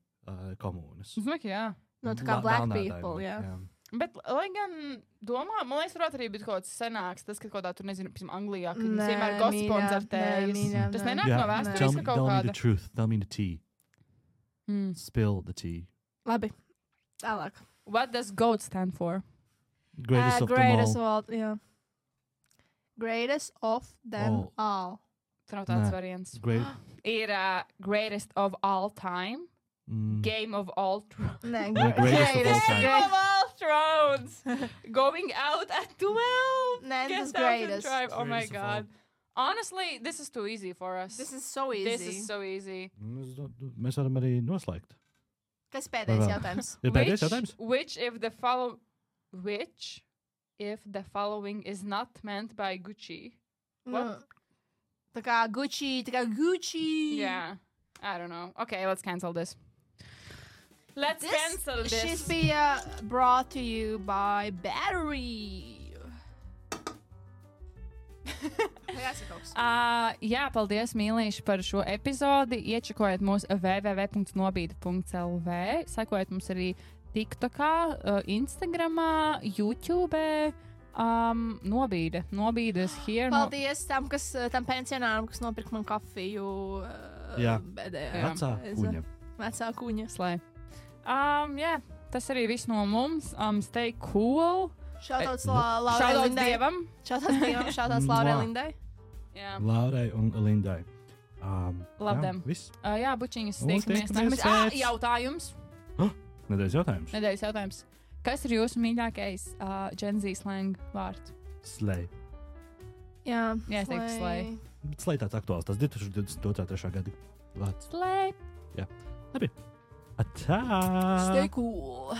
komunas. Es domāju, ka jā. No, tā kā black people, jā. Bet, lai gan domā, man liekas, varētu arī būt kaut kāds senāks, tas, ka kaut kādā tur, nezinu, piemēram, Anglijā, kad viņas vienmēr gossipons ar tējas. Tas nenāk no vēstures, ka kaut Tell me kāda. the truth. Tell me the tea. Spill the tea. Labi. Tālāk. What does GOAT stand for? Greatest of them Greatest all. of all, jā. Greatest of them all. Tā nav tāds Nē. variants. Great. Ir greatest of all time. Game of all thrones. Nē, Greatest of all time. Game of all thrones. Going out at 12. Nē, Get tas down to greatest. drive. Oh my Greatest of all. God. Honestly, this is too easy for us. This is so easy. This is so easy. Mēs varam arī noslēgt. Kas pēdējais jautājums? Ir pēdējais jautājums? Which if the following is not meant by Gucci? What? Tā kā Gucci, tā kā Gucci. Yeah. I don't know. Okay, let's cancel this. Let's cancel this. Šis bija brought to you by Battery. Jā, paldies, mīlīši, par šo epizodi. Iečakojiet mūsu www.nobīde.lv. Sekojiet mums arī TikTokā, Instagramā, YouTube. Nobīdes here. Paldies tam pensionāram, kas nopirka man kafiju. Jā. Vecā kuņa. Vecā kuņa. Slē. Jā, tas arī viss no mums. Stay cool. Šautauts Laurai Lindai. Šautauts Laurai Lindai. Jā. Laurai un Lindai. Love them. Viss. Jā, bučiņas. Tiekamies. Jautājums. Nedēļas jautājums. Kas ir jūsu mīļākais Gen Z slang vārds? Slay. Jā, es teiktu slay. Bet slay tāds aktuāls. Tas 2023. gada vārds. Slay. Jā. Labi. Atā! Stay cool.